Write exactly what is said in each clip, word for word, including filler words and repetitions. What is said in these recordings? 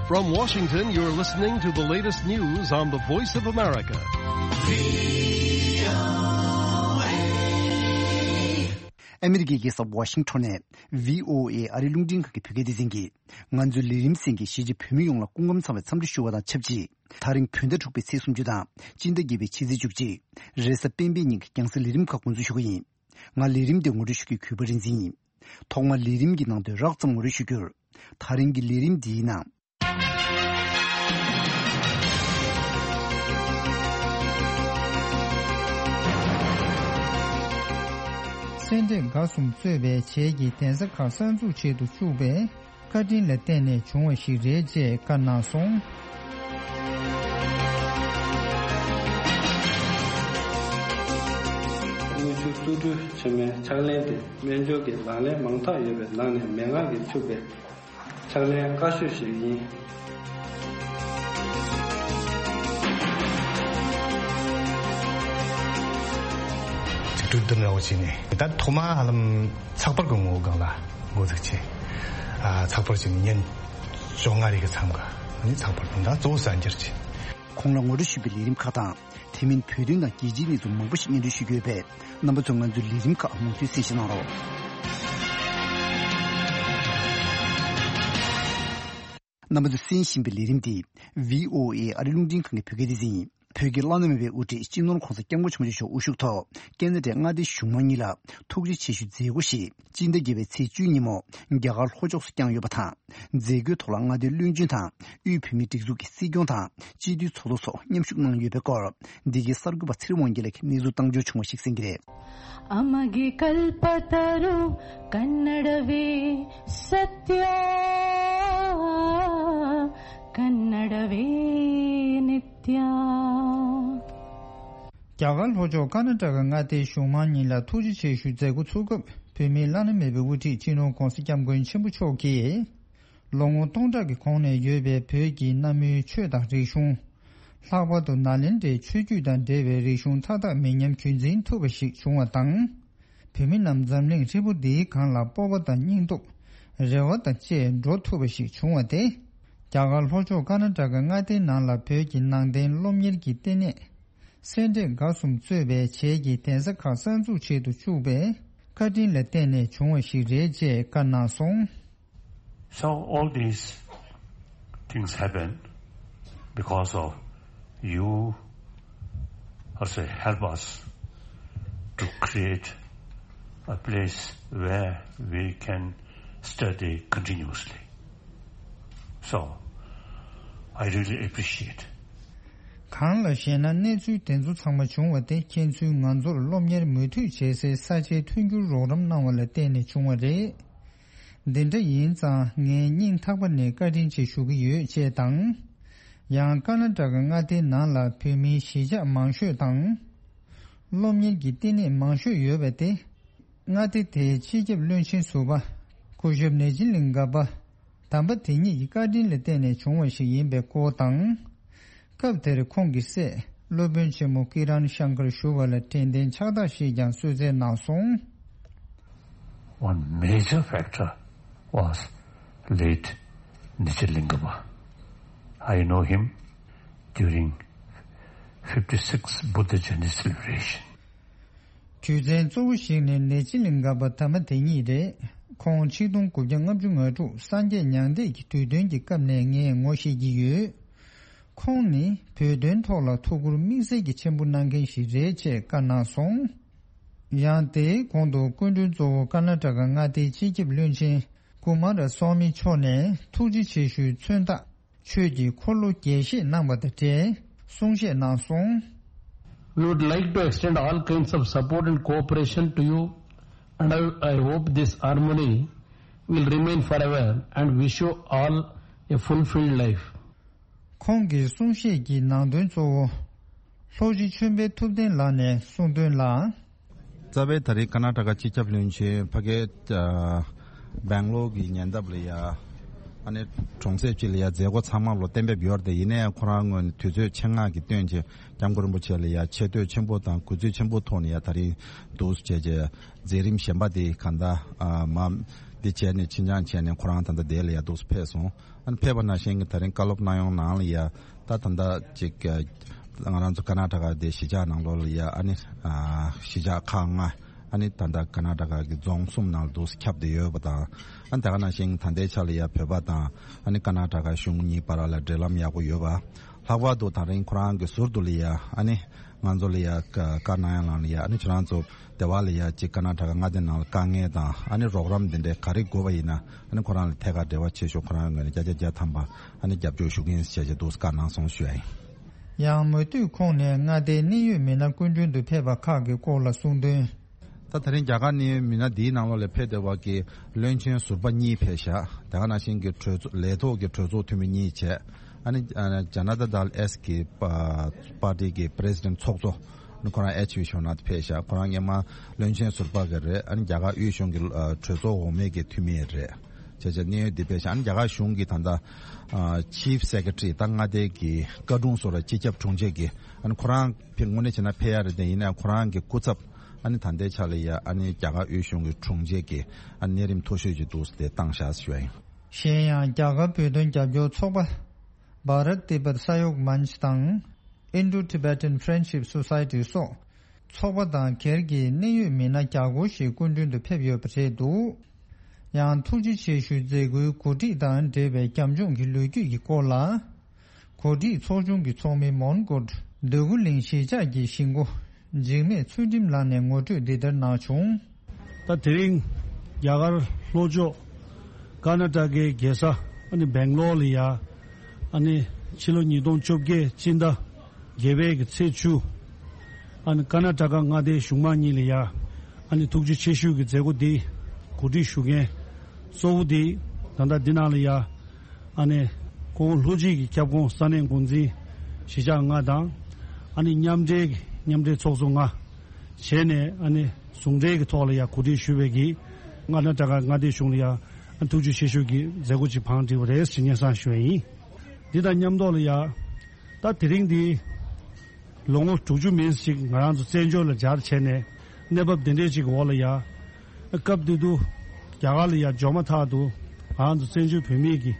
From Washington, you're listening to the latest news on the Voice of America. ཨ་མི་རི་ཀའི་རྒྱལ་ས་ཝ་ཤིང་ཊོན་ནས་བྷི་ཨོ་ཨེ་ཨ་རིའི་རླུང་འཕྲིན་ཁང་གི་བོད་སྐད་སྡེ་ཚན་གྱིས། ང་ཚོའི་ལས་རིམ་གསན་མཁན་གཞིས་བྱེས་བོད་མི་ཡོངས་ལ་སྐུ་ཁམས་བཟང་བའི་འཚམས་འདྲི་ཞུ་བ་དང་ཆབས་ཅིག་ད་རིང་བོད་ཟླ་དྲུག་པའི་ཚེས་སུམ་ཅུ་དང་སྤྱི་ཟླ་བརྒྱད་པའི་ཕྱི་ཚེས་བཅུ་གཅིག་རེས་གཟའ་སྤེན་པའི་ཉིན་གྱི་རྒྱང་སྲིང་ལས་རིམ་ཁག་འགོ་འཛུགས་ཞུ་གི་ཡིན། ང་ལས་རིམ་འདི་ངོ་སྤྲོད་ཞུ་མཁན་གུས་པ་རིག་འཛིན་ཡིན། ཐོག་མར་ལས་རིམ་གྱི་ནང་དོན་རགས་ཙམ་ངོ་སྤྲོད་ཞུ་རྒྱུར། ད་རིང་གི་ལས་རིམ་འདིའི་ནང་། སེ་འབྲས་དགའ་གསུམ་གཙོས་པའི་བྱེས་ཀྱི་གདན་ས་ཁག་གསར་འཛུགས་བྱེད་དུ་བཅུག་པའི་བཀའ་དྲིན་ལ་བརྟེན་ནས་བྱུང་བ་ཞིག་རེད་ཅེས་བཀའ་གནང་སོང་། དངུལ་ཆུ་བཙོག་འབྲུ་ཆེན་མོའི་ཕྱག་ལེན་དེ་སྨན་སྦྱོར་གྱི་ལག་ལེན་མང་དག་ཡོད་པའི་ནང་ནས་མན་ངག་གིས་ཕྱུག་པའི་ཕྱག་ལེན་དཀའ་ཤོས་ཤིག་ཡིན། ཅིག་གྲོས་བསྡུར་འདྲ་བོ་བྱས་ནས་ད་ཐོག་མ་ཧ་ལམ་ཚགས་པར་གྱི་ངོ་བོ་སྒང་ལ་འགོ་འཛུགས་བྱས། ཨ་ཚགས་པར་བྱས་ནས་ཉིན་བཅོ་ལྔ་རེ་གི་མཚམས་ཀ་ནི་ཚགས་པར་དང་ད་གཙོ་བོ་གསར་འགྱུར་བྱས། ཁོང་ལ་ངོ་སྤྲོད་ཞུས་པའི་ལས་རིམ་ཁག་དང་། དེ་མིན་བོད་དོན་དང་རྒྱལ་སྤྱིའི་གནས་ཚུལ་མང་པོ་ཞིག་སྙན་སྒྲོན་ཞུ་རྒྱུ་ཡོད་པས། རྣམ་པ་ཚོས་ང་ཚོའི་ལས་རིམ་ཁག་མུ་མཐུད་གསན་བཞེས་གནང་རོགས། རྣམ་པ་ཚོས་གསན་བཞིན་པའི་ལས་རིམ་འདི་བྷི་ཨོ་ཨེ་ཨ་རིའི་རླུང་འཕྲིན་ཁང་གི་བོད་སྐད་སྡེ་ཚན་ཡིན། བོད་ཀྱི་བླ་ན་མེད་པའི་དབུ་ཁྲིད་སྤྱི་ནོར་༧གོང་ས་༧སྐྱབས་མགོན་ཆེན་པོ་མཆོག་དབུ་བཞུགས་ཐོག་ཀེ་ན་ཌའི་མངའ་སྡེ་གཞུང་མང་གཉིས་ལ་ཐུགས་རྗེ་ཆེ་ཞུའི་མཛད་སྒོ་ཞིག་སྤྱི་ཟླ་བརྒྱད་པའི་ཚེས་བཅུའི་ཉིན་མོ་རྒྱ་གར་ལྷོ་ཕྱོགས་སུ་བསྐྱངས་ཡོད་པ་དང་། མཛད་སྒོའི་ཐོག་ལ་མངའ་སྡེའི་བློན་ཆེན་དང་དབུས་བོད་མིའི་སྒྲིག་འཛུགས་ཀྱི་སྲིད་སྐྱོང་དང་སྤྱི་འཐུས་ཚོགས་གཙོ་སོགས་མཉམ་ཞུགས་གནང་ཡོད་པའི་སྐོར། འདི་གའི་གསར་འགོད་པ་ཚེ་རིང་དབང་རྒྱལ་ལགས་ཀྱིས་གནས་ཚུལ་བཏང་འབྱོར་བྱུང་བ་ཞིག་གསན་གྱི་རེད། अमगे कल्पतरु कन्नडवे सत्य कन्नडवे नित्य རྒྱ་གར་ལྷོ་ཕྱོགས་ཀར་ན་ཊ་ཀ་མངའ་སྡེའི་གཞུང་མང་གཉིས་ལ་ཐུགས་རྗེ་ཆེ་ཞུའི་མཛད་སྒོ་ཚུགས་སྐབས། བོད་མིའི་བླ་ན་མེད་པའི་དབུ་ཁྲིད་སྤྱི་ནོར་༧གོང་ས་༧སྐྱབས་མགོན་ཆེན་པོ་མཆོག་གིས། ལོ་ངོ་སྟོང་ཕྲག་གི་གོང་ནས་ཡོད་པའི་བོད་ཀྱི་གནའ་མིའི་ཆོས་དང་རིག་གཞུང་། ལྷག་པར་དུ་ནཱ་ལེནྡྲའི་ཆོས་བརྒྱུད་དང་འབྲེལ་བའི་རིག་གཞུང་མཐའ་དག་མི་ཉམས་རྒྱུན་འཛིན་ཐུབ་པ་ཞིག་བྱུང་བ་དང་། བོད་མི་རྣམས་འཛམ་གླིང་ཧྲིལ་པོ་འདིའི་སྒང་ལ་སྤོབས་པ་དང་སྙིང་སྟོབས། རེ་བ་དང་བཅས་འགྲོ་ཐུབ་པ་ཞིག་བྱུང་བ་དེ། རྒྱ་གར་ལྷོ་ཕྱོགས་ཀར་ན་ཊ་ཀ་མངའ་སྡེའི་ནང་ལ་བོད་ཀྱི་ནང་བསྟན་སློབ་གཉེར་གྱི་ལྟེ་གནས། སེ་འབྲས་དགའ་གསུམ་གཙོས་པའི་བྱེས་ཀྱི་གདན་ས་ཁག་གསར་འཛུགས་བྱེད་དུ་བཅུག་པའི་བཀའ་དྲིན་ལ་བརྟེན་ནས་བྱུང་བ་ཞིག་རེད་ཅེས་བཀའ་གནང་སོང་། So all these things happen because of you also help us to create a place where we can study continuously. So, I really appreciate. གང་ལ་ཞེ་ན། གནས་ཚུལ་དེ་ཚོ་ཚང་མ་བྱུང་བ་དེ་ཁྱེད་ཚོས་ང་ཚོར་སློབ་གཉེར་མུ་མཐུད་བྱེད་སའི་ས་ཆའི་མཐུན་འགྱུར་རོགས་རམ་གནང་བ་ལ་བརྟེན་ནས་བྱུང་བ་རེད། འདི་འདྲ་ཡིན་ཙང་ངས་སྙིང་ཐག་པ་ནས་བཀའ་དྲིན་ཆེ་ཞུ་གི་ཡོད་ཅེས་དང་། ཡང་ཀར་ན་ཊ་ཀ་མངའ་སྡེའི་ནང་ལ་བོད་མིའི་གཞིས་ཆགས་མང་ཤོས་དང་། སློབ་གཉེར་གྱི་ལྟེ་གནས་མང་ཤོས་ཡོད་པ་དེ། མངའ་སྡེ་དེའི་སྤྱི་ཁྱབ་བློན་ཆེན་ཟུར་པ། སྐུ་ཞབས་ནེ་ཅི་ལིང་ག་པ། དམ་པ་དེ་ཉིད་ཀྱི་བཀའ་དྲིན་ལ་བརྟེན་ནས་བྱུང་བ་ཞིག་ཡིན་པའི་སྐོར་དང་། སྐབས་དེར་ཁོང་གི་སྲས་སློབ་དཔོན་ཆེན་མོ་ཀི་རན་ཤང་ཀར་ཞུ་བ་ལ་དྲན་རྟེན་ཕྱག་རྟགས་ཤིག་ཀྱང་གསོལ་སྩལ་གནང་སོང་། One major factor was late Nijalingama. I know him during fifty-six Buddha Jayanti celebration. རྒྱུ་མཚན་གཙོ་བོ་ཞིག་ནི་ནེ་ཅི་ལིང་ག་པ་དམ་པ་དེ་ཉིད་རེད། ཁོང་ཆིག་སྟོང་དགུ་བརྒྱ་ལྔ་བཅུ་ང་དྲུག་སངས་རྒྱས་མྱང་འདས་ཀྱི་དུས་སྟོན་གྱི་སྐབས་ནས་ངས་ངོ་ཤེས་ཀྱི་ཡོད། ཁོང་ནི་བོད་དོན་ཐོག་ལ་ཐུགས་ཁུར་དམིགས་བསལ་གྱི་ཆེན་པོ་གནང་མཁན་ཞིག་རེད་ཅེས་བཀའ་གནང་སོང་། ཡང་དེའི་གོང་དུ་སྐུ་མགྲོན་གཙོ་བོ་ཀར་ན་ཊ་ཀ་མངའ་སྡེའི་སྤྱི་ཁྱབ་བློན་ཆེན་ཀུ་མ་ར་སྭ་མི་མཆོག་ནས་ཐུགས་རྗེ་ཆེ་ཞུའི་མཚོན་རྟགས། ཆོས་ཀྱི་འཁོར་ལོ་རྒྱས་བཤད་གནང་བ་དང་འབྲེལ་གསུང་བཤད་གནང་སོང་། We would like to extend all kinds of support and cooperation to you, and I, I hope this harmony will remain forever and wish you all a fulfilled life. ཁོང་གི་གསུང་བཤད་ཀྱི་ནང་དོན་གཙོ་བོ། ལྷོ་སྤྱི་ཆོས་འཕེལ་ཐུབ་བསྟན་ལགས་ནས་གསུངས་དོན་ལ། རྩ་བའི་ད་རེས་ཀར་ན་ཊ་ཀ་སྤྱི་ཁྱབ་བློན་ཆེན་ཕ་གིའི་ཨ་སྦེང་ལོར་གྱི་ཉེ་འདབས་ལ་ཡ་ ཨ་ནི་གྲོང་གསེབ་ཅིག་ལ་ཡ་མཛད་སྒོ་ཚང་མ་ལོ་གཏན་འབེབས་ཡོད་རེད་དེ། ཡིན་ནའི་ཁོ་རང་ངོས་ནས་དུས་ཚོད་ཆེད་མངགས་ཀྱི་བཏོན་བྱས་སྐྱབས་མགོན་རིན་པོ་ཆེ་ལ་ཡ་ཆེ་བསྟོད་ཆེན་པོ་དང་གུས་བརྩི་ཆེན་པོ་ཐོག་ནས་ཡ་ད་རིང་འདུག་སེ་བྱས་བྱས་མཛད་རིམ་གཞན་པ་དེ་གང་ལྟར་ཨ་མ་འདི་བྱས་ནས་ཕྱི་འགྱངས་བྱས་ནས་ཁོ་རང་ད་ལྟ་དེ་ལ་ཡ་འདུག་སེ་ཕེབས་སོང་། ཨ་ནི་ཕེབས་པ་ནང་བཞིན་གྱི་ད་རིང་བཀའ་སློབ་གནང་ཡོང་ནང་ལ་ཡ་ད་ད་ལྟ་ཅིག་ང་རང་ཚོ་ཀར་ནཱ་ཊ་ཀ་དེ་གཞིས་ཆགས་ནང་ལོགས་ལ་ཡ་ཨ་ནི་གཞིས་ཆགས་ཁག་ལྔ། ཨ་ནི་ད་ལྟ་ཀར་ནཱ་ཊ་ཀ་གི་རྫོང་གསུམ་ནང་ལ་འདུག་སེ་ཁྱབ་བསྡད་ཡོད་པ་དང་། ཨ་ནི་ད་ག་ནང་བཞིན་ད་ལྟའི་ཆ་ལ་ཡ་བོད་པ་དང་ཨ་ནི་ཀར་ནཱ་ཊ་ཀ་གཞུང་གཉིས་བར་ལ་འབྲེལ་ལམ་ཡག་པོ་ཡོད་པ། ལྷག་པར་དུ་ད་རིང་ཁོ་རང་གི་ཟུར་དུ་ལ་ཡ་ཨ་ནི་ང་ཚོ་ལ་ཡ་བཀའ་གནང་ཡ་ལང་ལ་ཡ་ཨ་ནི་ཁྱོད་རང་ཚོ་སྡེ་བ་ལ་ཡ་ཅིག་ཀར་ནཱ་ཊ་ཀ་མངའ་སྡེ་ནང་ལ་དཀའ་ངལ་དང་ཨ་ནི་རོགས་རམ་འདི་འདྲའི་ག་རེ་དགོས་པ་ཡིན་ན་ཨ་ནི་ཁོ་རང་ལ་ཐད་ཀར་འབྲེལ་བ་བྱེད་ཤོག་ཁོ་རང་ངོས་ནས་བརྒྱ་ཆ་བརྒྱ་ཐམ་པ་ཨ་ནི་རྒྱབ་སྐྱོར་ཞུ་གི་ཡིན་ཞེས་བྱས་འདུག་སེ་བཀའ་གནང་སོང་ཞུ་ཡ་ཡིན། ཡང་མུ་མཐུད་ཁོང་ནས་མངའ་སྡེའི་གནད་ཡོད་མི་སྣ་སྐུ་མགྲོན་དུ་ཕེབས་པ་ཁག་གི་སྐོར་ལ་གསུངས་དོན། ད་ད་རིང་རྒྱ་གར་གནད་ཡོད་མི་སྣ་འདིའི་ནང་ལོགས་ལ་ཕེབས་བསྡད་པ་གི་བློན་ཆེན་ཟུར་པ་གཉིས་ཕེབས་ཤག་དེ་ག་ནང་བཞིན་གྱི་གྲོས་ཚོགས་ལས་ཐོག་གི་གྲོས་ཚོགས་འཐུས་མི་གཉིས་བྱས། ཨ་ནི་ཨ་ནི་ཇ་ན་ཏ་དལ་ཨེས་གི་པ་པར་ཏི་གི་པི་རེ་སི་ཌེན་ཊི་ཚོགས་གཙོ་ནི་ཁོ་རང་ཨེཆ་བི་ཤོ་ནཱ་ཐ་ཕེབས་ཤག་ཁོ་རང་སྔོན་མ་བློན་ཆེན་ཟུར་པ་གི་རེད། ཨ་ནི་རྒྱ་གར་དབུས་གཞུང་གི་ཨ་གྲོས་ཚོགས་འོག་མའི་གི་འཐུས་མི་རེད། བྱས་བྱས་གནད་ཡོད་འདི་ཕེབས་ཤག་ཨ་ནི་རྒྱ་གར་གཞུང་གི་ད་ལྟ་ཨ་ཆིབ་སེ་ཀེ་ཊི་རི་ད་མངའ་སྡེ་གི་བཀའ་དྲུང་སོགས་ལ་སྤྱི་ཁྱབ་དྲུང་ཆེ་གི་ཨ་ནི་ཁོ་རང་ཕེབས་དངོས་གནས་བྱས་ན་ཕེབས་ཡ་རེད་དེ། ཡིན་ནའང་ཁོ་རང་གི་སྐུ་ཚབ་ཨ་ནི་ད་ལྟའི་ཆ་ལ་ཡ་ཨ་ནི་རྒྱ་གར་དབུས་གཞུང་གི་དྲུང་ཆེ་གི་ཨ་ནི་གནས་རིམ་མཐོ་ཤོས་ཅིག་འདུག་སེ་བཏང་ཤག་ཞུ་ཡ་ཡིན། གཞན་ཡང་རྒྱ་གར་བོད་དོན་རྒྱབ་སྐྱོར་ཚོགས་པ་Bharat Tibet Sahyog Manch དང་Indo Tibetan Friendship Society སོགས་ཚོགས་པ་དང་སྒེར་གྱི་གནད་ཡོད་མི་སྣ་བརྒྱ་སྐོར་ཞིག་སྐུ་མགྲོན་དུ་ཕེབས་ཡོད་པ་རེད་འདུག་ཡང་ཐུགས་རྗེ་ཆེ་ཞུའི་མཛད་སྒོའི་གོ་སྒྲིག་དང་འབྲེལ་བའི་རྒྱབ་ལྗོངས་ཀྱི་ལོ་རྒྱུས་ཀྱི་སྐོར་ལ། གོ་སྒྲིག་ཚོགས་ཆུང་གི་ཚོགས་མི་མོན་གྷོ་འདོད་རྒུ་གླིང་གཞིས་ཆགས་ཀྱི་གཞིས་འགོ་འཇིགས་མེད་ཚུལ་ཁྲིམས་ལགས་ནས་ངོ་སྤྲོད་འདི་ལྟར་གནང་བྱུང་། ད་དེ་རིང་རྒྱ་གར་ལྷོ་ཕྱོགས་ཀར་ནཱ་ཊ་ཀའི་རྒྱལ་ས་ཨ་ནི་སྦེང་ལོར་ལ་ཡ་ཨ་ནི་ཕྱི་ལོ་ཉིས་སྟོང་བཅོ་བརྒྱད་སྤྱི་ཟླ་བརྒྱད་པའི་གི་ཚེས་བཅུ། ཨ་ནི་ཀར་ནཱ་ཊ་ཀ་མངའ་སྡེའི་གཞུང་མང་གཉིས་ལ་ཡ་ཨ་ནི་ཐུགས་རྗེ་ཆེ་ཞུ་གི་མཛད་སྒོ་འདི་གོ་སྒྲིག་ཞུ་མཁན་གཙོ་བོ་འདི་ད་ལྟ་འདི་ནང་ལ་ཡ་ཨ་ནི་ཁོང་ལྷོ་སྤྱི་གི་ཁྱབ་ཁོངས་ས་གནས་འགོ་འཛིན་གཞིས་ཆགས་ལྔ་དང་ཨ་ནི་མཉམ་འབྲེལ་གྱི་མཉམ་འབྲེལ་ཚོགས་གཙོ་ལྔ་བྱས་ནས་ཨ་ནི་ཟུང་འབྲེལ་གྱི་ཐོག་ལ་ཡ་གོ་སྒྲིག་ཞུ་བའི་གི་ཀར་ནཱ་ཊ་ཀ་མངའ་སྡེའི་གཞུང་ལ་ཡ་ཨ་ཐུགས་རྗེ་ཆེ་ཞུ་གི་མཛད་སྒོ་ཅིག་བང་བསྒྲིགས་པ་རེད་ཟེར་སྙན་སེང་ཞུ་བ་ཡིན། འདི་དང་མཉམ་དུ་ལ་ཡ། ད་དེ་རིང་འདི་ལོ་ངོ་དྲུག་ཅུ་མིན་ཞིག་ང་རང་ཚོ་བཙན་བྱོལ་ལ་འབྱོར་བྱས་ནས་གནས་བབ་འདི་འདྲའི་ཅིག་འོག་ལ་ཡ། སྐབས་དེ་དུས་རྒྱ་གར་ལ་ཡ་འབྱོར་མ་ཐག་ཏུ་ང་རང་ཚོ་བཙན་བྱོལ་བོད་མིའི་གི་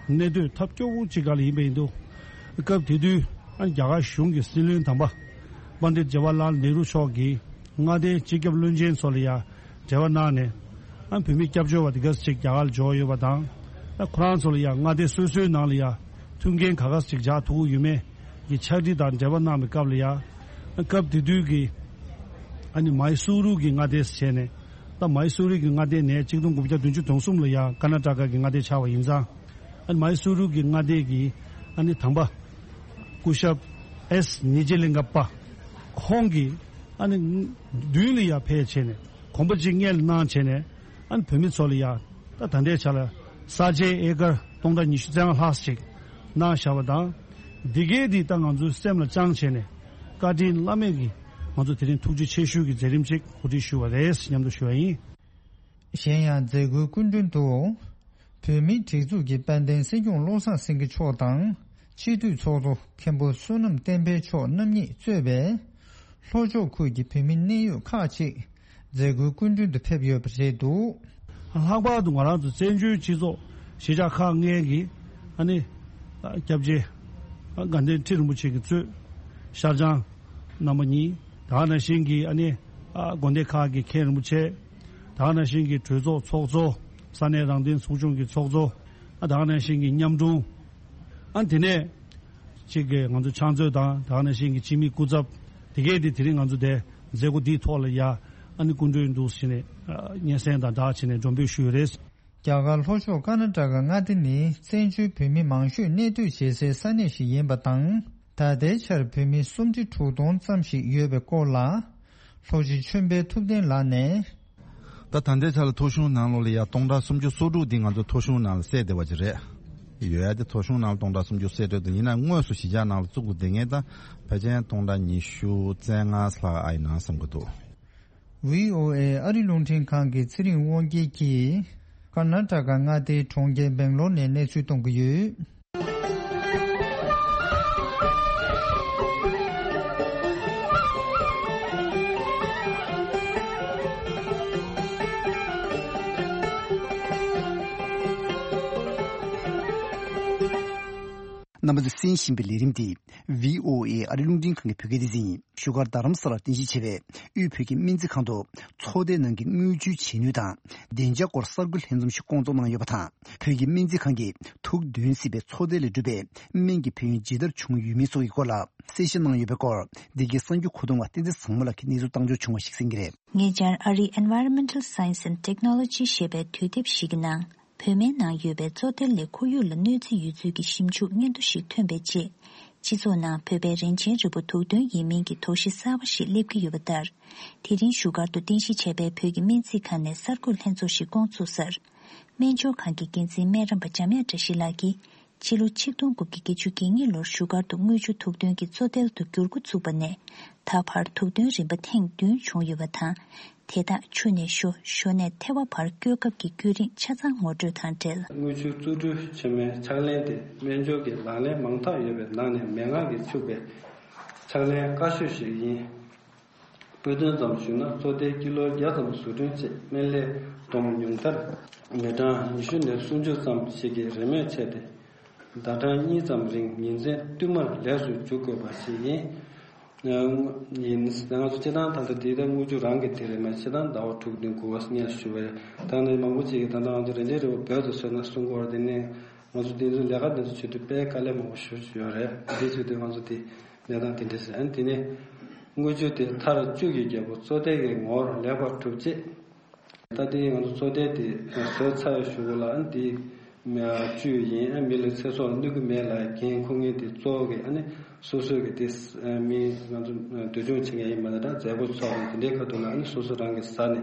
གནས་སྡོད་ཐབས་སྐྱོ་བོ་ཅིག་ག་ལ་ཡིན་པ་ཡིན་དུས། སྐབས་དེ་དུས་ཨ་རྒྱ་གར་གཞུང་གི་སྲིད་བློན་དམ་པ་པཎྜི་ཏ་ཇ་ཝ་ཧར་ལཱལ་ནེ་རུ་མཆོག་གིས་མངའ་སྡེའི་སྤྱི་ཁྱབ་བློན་ཆེན་ཚོ་ལ་ཡ་འབྲེལ་བ་གནང་ནས། ཨ་བོད་མི་སྐྱབས་བཅོལ་བ་དེ་ག་ཚོད་ཅིག་རྒྱ་གར་ལ་འབྱོར་ཡོད་པ་དང་། ཨ་ཁོ་རང་ཚོ་ལ་ཡང་མངའ་སྡེ་སོ་སོའི་ནང་ལ་ཡང་མཐུན་རྐྱེན་ག་ག་ཚོད་ཅིག་སྦྱར་ཐུབ་ཀྱི་ཡོད་མེད་ཀྱི་ཕྱག་བྲིས་དང་འབྲེལ་བ་གནང་བའི་སྐབས་ལ་ཡང་། ཨ་སྐབས་དེ་དུས་ཀྱི་ཨ་ནི་མའི་སུ་རུ་གི་མངའ་སྡེ་ཟེར་བྱས་ནས། ད་མའི་སུ་རུ་གི་མངའ་སྡེ་ནས་གཅིག་སྟོང་དགུ་བརྒྱ་བདུན་ཅུ་དོན་གསུམ་ལ་ཡང་ཀར་ནཱ་ཊ་ཀ་གི་མངའ་སྡེ་ཆགས་པ་ཡིན་ཙང་། ཨ་ནི་མའི་སུ་རུ་གི་མངའ་སྡེ་གི་ཨ་ནི་དམ་པ་སྐུ་ཞབས་ཨེས་ཉི་ཇེ་ལིང་ག་པ་ཁོང་གིས་ཨ་ནི་མདུན་ལ་ཡང་ཕེབས་བྱས་ནས་གོམ་པ་གཅིག་སྔོན་ལ་གནང་བྱས་ནས། ཨ་ནི་བོད་མི་ཚོ་ལ་ཡ། ད་ད་ལྟའི་ཆ་ལ་ས་ཆའི་ཨེ་ཀར་སྟོང་ཕྲག་ཉི་ཤུ་རྩ་ལྔ་ལྷག་ཅིག་གནང་བཞག་པ་དང་། འདི་གའི་འདི་ད་ང་ཚོའི་སེམས་ལ་བཅངས་བྱས་ནས་བཀའ་དྲིན་བླ་མེད་ཀྱི་ང་ཚོ་དེ་རིང་ཐུགས་རྗེ་ཆེ་ཞུ་གི་མཛད་རིམ་ཅིག་གོ་སྒྲིག་ཞུ་བ་རེད་སྙམ་དུ་ཞུ་བ་ཡིན། གཞན་ཡང་མཛད་སྒོའི་སྐུ་མགྲོན་དུ། བོད་མིའི་སྒྲིག་འཛུགས་ཀྱི་དཔལ་ལྡན་སྲིད་སྐྱོང་བློ་བཟང་སེང་གེ་མཆོག་དང་། སྤྱི་འཐུས་ཚོགས་གཙོ་མཁན་པོ་བསོད་ནམས་བསྟན་འཕེལ་མཆོག་རྣམ་གཉིས་གཙོས་པའི་ལྷོ་ཕྱོགས་ཁུལ་གྱི་བོད་མི་གནད་ཡོད་ཁག་ཅིག་མཛད་སྒོའི་སྐུ་མགྲོན་དུ་ཕེབས་ཡོད་པ་རེད་འདུག། ལྷག་པར་དུ་ང་རང་ཚོ་བཙན་བྱོལ་སྤྱི་ཚོགས་གཞིས་ཆགས་ཁག་ལྔའི་གི་ཨ་ནི་སྐྱབས་རྗེ་དགའ་ལྡན་ཁྲི་རིན་པོ་ཆེ་གི་གཙོས་ཤར་བྱང་རྣམ་པ་གཉིས། ད་ག་ནང་བཞིན་གྱི་ཨ་ནི་དགོན་སྡེ་ཁག་གི་མཁན་རིན་པོ་ཆེ། ད་ག་ནང་བཞིན་གྱི་གྲོས་ཚོགས་ཚོགས་གཙོ། ས་གནས་རང་བདེན་ཚོགས་ཆུང་གི་ཚོགས་གཙོ། ཨ་ད་ག་ནང་བཞིན་གྱི་མཉམ་དྲུང་། ཨ་དེ་ནས་གཅིག་གི་ང་ཚོ་ཕྱག་མཛོད་དང་ད་ག་ནང་བཞིན་གྱི་སྤྱི་མི་སྐུ་ཚབ་དེ་གས་དེ་དེ་རིང་ང་ཚོ་དེ་མཛད་སྒོ་འདིའི་ཐོག་ལ་ཡ་ཨ་ནི་སྐུ་མགྲོན་འདུག་ཟེར་ནས་སྙན་སེང་དང་སྦྲགས་བྱས་ནས་མགྲོན་འབོད་ཞུས་ཡོད་རེད། རྒྱ་གར་ལྷོ་ཕྱོགས་ཀར་ནཱ་ཊ་ཀ་མངའ་སྡེ་ནི་བཙན་བྱོལ་བོད་མི་མང་ཤོས་གནས་སྡོད་བྱེད་སའི་ས་གནས་ཤིག་ཡིན་པ་དང་། ད་ལྟའི་ཆར་བོད་མི་སུམ་ཁྲི་དྲུག་སྟོང་ཙམ་ཞིག་ཡོད་པའི་སྐོར་ལ། ལྷོ་སྤྱི་ཆོས་འཕེལ་ཐུབ་བསྟན་ལགས་ནས། ད་ད་ལྟའི་ཆར་ལ་ཐོ་གཞུང་ནང་ལོགས་ལ་ཡ་སྟོང་ཕྲག་སུམ་ཅུ་སོ་དྲུག་འདི་ང་ཚོ་ཐོ་གཞུང་ནང་ལ་གསལ་བསྡད་པ་ཅིག་རེད། ཡོད་ཡ་དེ་ཐོ་གཞུང་ནང་ལ་སྟོང་ཕྲག་སུམ་ཅུ་གསལ་བསྡད་འདུག། ཡིན་ན་དངོས་སུ་གཞིས་ཆགས་ནང་ལ་བཙུགས་པ་དེ་ངས་ད་ཕལ་ཆེར་སྟོང་ཕྲག་ཉི་ཤུ་རྩ་ལྔ་ལྷག་ཨ་ཡིན་ན་བསམ་གྱི་འདུག། བྷི་ཨོ་ཨེ་ཨ་རི་རླུང་འཕྲིན་ཁང་གི་ཚེ་རིང་དབང་རྒྱལ་གྱིས། ཀར་ནཱ་ཊ་ཀ་མངའ་སྡེའི་གྲོང་ཁྱེར་སྦེང་ལོར་ནས་གནས་ཚུལ་གཏོང་གི་ཡོད། རྣམ་པ་ཚོས་གསན་བཞིན་པའི་ལས་རིམ་འདི་བྷི་ཨོ་ཨེ་ཨ་རི་རླུང་འཕྲིན་ཁང་གི་བོད་སྐད་སྡེ་ཚན་ཡིན། བཞུགས་སྒར་རྡ་རམ་ས་ལར་རྟེན་གཞི་བྱས་པའི་དབུས་བོད་ཀྱི་སྨན་རྩིས་ཁང་དུ་ཚོགས་སྡེའི་ནང་གི་དངུལ་བཅོལ་བྱེད་ནུས་དང་བདེ་འཇགས་སྐོར་གསར་འགོད་ལྷན་འཛོམས་ཤིག་བསྐོང་ཚོགས་གནང་ཡོད་པ་དང་། བོད་ཀྱི་སྨན་རྩིས་ཁང་གིས་ཐུགས་འདུན་གཟིགས་པའི་ཚོགས་སྡེ་ལས་གྲུབ་པའི་སྨན་གྱི་ཕན་ཡོན་ཇི་ལྟར་བྱུང་ཡོད་མེད་སོགས་ཀྱི་སྐོར་ལ་གསལ་བཤད་གནང་ཡོད་པའི་སྐོར། འདི་གའི་གསར་འགྱུར་མཁོ་གཏོང་བ་བསྟན་འཛིན་བཟང་མོ་ལགས་ཀྱིས་གནས་ཚུལ་བཏང་འབྱོར་བྱུང་བ་ཞིག་གསན་གྱི་རེད། ཉེ་ཆར་ཨ་རིའི་Environmental Science and Technology ཞེས་པའི་དུས་དེབ་ཞིག་གི་ནང་། བོད་སྨན་ནང་ཡོད་པའི་བཙོ་ཐལ་ལས་ཁོར་ཡུག་ལ་གནོད་འཚེ་ཡོད་ཚུལ་གྱི་ཞིབ་འཇུག་སྙན་ཐོ་ཞིག་ཐོན་པའི་རྗེས། སྤྱི་ཚོགས་ནང་བོད་པའི་རིན་ཆེན་རིལ་བུ་དུག་འདོན་ཡིན་མིན་གྱི་དོགས་གཞི་གསར་པ་ཞིག་སླེབས་ཀྱི་ཡོད་པ་ལྟར། དེ་རིང་བཞུགས་སྒར་དུ་རྟེན་གཞི་བྱས་པའི་བོད་ཀྱི་སྨན་རྩིས་ཁང་ནས་གསར་འགོད་ལྷན་ཚོགས་ཤིག་བསྐོང་ཚུགས་སར། སྨན་སྦྱོར་ཁང་གི་འགན་འཛིན་སྨན་རམས་པ་འཇམ་དབྱངས་བཀྲ་ཤིས་ལགས་ཀྱིས། ཕྱི་ལོ་ཆིག་སྟོང་དགུ་བརྒྱ་བརྒྱད་ཅུ་གྱ་གཉིས་ལོར་བཞུགས་སྒར་དུ་དངུལ་ཆུ་དུག་འདོན་གྱི་བཙོ་ཐལ་དུ་འགྱུར་འགོ་ཚུགས་པ་ནས། ད་བར་དུག་འདོན་རིམ་པ་ཐེངས་བདུན་བྱུང་ཡོད་པ་དང་། དེ་དག་ཆུ་ནས་ཞོ། ཞོ་ནས་ཐལ་བ་བར་སྐྱོད་སྐབས་ཀྱི་བརྒྱུད་རིམ་ཆ་ཚང་ངོ་སྤྲོད་དང་འབྲེལ། དངུལ་ཆུ་བཙོ་བཀྲུ་བྱེད་མིའི་ཕྱག་ལེན་དེ་སྨན་སྦྱོར་གྱི་ལག་ལེན་མང་དག་ཡོད་པའི་ནང་ནས་མན་ངག་གིས་ཕྱུག་པའི་ཕྱག་ལེན་དཀའ་ཤོས་ཤིག་ཡིན། དཔེ་དོན་ཙམ་ཞུས་ན། བཙོ་ཐལ་ཀི་ལོ་བརྒྱ་ཙམ་བཟོ་སྐྲུན་བྱས། སྨན་ལས་བསྡོམས་ཉུང་མཐར་མི་གྲངས་ཉི་ཤུ་ནས་སུམ་ཅུ་ཙམ་ཞིག་གིས་རེས་མོས་བྱས་ཏེ། ཟླ་གྲངས་གཉིས་ཙམ་རིང་ཉིན་མཚན་བསྟུད་མར་ལས་སུ་འཇུག་དགོས་པ་ཞིག་ཡིན། ཡིན། ང་ཚོ་སྤྱིར་བཏང་ད་ལྟ་དེ་ལྟར་དངུལ་ཆུ་རང་གི་དེ་རེད་མ། སྤྱིར་བཏང་ཟླ་བ་དྲུག་བདུན་དགུ་བ་སྔོན་ཞུ་བའི། ད་ནི་མང་པོ་ཅིག་གིས་ད་ལྟ་ང་ཚོ་རིན་ཆེན་རིལ་བུ་བོད་དུ་བཟོས་ན་གསུང་གི་ཡོད་རེད། དེ་ནས་ང་ཚོ་དེ་ཚོའི་ལས་ཀ་དེ་ཚོ་བྱེད་དུས་དཔེ་དཀའ་ལས་མང་པོ་ཞེ་པོ་ཅིག་ཡོད་རེད། དེ་བྱེད་དུས་ང་ཚོ་དེ། གནས་སྟངས་དེ་འདྲ་ཞིག་ཨ་ནི་དེ་ནས་དངུལ་ཆུ་དེ་ཐར་བཅུ་གི་རྒྱལ་པོ་བཙོ་ཐལ་གྱི་ངོ་བོར་ལེགས་པར་གྲུབ་རྗེས། ད་ལྟའི་ང་ཚོ་བཙོ་ཐལ་དེ་བཟོས་ཚར་བའི་གཞུག་གུ་ལ་ཨ་ནི་དེ་བཅུད་ཡིན། ཨ་མི་ལ་ཚེ་སྲོག་ལ་གནོད་ཀྱི་མེད་ལབ་མཁན་ཁོ་ངའི་དེ་གཙོ་བོ་གི་ཨ་ནི་སོ་སོའི་གི་དེ་མི་ང་ཚོ་འདུལ་སྦྱོང་བྱེད་མཁན་ཡིན་པ་ནི་ད་མཛད་སྒོ་ཚོགས་དང་དེ་འདྲའི་ཁ་ཐུག་ལ་ཨ་ནི་སོ་སོ་རང་གི་ཟ་ནས།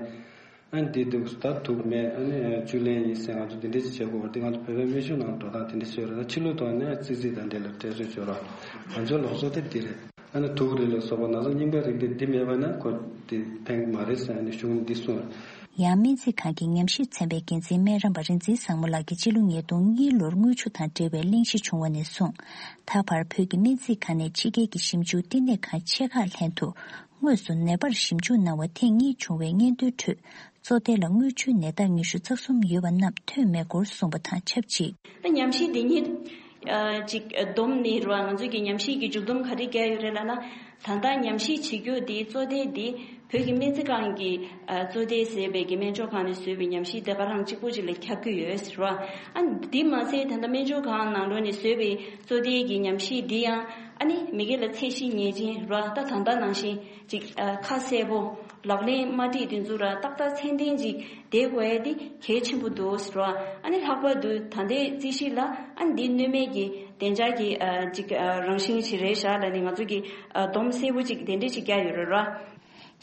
ཨ་ནི་འདི་འདུག་ད་དུག་མེད། ཨ་ནི་བཅུད་ལེན་ཡིན་ཟེར་ང་ཚོ་འདི་འདྲ་ཅིག་བྱེད་དགོས་པ་འདི་ང་ཚོ་བོད་པའི་སྨན་གཞུང་ནང་འགྲོ་སྟངས་དེ་འདྲ་ཞིག་ཡོད་རེད། ད་ཕྱི་ལོགས་ཐོག་ནས་ཙི་ཙི་དང་འབྲེལ་ལ་འབྲེལ་བཟོས་བྱོས་རོགས། ང་ཚོའི་ལུགས་སྲོལ་དེ་འདི་རེད། ཨ་ནི་དུག་རིགས་ལ་སོགས་པ་ན་ཚ་རྙིང་པའི་རིགས་དེ་འདི་མེད་པ་ན་ཁོ་འདི་ཕན་གི་མ་རེད་ཟེར་ཨ་ནི་གཞུང་འདི་གསུངས་རེད། ཡང་སྨན་རྩིས་ཁང་གི་ཉམས་ཞིབ་ཚན་པའི་འགན་འཛིན་སྨན་རམས་པ་རིག་འཛིན་བཟང་མོ་ལགས་ཀྱིས་ཕྱི་ལོ་ཉིས་སྟོང་གཉིས་ལོར་དངུལ་ཆུ་དང་འབྲེལ་བའི་གླེང་གཞི་བྱུང་བ་ནས་བཟུང་། ད་བར་བོད་ཀྱི་སྨན་རྩིས་ཁང་ནས་ཕྱི་རྒྱལ་གྱི་ཞིབ་འཇུག་བསྟི་གནས་ཁང་ཆེ་ཁག་ལྷན་དུ། དངོས་སུ་ནད་པར་ཞིབ་འཇུག་གནང་བ་ཐེངས་གཉིས་བྱུང་བའི་སྙན་ཐོའི་ཁྲོད། བཙོ་ཐལ་ལ་དངུལ་ཆུའི་ནད་རྟགས་ཉི་ཤུ་རྩ་གསུམ་ཡོད་པ་རྣམས་ཐོན་མེད་སྐོར་གསུངས་པ་དང་ཆབས་ཅིག་ད་ཉམས་ཞིབ་འདི་ཉིད་ཅིག་བསྡོམས་ནས་རེད་བ། ང་ཚོས་ཀྱི་ཉམས་ཞིབ་ཀྱི་མཇུག་བསྡོམས་ག་རེ་བརྒྱབ་ཡོད་རེད་ལབ་ན། ད་ལྟ་ཉམས་ཞིབ་བྱེད་རྒྱུ་འདི་བཙོ་ཐལ་འདི་བོད་ཀྱི་སྨན་རྩིས་ཁང་གི་བཙོ་ཐལ་ཟེར་བའི་གི་སྨན་སྦྱོར་ཁང་ནས་བཟོས་པའི་ཉམས་ཞིབ་དེ་ག་རང་གཅིག་པོ་ཅིག་ལ་ཁྱབ་ཀྱི་ཡོད་ཟེར་བ། ཨ་འདི་མ་ཟད་ད་ལྟ་སྨན་སྦྱོར་ཁང་ནང་ལོགས་ནས་བཟོས་པའི་བཙོ་ཐལ་གྱི་ཉམས་ཞིབ་འདི་ཡང་ཨ་ནི་མི་སྒེར་ལ་ཚད་གཞི་ངེས་ཅན་རེད་བ། ད་ད་ལྟ་ནང་བཞིན། ཅིག་ཁ་གསལ་པོ་ལག་ལེན་མ་བྲིས་དེ་ཚོ་ར་ཏག་ཏག་མཚན་ལྡན་ཅིག་བསྡད་དགོས་ཡ་དེ་གལ་ཆེན་པོ་འདུག་ཟེར་བ། ཨ་ནི་ལྷག་པར་དུ་ད་ལྟའི་རྩིས་གཞི་ལ་ཨ་ནི་འདི་གནོད་མེད་ཀྱི་བདེ་འཇགས་ཀྱི་ཅིག་རང་བཞིན་ཞིག་རེད་ཤག་ལབ་ནས་ང་ཚོ་གི་སྡོམ་གསལ་པོ་ཅིག་དེ་འདྲ་ཞིག་བརྒྱབ་ཡོད་རེད་ར།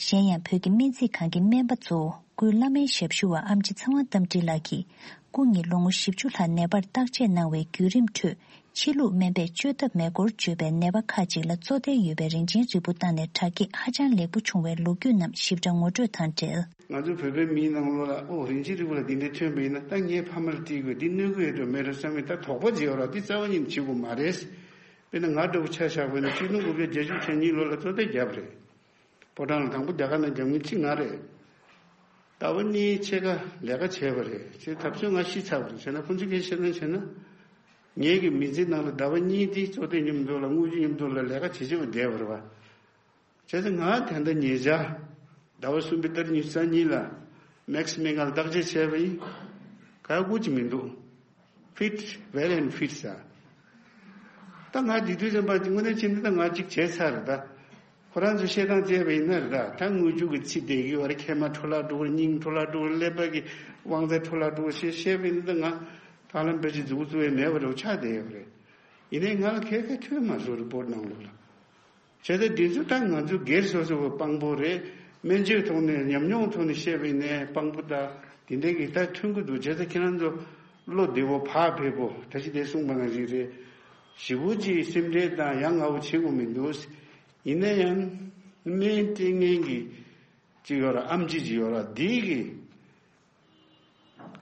གཞན་ཡང་བོད་ཀྱི་སྨན་རྩིས་ཁང་གི་སྨན་པ་གཙོ་བོ་སྐུའི་བླ་སྨན་ཞབས་ཞུ་བ་ཨེམ་ཆི་ཚེ་དབང་རྟ་མགྲིན་ལགས་ཀྱིས་སྐུ་ཉིད་ལོ་ངོ་བཞི་བཅུ་ལྷག་ནད་པར་བརྟག་དཔྱད་གནང་བའི་བརྒྱུད་རིམ་ཁྲོད། ཕྱི་ལུགས་སྨན་པས་བཅོས་ཐབས་མེད་སྐོར་བརྗོད་པའི་ནད་པ་ཁག་ཅིག་ལ་བཙོ་ཐལ་ཡོད་པའི་རིན་ཆེན་རིལ་བུ་བཏང་ནས་དྲག་སྐྱེད་ཧ་ཅང་ལེགས་པོ་བྱུང་བའི་ལོ་རྒྱུས་རྣམས་ཞིབ་ཕྲ་ངོ་སྤྲོད་དང་འབྲེལ། ང་ཚོ་བོད་པའི་མིའི་ནང་ལོགས་ལ་ཨོ་རིན་ཆེན་རིལ་བུ་ལ་འདི་འདྲ་ཐོན་པ་ཡིན་ན་ད་ངའི་ཕ་མར་སྤྲད་དགོས། འདི་གནོད་ཀྱི་ཡོད་འགྲོ་མེད་འགྲོ་བསམ་ཡིན། ད་དོགས་པ་ཅིག་ཡོད་ར། འདི་རྩ་བ་ཉིད་ནས་བྱེད་དགོས་མ་རེད། དཔེར་ན་ང་འདྲ་བོ་ཆ་བཞག་པ་ཡིན་ན་ཆིག་སྟོང་དགུ་བརྒྱ་བརྒྱད་ཅུ་གྱ་གཉིས་ལོ་ལ་བཙོ་ཐལ་བརྒྱབ་པ་རེད། ཕོ་བྲང་ལ་དང་པོ་རྒྱ་གར་ནང་རྒྱབ་མཁན་གཅིག་ང་རེད། ཟླ་བ་གཉིས་ཕྱེད་ཀ་ལས་ཀ་བྱས་པ་རེད། ཅེས་ཐབས་ཚུལ་ང་ཤི་ཚར་བ་རེད། བྱས་ན་ཁོང་ཚོས་སྐད་ཆ་བཤད་ན་བྱས་ན། ངེད་ཀྱི་མི་ཚེའི་ནང་ལ་ཟླ་བ་གཉིས་དེ་བཙོ་ཐལ་མཉམ་དུ་ལ་དངུལ་ཆུ་མཉམ་དུ་ལ་ལས་ཀ་བྱེད་བྱེད་པ་བསྡད་པ་རེད་བ། བྱས་ཙང་ང་ད་ལྟ་ཉེ་ཆར་ཟླ་བ་གསུམ་པའི་ཏ་རིག་ཉི་ཤུ་རྩ་གཉིས་ལ་མེག་སི་སྨན་ཁང་ལ་བརྟག་དཔྱད་བྱས་པ་ཡིན། ག་ཡ་དགོས་ཀྱི་མི་འདུག Fit, well and fit ཟེར། ད་ང་དེ་དུས་ཙམ་པ་དེ་དངོས་གནས་བྱས་ན་ད་ང་གཅིག་བྱས་ཚར་རེད་ད། ཁོ་རང་ཚོས་བཤད་སྟངས་བྱས་པ་ཡིན་ན་རེད་ད། ད་དངུལ་ཆུ་གི་ཚིག་བསྡད་ཀྱི་ཡོད་རེད། མཁལ་མ་འཕྲོ་བརླག་འགྲོ་གི་རེད། སྙིང་འཕྲོ་བརླག་འགྲོ་གི་རེད། ཀླད་པ་གི་དབང་རྩ་འཕྲོ་བརླག་འགྲོ་གི་རེད་ཞེས་བཤད་པ་ཡིན་ན་ད་ང་ད་ལམ་བེད་སྤྱོད་མཛུབ་གུ་བཙུགས་ཡས་མེད་པ་རེད་ཆགས་བསྡད་ཡོད་རེད། ཡིན་ནའི་ང་ལ་ག་གེ་ཐོན་མ་སོང་རི་པོར་ནང་ལོགས་ལ། བྱས་ཙང་འདི་ཚོ་ད་ང་ཚོ་སྒེར་སོ་སོ་བ་དཔང་པོ་རེད། སྨན་བཅོས་ཐོག་ནས་ཉམས་མྱོང་ཐོག་ནས་བཤད་པ་ཡིན་ནའི་དཔང་པོ་ད་དེ་འདྲའི་གི་ད་ཐོན་གི་འདུག་བྱས་ཙང་ཁྱེད་རང་ཚོ་བློ་བདེ་བོ་བག་ཕེབས་པོ་ད་ཅི་དེ་གསུངས་པ་ནང་བཞིན་རེད། ཞེ་པོ་ཅིག་སེམས་ཁྲལ་དང་ཡ་ང་བོ་བྱེད་དགོས་མི་འདུག་ཡིན་ན་ཡང་སྨན་སྤྲད་མཁན་གི་ཅིག་ཡོད་ར། ཨེམ་ཆི་ཅིག་ཡོད་ར། འདི་གི་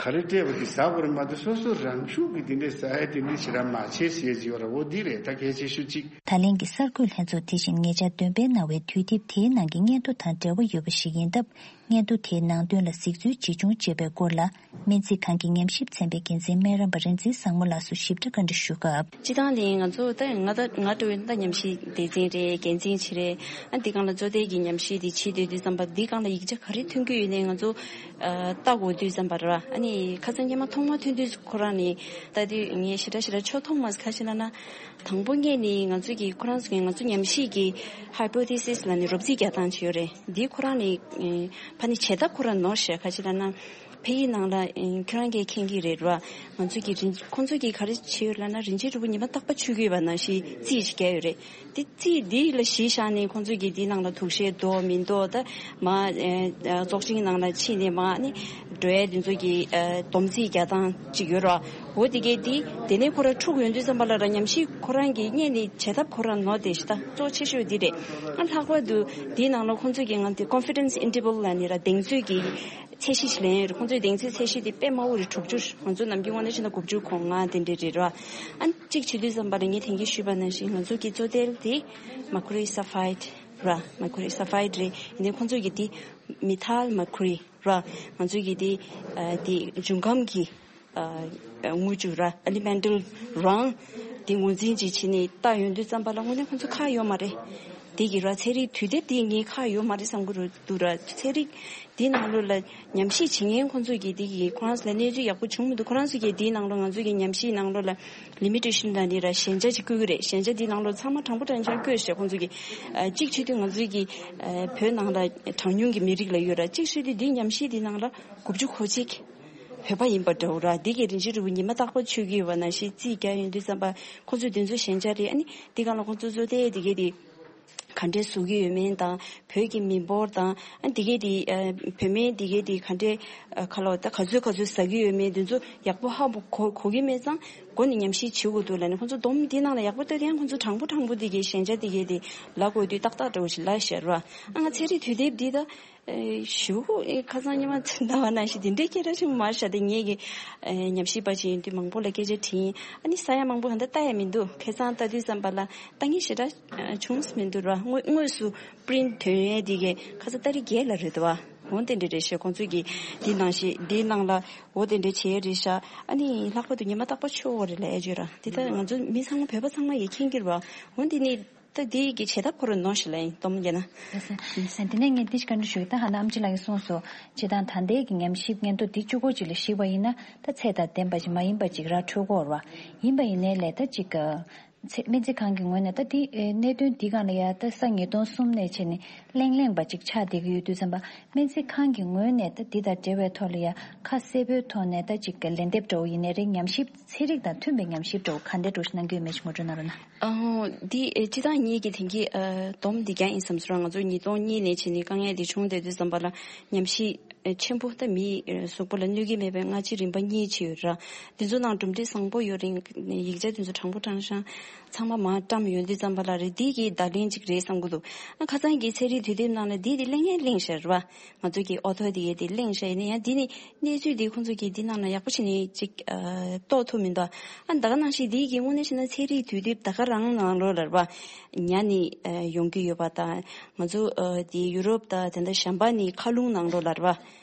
ཁ་ ག་རེ་སྤྲད་པ་དེ་ཟ་དགོས་རེད་མ་གཏོགས། སོ་སོ་རང་ཤུགས་ཀྱིས་དེ་འདྲས་ཟ་ཡ་དེ་འདྲས་ཞེ་དྲག་མ་བྱེད་ཟེར་ཡ་ཅིག་ཡོད་རེད། འོ་འདི་རེད། ད་གལ་ཆེ་ཤོས་གཅིག་ད་ལན་གྱི་གསར་འགོད་ལྷན་ཚོགས་དེ་བཞིན་ཉེ་ཆར་འདོན་སྤེལ་གནང་བའི་དུས་དེབ་དེའི་ནང་གི་སྙན་ཐོ་དང་འབྲེལ་བ་ཡོད་པ་ཞིག་ཡིན་སྟབས། སྙན་ཐོ་དེའི་ནང་དོན་ལ་གཟིགས་ཚུལ་ཇི་བྱུང་ཅེས་པའི་སྐོར་ལ། སྨན་རྩིས་ཁང་གི་ཉམས་ཞིབ་ཚན་པའི་འགན་འཛིན་སྨན་རམས་པ་རིག་འཛིན་བཟང་མོ་ལགས་སུ་ཞིབ་ཕྲ་བཀའ་འདྲི་ཞུ་སྐབས། སྤྱིར་བཏང་ནི་ང་ཚོ་ད་ང་ད་ང་འགྲོ་བའི་ད་ཉམས་ཞིབ་སྡེ་ཚན་རེད། འགན་འཛིན་ཅིག་རེད། ཨ་འདི་སྒང་ལ་གཙོ་བསྡད་ཀྱི་ཉམས་ཞིབ་དེ་བྱེད་སྡོད་དུས་ཙམ་པ། འདི་སྒང་ལ་ཡིག་ཆ་ག་རེ་ཐོན་གྱི་ཡོད་ནའི་ང་ཚོ་ཨ་ལྟ་དགོས་དུས་ཙམ་པ་ར། ཨ་ནི་ཁ་སང་སྔོན་མ་ཐོག་མར་ཐོན་དུས་ཁོ་རང་ནི་ལྟ་དུས་ངས་ཞེ་དྲག་ཞེ་དྲག་ཆོ་མཐོང་མ་སོང་། ག་ཅི་ལབ་ན། དང་པོ་ངས་ནི་ང་ཚོ་གི་ཁོ་རང་ཚོ་གི་ང་ཚོ་ཉམས་ཞིབ་ཀྱི་ཧའི་པོ་ཐེ་སིས་ལབ་ནི་རོབ་རྩིས་རྒྱག་སྟངས་ཅིག་ཡོད་རེད། འདི་ཁོ་རང་ནི་ཨེ་ཕ་ནི་བྱེད་ཐབས་ཁོ་རང་ནོར་ཤག། ག་ཅི་ལབ་ན། ཕ་གི་ནང་ལ་ཨེ་ཁྱོད་རང་གིས་མཁྱེན་གྱི་རེད་ར། ང་ཚོ་གི་རིན་ཁོང་ཚོ་གིས་ག་རེ་བྱེད་ཡོད་ལབ་ན། རིན་ཆེན་གྲུབ་པ་ཉི་མ་རྟག་པར་མཆོད་ཀྱི་ཡོད་པ་ནང་བཞིན་རྩིས་ཅིག་བརྒྱབ་ཡོད་རེད། དེ་རྩིས་འདི་ལ་གཞི་བཞག་ནས་ཁོང་ཚོ་གིས་འདི་ནང་ལ་དུག་ཤེལ་འདུག་མི་འདུག། ད་མ་ཨེ་ཙོག་ཅིང་ནང་ལ་ཕྱིན་ནས་མ་ནི་འགྲོ་ཡ་འདི་ཚོ་གི་ཨེ་སྡོམ་རྩིས་རྒྱག་སྟངས་ཅིག་ཡོད་ར། འོ་དེ་གས་དེ་དེ་ནས་ཁོ་ར་འཁྲུག་ཡོང་དུས་ཙམ་པ་ལ་ར། ཉམས་ཞིབ་ཁོ་རང་གིས་རྙེད་ནས་བྱེད་ཐབས་ཁོ་རང་ནོར་དེ་ཞིག་ད་གཙོ་ཆེ་ཤོས་འདི་རེད། ཨ་ལྷག་པར་དུ་འདིའི་ནང་ལ་ཁོང་ཚོས་ཀྱི་ང་དེ་confidence interval ལབ་ནི་ར། གདེང་ཚོད་ཀྱི་ཚད་གཞི་ཞིག་ལེན་ཡོད་རེད། ཁོང་ཚོའི་གདེང་ཚོད་ཚད་གཞི་དེ་དཔེ་དམའ་བོ་རེད། དྲུག་ཅུ། ང་ཚོ་ནམ་རྒྱུན་དངོས་གནས་བྱས་ན་དགུ་བཅུ་གོ་ལྔ་དེ་འདྲ་རེད་ར། ཨ་གཅིག་བྱེད་དུས་ཙམ་པ་ལ་ངས་དེང་གི་ཞུས་པ་ནང་བཞིན་ང་ཚོ་གི་གཙོ་དོན་དེ་mercury sulphide ར། mercury sulphide རེད། ཡིན་ནའི་ཁོང་ཚོས་ཀྱི་དེ་methyl mercury ར། ང་ཚོས་ཀྱི་དེ་ཨ་དེ་འབྱུང་ཁམས་ཀྱི་ཨ་དངུལ་ཆུ་ར། elemental རང་དེ་ངོས་འཛིན་ཅིག་བྱས་ནས་བལྟ་ཡོང་དུས་ཙམ་པ་ལ་དངོས་གནས་ཁོང་ཚོ་ཁག་ཡོད་མ་རེད། དེ་གི་ར་ཚན་རིག་དུས་དེབ་དེ་ངའི་ཁག་ཡོད་མ་རེད་བསམ་གི་རེད་འདུག་ར། ཚན་རིག་དེའི་ནང་ལོགས་ལ་ཉམས་ཞིབ་བྱེད་མཁན་ཁོང་ཚོས་ཀྱི་དེ་གི་ཁོ་རང་ཚོ་ལ་གནས་ཚུལ་ཡག་པོ་བྱུང་མི་འདུག། ཁོ་རང་ཚོས་ཀྱི་དེའི་ནང་ལོགས་ང་ཚོས་ཀྱི་ཉམས་ཞིབ་ནང་ལོགས་ལ་limitation ལ་ནི་ར་ཞན་ཆ་ཅིག་བཀོད་ཀྱི་རེད། ཞན་ཆ་དེའི་ནང་ལོགས་ཚང་མ་དྲང་པོ་དྲང་ཆ་བཀོད་བཞག་ཁོང་ཚོས་ཀྱི་ཨ་གཅིག་བྱེད་དུས་ང་ཚོས་ཀྱི་ཨ་བོད་ནང་ལ་གྲངས་ཉུང་གི་མི་རིགས་ལ་ཡོད་ར། གཅིག་བྱེད་དུས་དེའི་ཉམས་ཞིབ་དེའི་ནང་ལ་དགུ་བཅུ་གོ་གཅིག་བོད་པ་ཡིན་པ་འདྲ་བོ་ར། འདི་གའི་རིན་ཆེན་གྲུབ་པ་ཉི་མ་རྟག་པར་མཆོད་ཀྱི་ཡོད་པ་ནང་བཞིན་རྩིས་རྒྱག་ཡོང་དུས་ཙམ་པ་ཁོང་ཚོས་དེ་ཚོ་ཞན་ཆ་རེད། ཨ་ནི་འདི་ག་ལ་ཁོང་ཚོ་གཙོ་བསྡད་དེ་གའི་དེ་ག་འདྲས་བཟོ་གི་ཡོད་མེད་དང་། བོད་ཀྱི་མི་འབོར་དང་ཨ་འདི་གའི་དེ་ཨ་བོད་སྨན་འདི་གའི་དེ་ག་འདྲས་ཨ་ག་ལ་ད་ག་ཚོད་ག་ཚོད་ཟ་གི་ཡོད་མེད་དེ་ཚོ་ཡག་པོ་ཧ་གོ་གོ་གི་མེད་ཙང་། མགོ་ནས་ཉམས་ཞིབ་བྱེད་དགོས་འདུག་ལབ་ནས་ཁོང་ཚོ་སྡོམ་འདི་ནང་ལ་ཡག་པོ་ལྟ་དུས་ཡང་ཁོང་ཚོ་དྲང་པོ་དྲང་པོ་འདི་གའི་ཞན་ཆ་འདི་གའི་དེ་ལབ་དགོས་དུས་ཏག་ཏག་འདྲ་བོ་ཞིག་ལབ་ཤར་བ། ཨ་ང་ཚན་རིག་དུས་དེབ་འདི་ད། ཨེ་ཞུ་ཨེ་ཁ་སང་ཉི་མ་ཚེ་འདའ་བ་ནང་བཞིན་དེ་འདྲའི་སྐད་གྲགས་ཆེན་པོ་མ་རེད་ཤག། དེ་ངེད་ཀྱི་ཨེ་ཉམས་ཞིབ་པ་ཅིག་ཡིན་དུས་མང་པོ་ལ་སྐད་ཆ་དྲིས་ཡིན། ཨ་ནི་ས་ཡ་མང་པོ་གང་ལྟར་ལྟ་ཡ་མི་འདུག། ཁ་སང་ལྟ་དུས་ཙམ་པ་ལ་ལྟ་མཁན་ཞེ་དྲག་ཨེ་བྱུང་མི་འདུག་ར། དངོས་དངོས་སུ་པི་རིན་ཐོན་ཡས་དེ་གས་ཁ་སང་ཏ་རིག་བརྒྱད་ལ་རེད་འདུག་བ། འོ་དེ་འདྲ་རེད་ཤག། ཁོང་ཚོས་ཀྱི་འདི་ནང་བཞིན་འདིའི་ནང་ལ་འོ་དེ་འདྲ་བྱས་རེད་ཤག། ཨ་ནི་ལྷག་པར་དུ་ཉི་མ་རྟག་པར་མཆོད་འོ་རེད་ལབ་ཡ་ཅིག་ར། དེ་ལྟར་ང་ཚོ་མི་ཚང་མ་བོད་པ་ཚང་མ་ཡིས་མཁྱེན་གྱི་རེད་བ། འོ་འདི་ནི། ད་འདི་གི་བྱེད་ཐབས་ཁོ་རང་ནོར་ཞིག་ལ་ཡིན་སྟོབས་རྒྱལ་ན། ལགས་སོ། ལགས་སོ། དེ་ནས་ངས་འདི་ཞིག་བཀའ་འདྲི་ཞུ་གི། ད་ཧ་ན་ཨམ་ཆི་ལགས་ཀྱིས་གསུངས་སོ། སྤྱིར་བཏང་ད་ལྟའི་གི་ཉམས་ཞིབ་སྙན་ཐོ་འདི་བཅུ་དགུ་ཅིག་ལ་གཞིགས་པ་ཡིན་ན་ད་ཚད་དང་ལྡན་པ་ཅིག་མ་ཡིན་པ་ཅིག་ར་འཕྲོད་ཀྱི་ཡོད་རེད་བ། ཡིན་པ་ཡིན་ནའི་ལས་ད་ཅིག་ཚད་སྨན་རྩིས་ཁང་གི་ངོས་ནས་ད་འདི་གནད་དོན་འདི་སྒང་ལ་ཡ་ད་ས་ཉིས་སྟོང་གསུམ་ནས་བྱས་ནས་གླེང་གླེང་པ་ཅིག་ཆགས་བསྡད་ཀྱི་ཡོད་དུས་ཙམ་པ། སྨན་རྩིས་ཁང་གི་ངོས་ནས་ད་འདི་དང་འབྲེལ་བའི་ཐོག་ལ་ཡ་ཁ་གསལ་པོའི་ཐོག་ནས་ད་ཅིག་ལན་འདེབས་འདྲ་བོ་ཡིན་ནའི་རེད། ཉམས་ཞིབ་ཚན་རིག་དང་མཐུན་པའི་ཉམས་ཞིབ་འདྲ་བོ་ག་འདྲ་འདྲ་བོ་ཞིག་གནང་གི་ཡོད་མེད་ཅིག་ངོ་སྤྲོད་གནང་རོགས་གནང་། ཨ་འདི་ཨེ་སྤྱིར་བཏང་ངེད་ཀྱིས་དེང་གི་ཨ་སྡོམ་འདི་རྒྱག་ཡིན་བསམ་སོང་ར། ང་ཚོ་ཉིས་སྟོང་གཉིས་ནས་བྱས་ནས་དཀའ་ངལ་འདི་བྱུང་བསྡད་དུས་ཙམ་པ་ལ་ཉམས་ཞིབ་ཨེ་ཆེན་པོ་ད་མིའི་ཨེ་གཟུགས་པོ་ལ་གནོད་ཀྱི་མེད་པའི་སྔ་ཕྱི་རིམ་པ་གཉིས་ཅིག་ཡོད་ར། འདི་ཚོ་ནང་གྲུབ་འབྲས་བཟང་པོ་ཡོད་རིང་ཡིག་ཆ་འདི་ཚོ་དྲང་པོ་དྲང་བཞག་ཚང་མ་མར་བཀྲམ་ཡོང་དུས་ཙམ་པ་ལ་རེད། འདི་གི་བརྡ་ལན་ཅིག་རེད་བསམ་གྱི་འདུག། ཨ་ཁ་སང་གི་ཚན་རིག་དུས་དེབ་ནང་ལ་འདི་དེ་གླེང་ཡས་གླེང་བཞག་རེད་བ། ང་ཚོ་གི་ཨོ་ཐོ་དེ་གས་དེ་གླེང་བཞག་ཡིན་ན་ཡང་འདི་ནི་གནས་ཚུལ་འདི་ཁོང་ཚོ་གིས་འདི་ནང་ལ་ཡག་པོ་བྱས་ནས་ཅིག་ཨ་རྟོགས་ཐུབ་མི་འདུག། ཨ་ད་ག་ནང་བཞིན་འདི་གི་དངོས་གནས་བྱས་ན་ཚན་རིག་དུས་དེབ་ད་ག་རང་ནང་ལོགས་ལ་རེད་བ། ཉ་ནི་ཨ་ཡོང་གི་ཡོད་པ་དང་། ང་ཚོ་ཨ་དེ་ཡུ་རོབ་དང་དེ་འདྲ་གཞན་པ་ནི་མཁའ་རླུང་ནང་ལོགས་ལ་རེད་བ།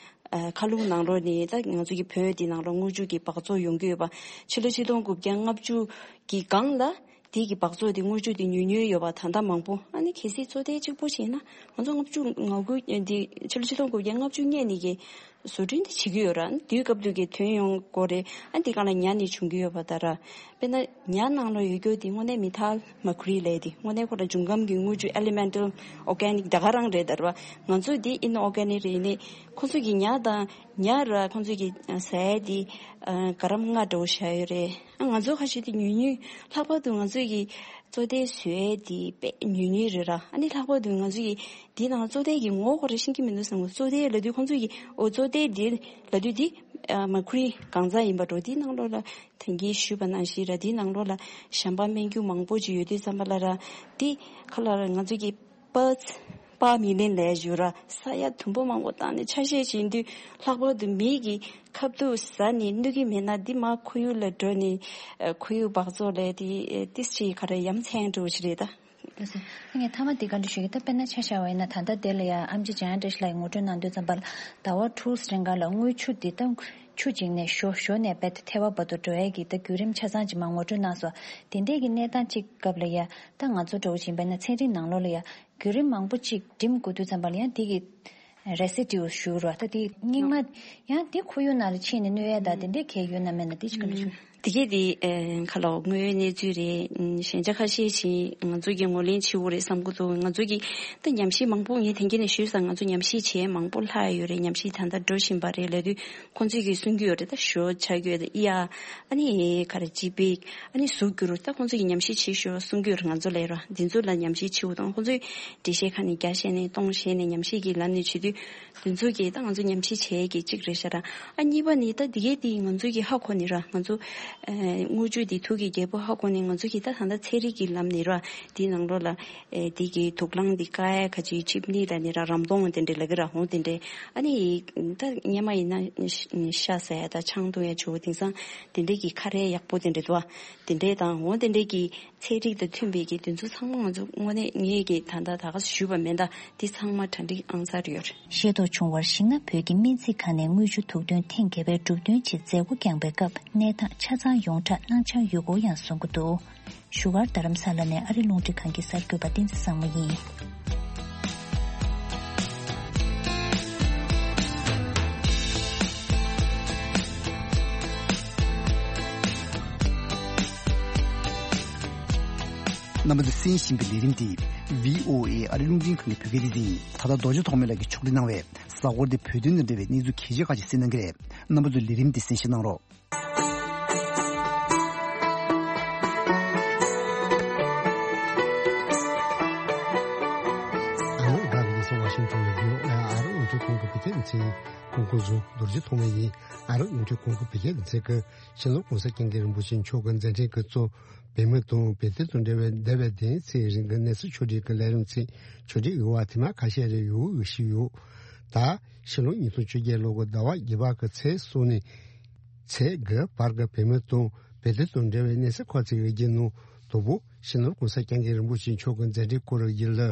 ཨ་མཁའ་རླུང་ནང་ལོགས་ནི་ད་ང་ཚོ་གི་བོད་འདི་ནང་ལོགས་དངུལ་ཆུ་གི་སྦགས་བཙོག་ཡོང་གི་ཡོད་པ། ཕྱི་ལོ་ཆིག་སྟོང་དགུ་བརྒྱ་ལྔ་བཅུ་གི་སྒང་ལ། དེ་གི་སྦགས་བཙོག་དེ་དངུལ་ཆུ་དེ་ཉུང་ཉུང་ཡོད་པ་ད་ལྟ་མང་པོ། ཨ་ནི་གལ་སྲིད་བཙོག་དེ་གཅིག་པོ་བྱས་ན་ང་ཚོ་ལྔ་བཅུ་ང་དགུ་འདི་ཕྱི་ལོ་ཆིག་སྟོང་དགུ་བརྒྱ་ལྔ་བཅུ་སྔོན་ནས་ཀྱི་བཟོ་སྐྲུན་དེ་བྱེད་ཀྱི་ཡོད་ར། དུས་སྐབས་དུས་ཀྱི་ཐོན་ཡོང་དགོས་རེད། ཨ་འདི་སྒང་ལ་ཉ་ནི་བྱུང་གི་ཡོད་པ་ད་ར། དཔེར་ན་ཉ་ནང་ལ་ཡོད་རྒྱུ་དེ་དངོས་གནས་མི་ཐལ་མ་ཁུ་རི་ལས་དེ་དངོས་གནས་ཁོ་ར་འབྱུང་ཁམས་ཀྱི་དངུལ་ཆུ་elemental organic ད་ག་རང་རེད་ད་ར། ང་ཚོ་དེ་inorganic རེད། ཡིན་ནའི་ཁོ་ཚོ་གི་ཉ་དང་ཉ་ར་ཁོ་ཚོ་གི་ཟས་དེ་ག་རམ་ལྔ་འདྲ་བོ་བཞག་ཡོད་རེད། ཨ་ང་ཚོ་ཁ་ཤས་དེ་ཉུང་ཉུང་ལྷག་པར་དུ་ང་ཚོ་གི་བཙོག་དེ་བཟོས་དེ་དཔེ་ཉུང་ཉུང་རེད་ར། ཨ་ནི་ལྷག་པར་དུ་ང་ཚོ་གི་འདི་ནང་བཙོག་དེ་གི་ངོ་ཁོ་ར་ཤེས་ཀྱི་མི་འདུག་བསམ་གི། བཙོག་དེ་ལབ་དུས་ཁོང་ཚོ་གི་ཨོ་བཙོག་དེ་འདི་ལབ་དུས་འདི་ཨ་མ་ཁུ་རི་གང་ཚང་ཡིན་པ་འགྲོ། འདི་ནང་ལོགས་ལ་དེང་གི་ཞུས་པ་ནང་བཞིན་ར། འདི་ནང་ལོགས་ལ་གཞན་པ་སྨན་རྒྱུ་མང་པོ་ཅིག་ཡོད་དུས་ཙམ་པ་ལ་ར། འདི་ཁ་ལ་ར་ང་ཚོ་གི་པཱར་ཚི་ པ་མི་ལེན་ལས་ཞུ་ར་ས་ཡ་དུམ་བུ་མང་པོ་བཏང་ནས་ཆ་ཤས་བྱིན་དུས་ལྷག་པར་དུ་མི་གི་ཁབ་ཏུ་ཟ་ནས་གནོད་ཀྱི་མེད་ན་འདི་མ་ཁོར་ཡུག་ལ་འགྲོ་ནས་ཁོར་ཡུག་འབག་བཙོག་ལས་དེ་ཏིས་ཅི་ག་རེ་ཡ་མཚན་འགྲོ་ཞིག་རེད་ད། ལགས་སོ། ངས་མཐའ་མ་འདི་བཀའ་འདྲི་ཞུ་གི་ད་དཔེར་ན་ཆ་བཞག་པ་ཡིན་ན་ད་ལྟ་དེ་ལ་ཡ་ཨེམ་ཆི་འཇམ་དབྱངས་བཀྲ་ཤིས་ལགས་ཀྱིས་ངོ་སྤྲོད་གནང་དུས་ཙམ་པ་ལ་ཟླ་བ་དྲུག་རིང་ག་ལ་དངུལ་ཆུ་འདི་ད་ཆུ་བྱིངས་ནས་ཞོ་ཞོ་ནས་རྦད་དེ་ཐལ་བ་བར་དུ་འགྲོ་ཡས་ཀྱི་ད་བརྒྱུད་རིམ་ཆ་ཚང་ཅིག་མ་ངོ་སྤྲོད་གནང་སོང་། དེ་འདྲས་ཀྱི་གནས་སྟངས་ཅིག་སྐབས་ལ་ཡ་ད་ང་ཚོ་འདྲ་བོ་ཅིག་ཡིན་པ་ཡིན་ན་ཚན་རིག་ནང་ལོགས་ལ་ཡ་བརྒྱུད་རིམ་མང་པོ་ཅིག་འགྲིམ་དགོས་དུས་ཙམ་པ་ལ་ཡང་འདི་གི་རེ་སི་ཌིའུ་ཞུ་རོགས་ད་དེ་རྙིང་མ་ཡང་དེ་ཁོར་ཡུག་ནང་ལ་ཕྱིན་ནས་གནོད་ཡས་ད་དེ་འདྲས་གལ་ཡོད་ན་མེད་ན་དེ་ཅིག་ག་འདྲ་ཞུ། དེ་གས་དེ་ཁ་ལོ་དངོས་ཡོད་གནས་ཚུལ་རེད། ཞན་ཆ་ཁ་ཤས་ཤིག་ང་ཚོ་གི་ངོས་ལེན་བྱེད་དགོས་རེད་བསམ་གི་འདུག་ང་ཚོ་གི་ད་ཉམས་ཞིབ་མང་པོ་ངས་དེང་གི་ནས་ཞུས་ཙང་ང་ཚོ་ཉམས་ཞིབ་བྱས་མང་པོ་ལྷག་ཡོད་རེད། ཉམས་ཞིབ་ད་ལྟ་འགྲོ་བཞིན་པ་རེད་ལབ་དུས་ཁོང་ཚོས་ཀྱིས་གསུང་གི་ཡོད་རེད། ད་ཞོ་ཆ་གི་ཡོད་ད་ཨི་ཡ་ཨ་ནི་ག་རེ་ཅི་པིག་ཨ་ནི་གཟུགས་འགྱུར་ད་ཁོང་ཚོས་ཀྱིས་ཉམས་ཞིབ་བྱེད་ཞོ་གསུང་གི་ཡོད་རེད། ང་ཚོ་ལས་རོ་འདི་ཚོ་ལ་ཉམས་ཞིབ་བྱེད་དགོས་དང་ཁོང་ཚོས་འགྲེལ་བཤད་ཁ་ནས་བརྒྱ་བཤད་ནས་སྟོང་བཤད་ནས་ཉམས་ཞིབ་ཀྱི་ལམ་ནས་བྱེད་དུས། དེ་ཚོ་གིས་ད་ང་ཚོ་ཉམས་ཞིབ་བྱེད་ཀྱི་གཅིག་རེད་ཤག་ར། ཨ་གཉིས་པ་ནི་ད་འདི་གའི་དེ་ང་ཚོ་གི་ཧ་གོ་ནི་ར་ང་ཚོ་ཨ་དངུལ་ཆུ་དེ་ཐུག་གི་རྒྱལ་པོ་ཧ་གོ་ནི་ང་ཚོ་གི་ད་ད་ལྟ་ཚན་རིག་གི་ལམ་ནས་ར་དེའི་ནང་ལོགས་ལ་ཨེ་དེ་གི་དུག་རླངས་དེ་བཀག་ཡ་ག་ཅིག་ཆིབས་ནི་ལ་ནི་ར་རམ་དོང་དེ་འདྲས་ལ་གི་ར་ཧོང་དེ་འདྲས་ཨ་ནི་ད་སྔོན་མ་ཡིན་ན་ཤ་ཟ་ཡ་ད་ཆང་འཐུང་ཡ་ཆུ་བོ་དེང་སང་དེ་འདྲས་གི་ཁ་རས་ཡག་པོ་དེ་འདྲས་འདུག་ཨ་དེ་འདྲས་དང་ཧོང་དེ་འདྲས་གི་ཚན་རིག་དང་མཐུན་པའི་གི་དེ་ཚོ་ཚང་མ་ང་ཚོ་དངོས་གནས་ངས་གི་ད་ལྟ་ད་ག་ཞུས་པ་མིན་ད་འདི་ཚང་མ་གྲ་སྒྲིག་ཨང་གསར་ཡོད་རེད། ཤེས་རྟོགས་བྱུང་བར་གཞིགས་ན་བོད་ཀྱི་སྨན་རྩིས་ཁང་ནས་དངུལ་ཆུ་དུག་འདོན་ཐེངས་བརྒྱད་པའི་གྲུབ་དོན་ཆེད་མཛད་སྒོ་བསྐྱངས་པའི་སྐབས་གནས་སྟངས་ཆ་ཚང་ཡོངས་གྲགས་གནང་འཆར་ཡོད་སྐོར་ཡང་གསུང་གི་འདུག་བཞུགས་སྒར་རྡ་རམ་ས་ལ་ནས་ཨ་རི་རླུང་འཕྲིན་ཁང་གི་གསར་འགོད་པ་བསྟན་འཛིན་བཟང་མོ་ཡིན། རྣམ་པ་ཚོས་གསན་བཞིན་པའི་ལས་རིམ་འདི་བྷི་ཨོ་ཨེ་ཨ་རི་རླུང་འཕྲིན་ཁང་གི་བོད་སྐད་སྡེ་ཚན་ཡིན། ད་ལྟ་རྡོ་རྗེ་ཐོགས་མེད་ལགས་ཀྱིས་ཕྱོགས་སྒྲིག་གནང་བའི་གཟའ་འཁོར་འདིའི་བོད་དོན་དང་འབྲེལ་བའི་གནས་ཚུལ་གལ་ཆེ་ཁག་ཅིག་གསན་གནང་གི་རེད། རྣམ་པ་ཚོས་ལས་རིམ་འདི་གསན་བཞེས་གནང་རོགས། ཨ་རོགས་རྒྱ་གར་གྱི་ས་ཝ་ཤིང་ཊོན་ནས་བྷི་ཨོ་ཨེ་ཨ་རི་རླུང་འཕྲིན་ཁང་གི་བོད་སྐད་སྡེ་ཚན་གོང་འཁོད་བཟོ་རྡོ་རྗེ་ཐོགས་མེད་ཡིན། ཨ་རི་རླུང་འཕྲིན་ཁང་གི་བོད་སྐད་སྡེ་ཚན་གྱིས་སྤྱི་ནོར་༸གོང་ས་༸སྐྱབས་མགོན་རིན་པོ་ཆེ་མཆོག་གི་མཛད་འཕྲིན་གྱི་གཙོ་བོད་མི་དང་བོད་དོན་དང་འབྲེལ་བའི་འདས་པའི་བདུན་ཚིགས་རིང་གི་གནས་ཚུལ་ཕྱོགས་སྒྲིག་གི་ལས་རིམ་ཚིག་ཕྱོགས་སྒྲིག་ཡོད་པ་དེ་མ་ཁ་ཤས་རེ་ཡོད་ཞུས་ཡོད། ད་ཕྱི་ལོ་ཉིས་སྟོང་བཅོ་བརྒྱད་ལོ་གི་ཟླ་བ་བརྒྱད་པ་གི་ཚེས་གསུམ་ནས་ཚེས་དགུ་བར་གྱི་བོད་མི་དང་བོད་དོན་དང་འབྲེལ་བའི་གནས་ཚུལ་ཁག་ཅིག་གི་ནང་དང་པོ་སྤྱི་ནོར་༸གོང་ས་༸སྐྱབས་མགོན་རིན་པོ་ཆེ་མཆོག་གི་མཛད་འཕྲིན་སྐོར་ཡིན་ལ།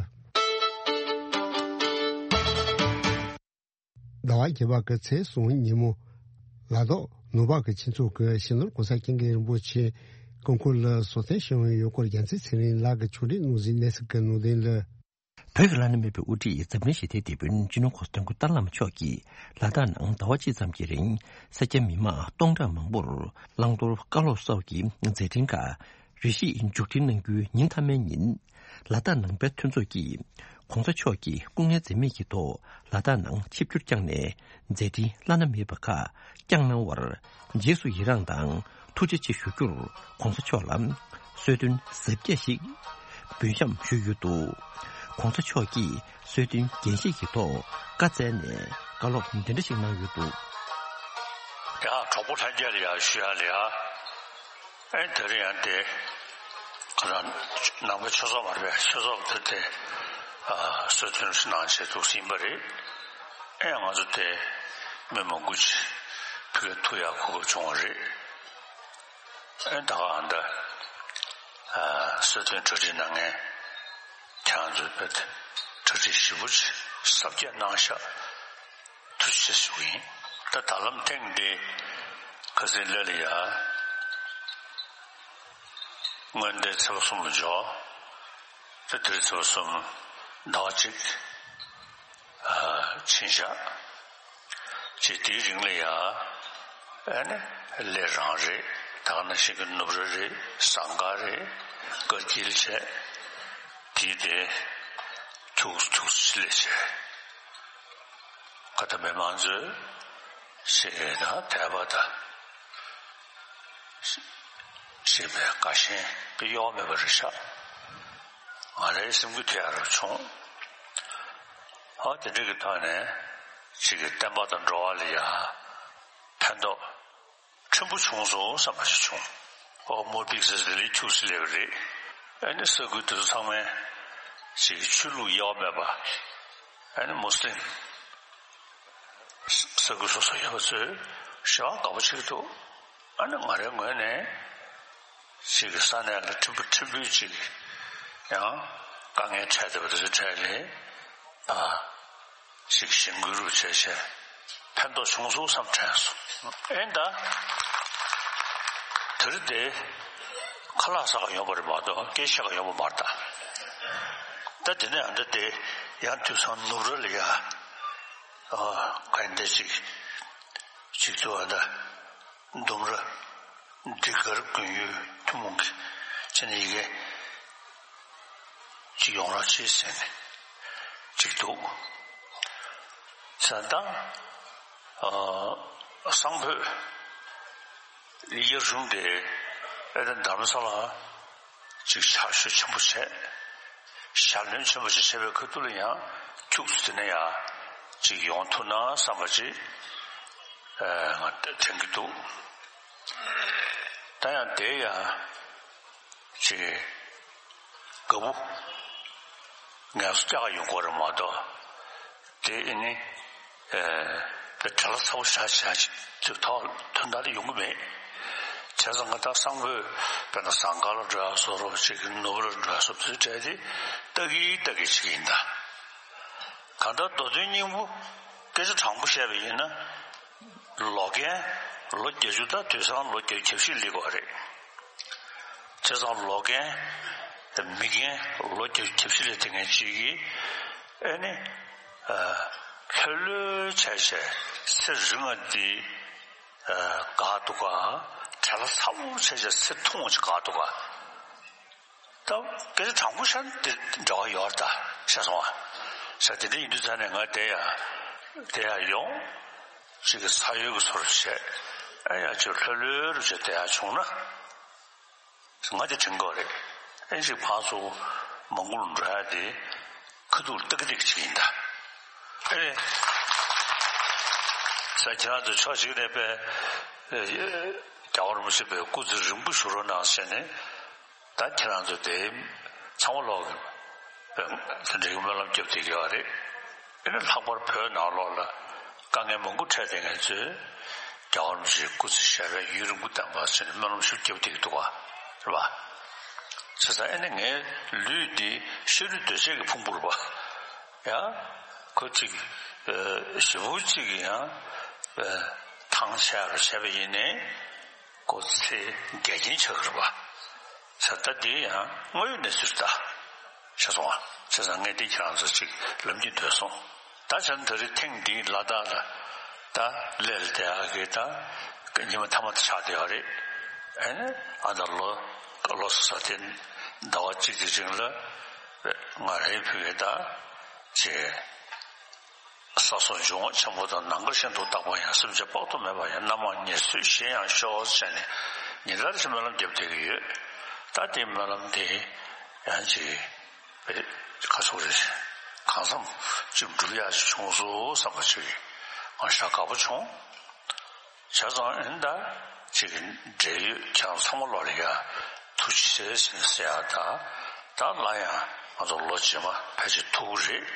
ཟླ་བ་བརྒྱད་པ་གི་ཚེས་གསུམ་ཉིན་མོ། ལ་དྭགས་ནུབ་བར་གྱི་ཁྱིམ་ཚང་གི་སྤྱི་ནོར་༸གོང་ས་༸སྐྱབས་མགོན་རིན་པོ་ཆེ་སྐུ་འཁོར་ལ་གསོལ་སྟོན་ཞུ་བའི་ཡུལ་སྐོར་རྒྱལ་མཚན་ཚེ་རིང་ལགས་ཀྱིས་ཕྱོགས་སྒྲིག་གནང་གཟིགས་གནས་ཚུལ་གྱི་ནང་དོན་ལ། བོད་ཀྱི་བླ་ན་མེད་པའི་དབུ་ཁྲིད་འཛམ་གླིང་ཞི་བདེའི་དེད་དཔོན་སྤྱི་ནོར་༸གོང་ས་༸སྐྱབས་མགོན་ཏཱ་ལའི་བླ་མ་མཆོག་གིས་ལ་དྭགས་ནང་ཟླ་བ་གཅིག་ཙམ་གྱི་རིང་སེར་སྐྱ་མི་མང་སྟོང་ཕྲག་མང་པོར་བླང་དོར་བཀའ་སློབ་སོགས་ཀྱི་མཛད་འཕྲིན་ཁག་རེ་ཞིག་མཇུག་སྒྲིལ་གནང་རྒྱུའི་ཉིན་མཐའ་མའི་ཉིན། ལ་དྭགས་ནང་པའི་མཐུན་ཚོགས་ཀྱིས་༸གོང་ས་མཆོག་གི་སྐུ་ངལ་འཛེམས་མེད་ཀྱི་ཐོག་ལ་དྭགས་ནང་ཆིབས་བསྒྱུར་བསྐྱངས་ནས་མཛད་འཕྲིན་བླ་ན་མེད་པ་ཁག་བསྐྱངས་གནང་བར་རྗེས་སུ་ཡི་རངས་དང་ཐུགས་རྗེ་ཆེ་ཞུ་རྒྱུར་༸གོང་ས་མཆོག་ལ་གསོལ་སྟོན་གཟབ་རྒྱས་ཤིག་འབུལ་བཤམས་ཞུས་ཡོད་འདུག ༸གོང་ས་མཆོག་གིས་གསོལ་སྟོན་རྒྱས་བཤད་ཀྱི་ཐོག་བཀའ་སྩལ་ནས་བཀའ་སློབ་འདི་འདྲ་ཞིག་གནང་ཡོད་འདུག་ཡང་གྲོགས་པོ་ལྷན་རྒྱས་ལ་ཡང་ཞུ་ཡ་ལ་ཡ། ཨེ་དེ་རིང་ཡང་དེ་ཁ་སང་ནང་པའི་ཆོས་ཚོགས་མ་རེད་པས། ཆོས་ཚོགས་དེ་དེ་གསོལ་སྟོན་གནང་བྱས་འདུག་ཟིན་པ་རེད། ཨེ་ང་ཚོ་དེ་མི་མང་པོ་ཅིག་ཕ་གིར་ཐུག་ཡག་གོ་སྐབས་བྱུང་བ་རེད། ཨེ་ད་ག་ཨ་འདྲ་གསོལ་སྟོན་གྲ་སྒྲིག་གནང་མཁན་ཁྱེད་རང་ཚོས་དཔེ་གྲ་སྒྲིག་ཞིབ་པོ་ཅིག་གཟབ་རྒྱས་གནང་ཤག་ཐུགས་རྗེ་ཆེ་ཞུ་གི་ཡིན། ད་ད་ལམ་ཐེངས་འདི་ཁ་སང་སླེབས་ལ་ཡ། སྔོན་བརྡའི་ཚེས་པ་གསུམ་ལ་འབྱོར། ད་དེ་རིང་ཚེས་པ་གསུམ་ཟླ་བ་གཅིག་ཨ་ཕྱིན་བཞག་ཅེས་དེའི་རིང་ལ་ཡ། ཨ་ནི་གླེ་རང་རེད། ད་ག་ནང་བཞིན་གྱི་ནུབ་ར་རེད། ཟངས་དཀར་རེད། དཀར་སྐྱིད་བྱས། དེའི་དེ་ཐུགས་ཐུགས་སུ་ལས་བྱས། ཁ་ད་མི་མང་ཚོས་ཞེ་དང་དད་པ་དང་ཞེ་བའི་དགའ་ཞེན་གྱི་གཡོ་བ་མེད་པ་རེད་ཤག་ང་རའི་སེམས་འགུལ་ཐེབས་ཡག་རུ་བྱུང་། ཨ་དེ་འདྲ་གི་ཐོག་ནས་ཅིག་གི་བསྟན་པ་དང་འགྲོ་བ་ལ་ཡ་ཕན་ཐོགས་ཕྲན་བུ་བྱུང་སོང་བསམ་པ་ཞིག་བྱུང་། ཨོ་མོ་པིག་ཟེར་ཟེར་ལས་ཁྱུག་སེ་སླེབས་པ་རེད། ཨ་ནི་ས་ཁུལ་དེ་ཚོ་ཚང་མས་ཅིག་གི་ཆོས་ལུགས་གཡོ་བ་མེད་པ། ཨ་ནི་མུ་སི་ལིམ་ས་ཁུལ་སོ་སོ་ཡོད་པ་ཚོས་ཞེ་དྲག་དགའ་པོ་བྱེད་ཀྱི་འདུག་ཨ་ནི་ང་རའི་ངོས་ནས་ཅིག་གི་ས་གནས་ལ་ཕྲན་བུ་ཕྲན་བུ་ཅིག་ཡང་དཀའ་ངལ་འཕྲད་བསྡད་པ་དེ་ཚོའི་གྲས་ལས་ཨ་ཅིག་གཞན་བཀོད་རུ་བྱས་བྱས་ཕན་ཐོགས་བྱུང་སོང་བསམ་དྲན་སོང་། ཨེ་ད་དེ་རིང་དེ་ཁ་ལག་ཟ་ག་ཡོང་བ་རེད་མ་གཏོགས་སྐད་ཆ་བཤད་ག་ཡོང་བ་མ་རེད་ད། ད་དེ་ནས་ཨ་འདྲ་དེ་ཡང་དུས་སང་ནུབ་ར་ལ་ཡ་ཨ་ག་ཡིན་འདྲ་ཅིག་ཅིག་ཏུ་ཨ་ད་ལྡུམ་ར་འདི་གར་དགོན་ཡུལ་ཐུན་མོང་གི་ཅི་ནས་ཡི་གེ་ཅིག་ཡོང་རོགས་བྱེད་ཟེར་ནས་ཅིག་འདུག་ས་དང་། ཨ་སང་ཕོད་ཡིག་གཞུང་དེ་ཨེ་ད་དྷ་རམ་ས་ལ་ཅིག་ཕྱག་ཤུལ་ཆེན་པོ་བྱས། ཞལ་འདོན་ཆེན་པོ་ཞིག་བྱས་པའི་ཁ་ཐུག་ལ་ཡང་ཁྱུག་ཙམ་དེ་ནས་ཡང་ཅིག་ཡོང་ཐུབ་ན་བསམ་པ་ཅིག་ཨ་ང་དྲན་གྱི་འདུག་ད་ཡང་དེ་ཡང་ཅིག་དགའ་པོ་ངལ་གསོ་རྒྱག་ག་ཡོང་གི་རེད་མ་གཏོགས། དེ་ཨེ་ནི་ཨེ་དེ་བྲེལ་བ་ཚ་པོ་ཞེ་དྲག་ཅིག་ཅིག་ཐོག་དོན་དག་དེ་ཡོང་གི་མེད། བྱས་ཙང་ང་ད་སང་ཕོད་དཔེར་ན་ཟངས་དཀར་ལ་འགྲོ་ཡག་བཟོ་འདྲ་ཅིག་ནུབ་ར་འགྲོ་ཡག་བཟོ་འདྲ་དེ་ལྟ་གི་ལྟ་གི་ཅིག་ཡིན་ད། གང་ལྟར་མདོ་དོན་སྙིང་པོ་སྐད་ཆ་དྲང་པོ་བཤད་པ་ཡིན་ན། ལོ་རྒན་ལོ་བརྒྱད་ཅུ་དང་དུས་སང་ལོ་བརྒྱད་ཅུ་གྱ་བཞི་སླེབས་ཀྱི་རེད། བྱས་ཙང་ལོ་རྒན་མི་རྒན་ལོ་བརྒྱད་ཅུ་གྱ་བཞི་སླེབས་དེ་ངན་ཅིག་གིས་ཨེ་ནི་ལྷོད་ལྷོད་བྱས་བྱས་ཚེ་རིང་བ་འདི་དགའ་འདུག་ག་བྲེལ་བ་ཚ་པོ་བྱས་བྱས་ཚེ་ཐུང་བ་ཅིག་དགའ་འདུག་ག་ད་སྐད་ཆ་དྲང་པོ་བཤད་ན་དེ་འདྲ་བ་ཡོད་རེད་ད་བཤད་སོང་བ། ས་དེ་འདྲ་ཡིན་དུས་ཙང་ནས་ང་དེ་ཡ་དེ་ཡ་ཡོང་ཅིག་གི་ས་ཡོད་ཀྱི་སོར་བཤད་ཨ་ཡ་ཅིག་ལྷོད་ལྷོད་རུ་བྱས་དེ་ཡ་བྱུང་ན་ང་དེ་དྲན་གྱི་རེད། ཨེ་ཅིག་ཕར་ཚུར་མང་པོ་འགྲོ་ཡ་དེ་ཁ་ཐུག་ལ་ཏག་ཏག་ཅིག་ཡིན་ད། ཨེ་རེད། ས་ཁྱེད་རང་ཚོ་ཕྱོགས་གཅིག་ནས་པས་རྒྱལ་བ་རིན་པོ་ཆེ་པའི་སྐུ་ཚེ་རིང་པོ་བཞུགས་རོགས་གནང་ཟེར་ནས། ད་ཁྱེད་རང་ཚོ་དེ་ཚང་མ་ལོག་གི་དེ་འདྲའི་སྨོན་ལམ་རྒྱབ་བསྡད་ཀྱི་ཡོད་རེད། ཨེ་ནི་ལྷག་པར་བོད་ནང་ལོགས་ལ་དཀའ་ངལ་མང་པོ་འཕྲད་བསྡད་མཁན་ཚོས་རྒྱལ་བ་རིན་པོ་ཆེའི་སྐུ་ཚེ་ཞབས་པད་ཡུན་རིང་པོ་བརྟན་པ་ཟེར་ནས་སྨོན་ལམ་ཞིག་རྒྱབ་བསྡད་ཀྱི་འདུག་ག་རེད་པ། བྱས་ཙང་ཨེ་ནི་ངའི་ལུས་འདི་ཤ་རུས་གདོས་བཅས་ཀྱི་ཕུང་པོ་རེད་པ། ཡང་ཁོ་གཅིག་ཞེ་པོ་གཅིག་གི་ཡང་ཐང་ཆད་རུ་བྱས་པ་ཡིན་ནའི། ཁོ་ཚེ་འགལ་རྐྱེན་ཆགས་ཀྱི་རེད་པ། ས་ད་འདི་ཡང་དངོས་ཡོད་གནས་ཚུལ་ལྟ། ཤེས་སོང་ང་། བྱས་ཙང་ངས་འདི་ཁྱེད་རང་ཚོ་ཅིག་ལབ་ཀྱི་འདོད་སོང་། ད་བྱས་ན་ད་རེས་ཐེངས་འདིའི་ལ་དྭགས་ལ་ད་སླེབས་བསྡད་ཡག་གི་ད་ཉི་མ་མཐའ་མ་དེ་ཆགས་བསྡད་ཡོད་རེད། ཨ་ནི་ཨ་ད་ལོ་ལོ་གསར་དེ་ཟླ་བ་གཅིག་གི་རིང་ལ་ང་རའི་ཕུགས་ཀྱི་ད་ཅིག་ས་སོགས་འབྱུང་བ་ཆེན་པོ་དང་ནམ་མཁའ་བཞིན་དུ་རྟག་པ་ཡང་། སེམས་ཅན་དཔག་ཏུ་མེད་པ་ཡང་། རྣམ་མང་ཉེར་འཚོའི་གཞན་ཡང་ཤོག་ཟེར་ནས་ཉིན་ལྟར་གྱི་སྨོན་ལམ་རྒྱབ་བསྡད་ཀྱི་ཡོད། ད་དེའི་སྨོན་ལམ་དེ་ཡང་ཅིག་ཁ་སོག་རེ་གང་འཚམ་ཅིག་འགྲུབ་ཡག་ཅིག་བྱུང་སོང་བསམ་པ་ཅིག་ང་ཞེ་དྲག་དགའ་པོ་བྱུང་། བྱས་ཙང་ཨེ་ད་ཅིག་འབྲེལ་ཡོད་ཁྱེད་རང་ཚང་མ་ལོག་ལ་ཡ་ཐུགས་རྗེ་ཆེ་ཟེར་ཟེར་ཡ་ད་ད་ལ་ཡང་ང་ཚོ་ལོ་རྗེས་མ་ཕལ་ཆེར་ཐུག་གི་རེད།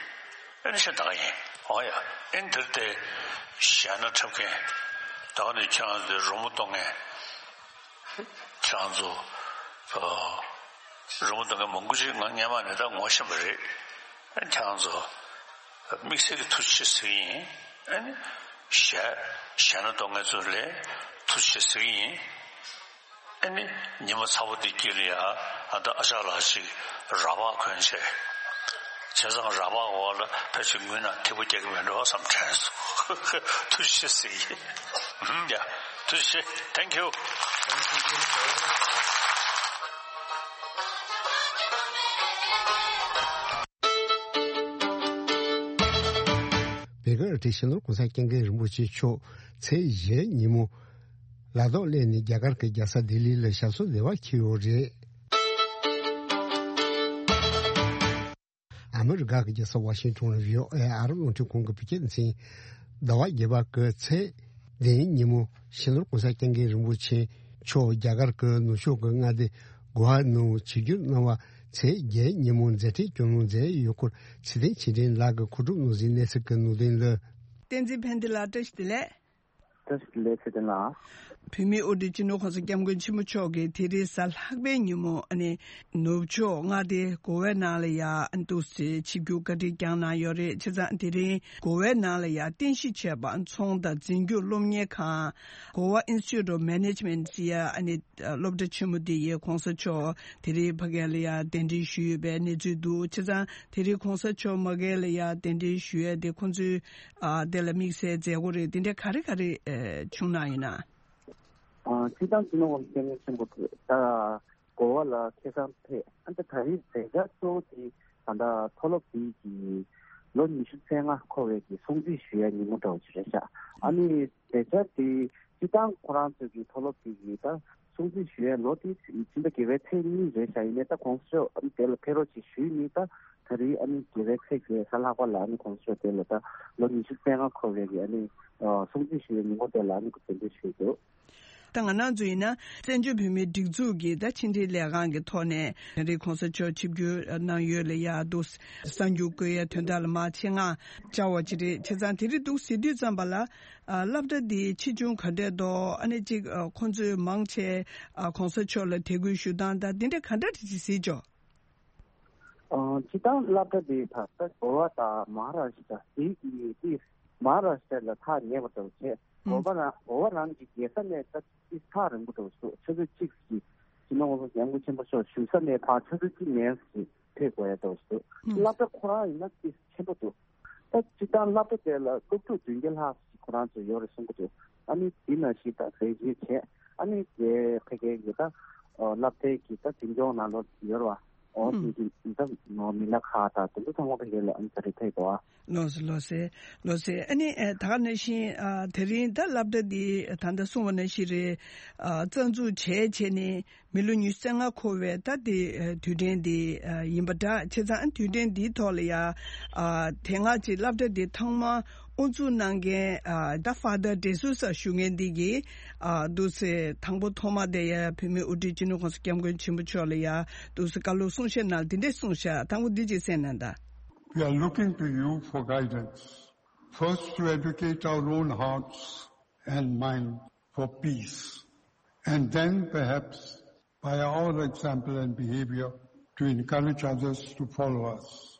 ཨེ་ནི་ཤ་ད་ག་ཡིན། འོ་ཡ། ཨེ་འདིར་དེ་ཞལ་ན་འཁྲབ་མཁན་ད་ག་ནས་ཁྱེད་རང་ཚོའི་རོལ་མོ་གཏོང་མཁན་ཁྱེད་རང་ཚོ་རོལ་མོ་གཏོང་མཁན་མང་པོ་ཅིག་ང་སྔན་མ་ནས་ད་ངོ་ཤེས་པ་རེད། ཨེ་ཁྱེད་རང་ཚོ་དམིགས་བསལ་གྱི་ཐུགས་རྗེ་ཆེ་ཟེར་གྱི་ཡིན། ཨེ་ནི་ཞལ་ཞལ་ན་གཏོང་མཁན་ཚོ་ལ་ཐུགས་རྗེ་ཆེ་ཟེར་གྱི་ཡིན། ཨ་ནི་ཉི་མ་ཚ་པོ་འདི་དཀྱིལ་ལ་ཡ་ཨ་ད་ཨ་ཅག་ལགས་ཤིག་ར་བག་གོན་བྱས། བྱས་ཙང་ར་བག་འོག་ལ་ཕལ་ཆེར་ངུས་ན་ཐིགས་པ་རྒྱག་གི་མེད་འགྲོ་བསམ་དྲན་སོང་། ཐུགས་རྗེ་ཆེ་ཟེར་གྱི་ཡིན། ཡ། ཐུགས་རྗེ་ཆེ། Thank you། བེ་གར་ཏི་སྤྱི་ནོར་གོང་ས་སྐྱབས་མགོན་རིན་པོ་ཆེ་མཆོག་ཚེས་བཞི་ཉིན་མོ། ལ་དྭགས་སླེབས་ནས་རྒྱ་གར་གྱི་རྒྱལ་ས་ལྡི་ལི་ལ་ཞབས་སོར་བདེ་བར་འཁྱེར་ཡོད་རེད། ཨ་མི་རི་ཀ་གི་རྒྱལ་ས་ཝ་ཤིང་ཊོན་ལ་བྷི་ཨོ་ཨེ་ཨ་རབ་རླུང་འཕྲིན་ཁང་གི་བོད་སྐད་སྡེ་ཚན། ཟླ་བ་བརྒྱད་པ་གི་ཚེས་བདུན་ཉིན་མོ་སྤྱི་ནོར་གོང་ས་སྐྱབས་མགོན་རིན་པོ་ཆེ་མཆོག་རྒྱ་གར་གྱི་ནུབ་ཕྱོགས་ཀྱི་མངའ་སྡེ་གོ་ཝ་ནང་ཆིབས་བསྒྱུར་གནང་བ་ ཚེས་བརྒྱད་ཉིན་མོ་མཛད་འཕྲིན་སྐྱོང་ལུགས་མཛད་ཡོད་སྐོར་ཚེ་བརྟན་ཆོས་སྒྲོན་ལགས་ཀྱིས་གོ་སྒྲུབ་གནང་ཟིན་གནས་ཚུལ་གྱི་ནང་དོན་ལ། བསྟན་འཛིན་ཕན་བདེ་ལགས་བཀྲ་ཤིས་བདེ་ལེགས། བཀྲ་ཤིས་བདེ་ལེགས་ཚེ་བརྟན་ལགས། བོད་མིའི་དབུ་ཁྲིད་སྤྱི་ནོར་༸གོང་ས་༸སྐྱབས་མགོན་ཆེན་པོ་མཆོག་གིས་དེ་རིང་གཟའ་ལྷག་པའི་ཉིན་མོ་ཨ་ནི་ནུབ་ཕྱོགས་མངའ་སྡེ་གོ་ཝའི་ནང་ལ་ཡ་འདུག་སེ་ཆིབས་བསྒྱུར་བཀའ་དྲིན་བསྐྱངས་གནང་ཡོད་རེད། བྱས་ཙང་དེ་རིང་གོ་ཝའི་ནང་ལ་ཡ་རྟེན་གཞི་བྱས་པ་ཚོང་དང་འཛིན་སྐྱོང་སློབ་གཉེར་ཁང་Goa Institute of Management ཟེར་ཡ་ཨ་ནི་སློབ་གྲྭ་ཆེན་མོ་དེ་ཡི་༸གོང་ས་མཆོག་དེ་རིང་ཕ་གི་ལ་ཡ་གདན་འདྲེན་ཞུས་ཡོད་པའི་གནས་ཚུལ་འདུག་བྱས་ཙང་དེ་རིང་༸གོང་ས་མཆོག་མ་གི་ལ་ཡ་གདན་འདྲེན་ཞུ་ཡ་དེ་ཁོང་ཚོའི་ཨ་དེ་ལ་དམིགས་བསལ་མཛད་སྒོ་རེད། དེ་འདྲ་ག་རེ་ག་རེ་ཨ་བྱུང་གནང་ཡོད་ན། ཨ་སྤྱིར་བཏང་སྤྱི་ནོར་༸གོང་ས་༸སྐྱབས་མགོན་ཆེན་པོ་དེ་ད་གོ་བ་ལ་ཁ་སང་ཕེབས། ཨ་ད་ད་རེས་མཛད་འཆར་གཙོ་བོ་དེ་ད་ལྟ་མཐོ་སློབ་དེ་གི་ལོ་ཉི་ཤུ་རྩ་ལྔ་འཁོར་བའི་གི་སྲུང་བརྩི་ཞུ་ཡ་ཉིན་མོ་འདྲ་བོ་ཅིག་རེད་ཤག་ཨ་ནི་མཛད་འཆར་དེ་སྤྱིར་བཏང་ཁོ་རང་ཚོ་གི་མཐོ་སློབ་དེ་གི་ད་སྲུང་བརྩི་ཞུ་ཡ་ལོ་དེ་ཕྱི་ཟླ་བརྒྱད་པའི་ཚེས་གཉིས་རེད་ཤག་ཡིན་ནའི་ད་༸གོང་ས་མཆོག་ཨ་ནི་དེ་ལ་ཕེབས་རོགས་ཅིག་ཞུས་ནི་ད། ད་རེས་ཨ་ནི་བརྒྱད་པའི་ཚེས་བརྒྱད་གཟའ་ལྷག་པ་ལ་ཨ་ནི་༸གོང་ས་མཆོག་དེ་ལ་ད་ལོ་ཉི་ཤུ་རྩ་ལྔ་འཁོར་བའི་གི་ཨ་ནི་ཨ་སྲུང་བརྩི་ཞུ་བའི་ཉིན་མོ་དེ་ལ་ཨ་ནི་གདན་འདྲེན་ཞུས་འདུག་ད་ང་རང་ཚོ་ཡིན་ན་བཙན་བྱོལ་བོད་མིའི་སྒྲིག་འཛུགས་ཀྱི་ད་ཕྱི་འབྲེལ་ལས་ཁང་གི་ཐོག་ནས་ད་རེས་༸གོང་ས་མཆོག་ཆིབས་བསྒྱུར་གནང་ཡོད་ལ་ཡ་འདུག་གསར་འགྱུར་བཀོད་ཡ་དོན་དག་ལ་མ་ཆེད་མངགས་བཅར་བ་ཅིག་རེད། བྱས་ཙང་དེ་རིང་འདུག་ཟེར་དུས་ཙམ་པ་ལ་ཨ་སློབ་གྲྭ་འདི་ཆེ་ཆུང་ག་འདྲས་འདུག་ཨ་ནི་ཅིག་ཨ་ཁོང་ཚོས་མང་ཆེ་ཨ་༸གོང་ས་མཆོག་ལ་དད་གུས་ཞུ་སྟངས་དང་འདི་འདྲ་ག་འདྲ་ཅིག་གཟིགས་ཆོག་ཨ་སྤྱིར་བཏང་སློབ་གྲྭ་དེ་ད་ལྟ་གོ་བ་དང་མ་ཧཱ་རཱ་ཤི་ཏྲ་དེ་གི་དེ་མ་ཧཱ་རཱ་ཤི་ཏྲ་ལ་ཐག་ཉེ་བ་འདྲ་བོ་བྱས། ཨང་། གོ་བ་རང་གོ་བ་རང་གི་རྒྱལ་ས་ནས་ད་དེ་ཐག་རིང་པོ་འདྲ་བོ་འདུག་ཆུ་ཚོད་གཅིག་གི་སྤྱི་ནོར་༸གོང་ས་༸སྐྱབས་མགོན་ཆེན་པོ་མཆོག་བཞུགས་ས་ནས་ཕར་ཆུ་ཚོད་གཅིག་ནང་ཞིག་ཕེབས་དགོས་ཡ་འདྲ་བོ་འདུག་ཨང་། སློབ་གྲྭ་ཁོ་རང་ཡིན་ན་དེ་ཆེན་པོ་འདུག་ད་སྤྱིར་བཏང་སློབ་གྲྭ་དེ་ལ་སློབ་ཕྲུག་བདུན་བརྒྱ་ལྷག་ཅིག་ཁོ་རང་ཚོ་ཡོད་རེད་གསུང་གི་འདུག་ཨ་ནི་དེ་ནང་བཞིན་ད་ཟས་བཅད་བྱས། ཨ་ནི་དེ་ཕ་གི་གི་ད་སློབ་གྲྭའི་གི་ད་འཛིན་སྐྱོང་ནང་ལོགས་ཡོད་རེད་བ། འོ་ཨུམ། དེ་གི་ད་མི་སྣ་ཁག་དང་དེ་ཚོ་ཚང་མ་ཕ་གི་ལ་ཨ་ནི་ད་རེས་ཕེབས་འདུག་ཨ། ལགས་སོ་ལགས་སོ་ལགས་སོ། ཨ་ནི་ཨ་ད་ག་ནང་བཞིན་ཨ་དེ་རིང་ད་སློབ་གྲྭ་འདི་ད་ལྟ་གསུངས་པ་ནང་བཞིན་རེད། ཨ་རྩ་འཛུགས་བྱས་བྱས་ནས་མི་ལོ་ཉི་ཤུ་རྩ་ལྔ་འཁོར་བའི་ད་དེ་ཨ་དུས་དྲན་འདི་ཨ་ཡིན་པ་འདྲ། བྱས་ཙང་ཨ་དུས་དྲན་འདིའི་ཐོག་ལ་ཡ་ཨ་དེ་སྔ་ཅིག་སློབ་གྲྭ་འདི་ཐོག་མ་དབུ་འཛུགས་གནང་མཁན་ཨ་ད་Father De Souza ཞུ་མཁན་འདི་གིས་ཨ་འདུག་སེ་དང་པོ་ཐོག་མ་དེ་ཡ་བོད་མིའི་དབུ་ཁྲིད་སྤྱི་ནོར་༸གོང་ས་༸སྐྱབས་མགོན་ཆེན་པོ་མཆོག་ལ་ཡ་འདུག་སེ་བཀའ་སློབ་གསུང་བཤད་གནང་འདི་འདྲས་གསུངས་ཤག་དང་པོ་འདི་ཅིག་གསན་གནང་དང་། We are looking to you for guidance, first to educate our own hearts and mind for peace, and then perhaps by our example and behavior to encourage others to follow us.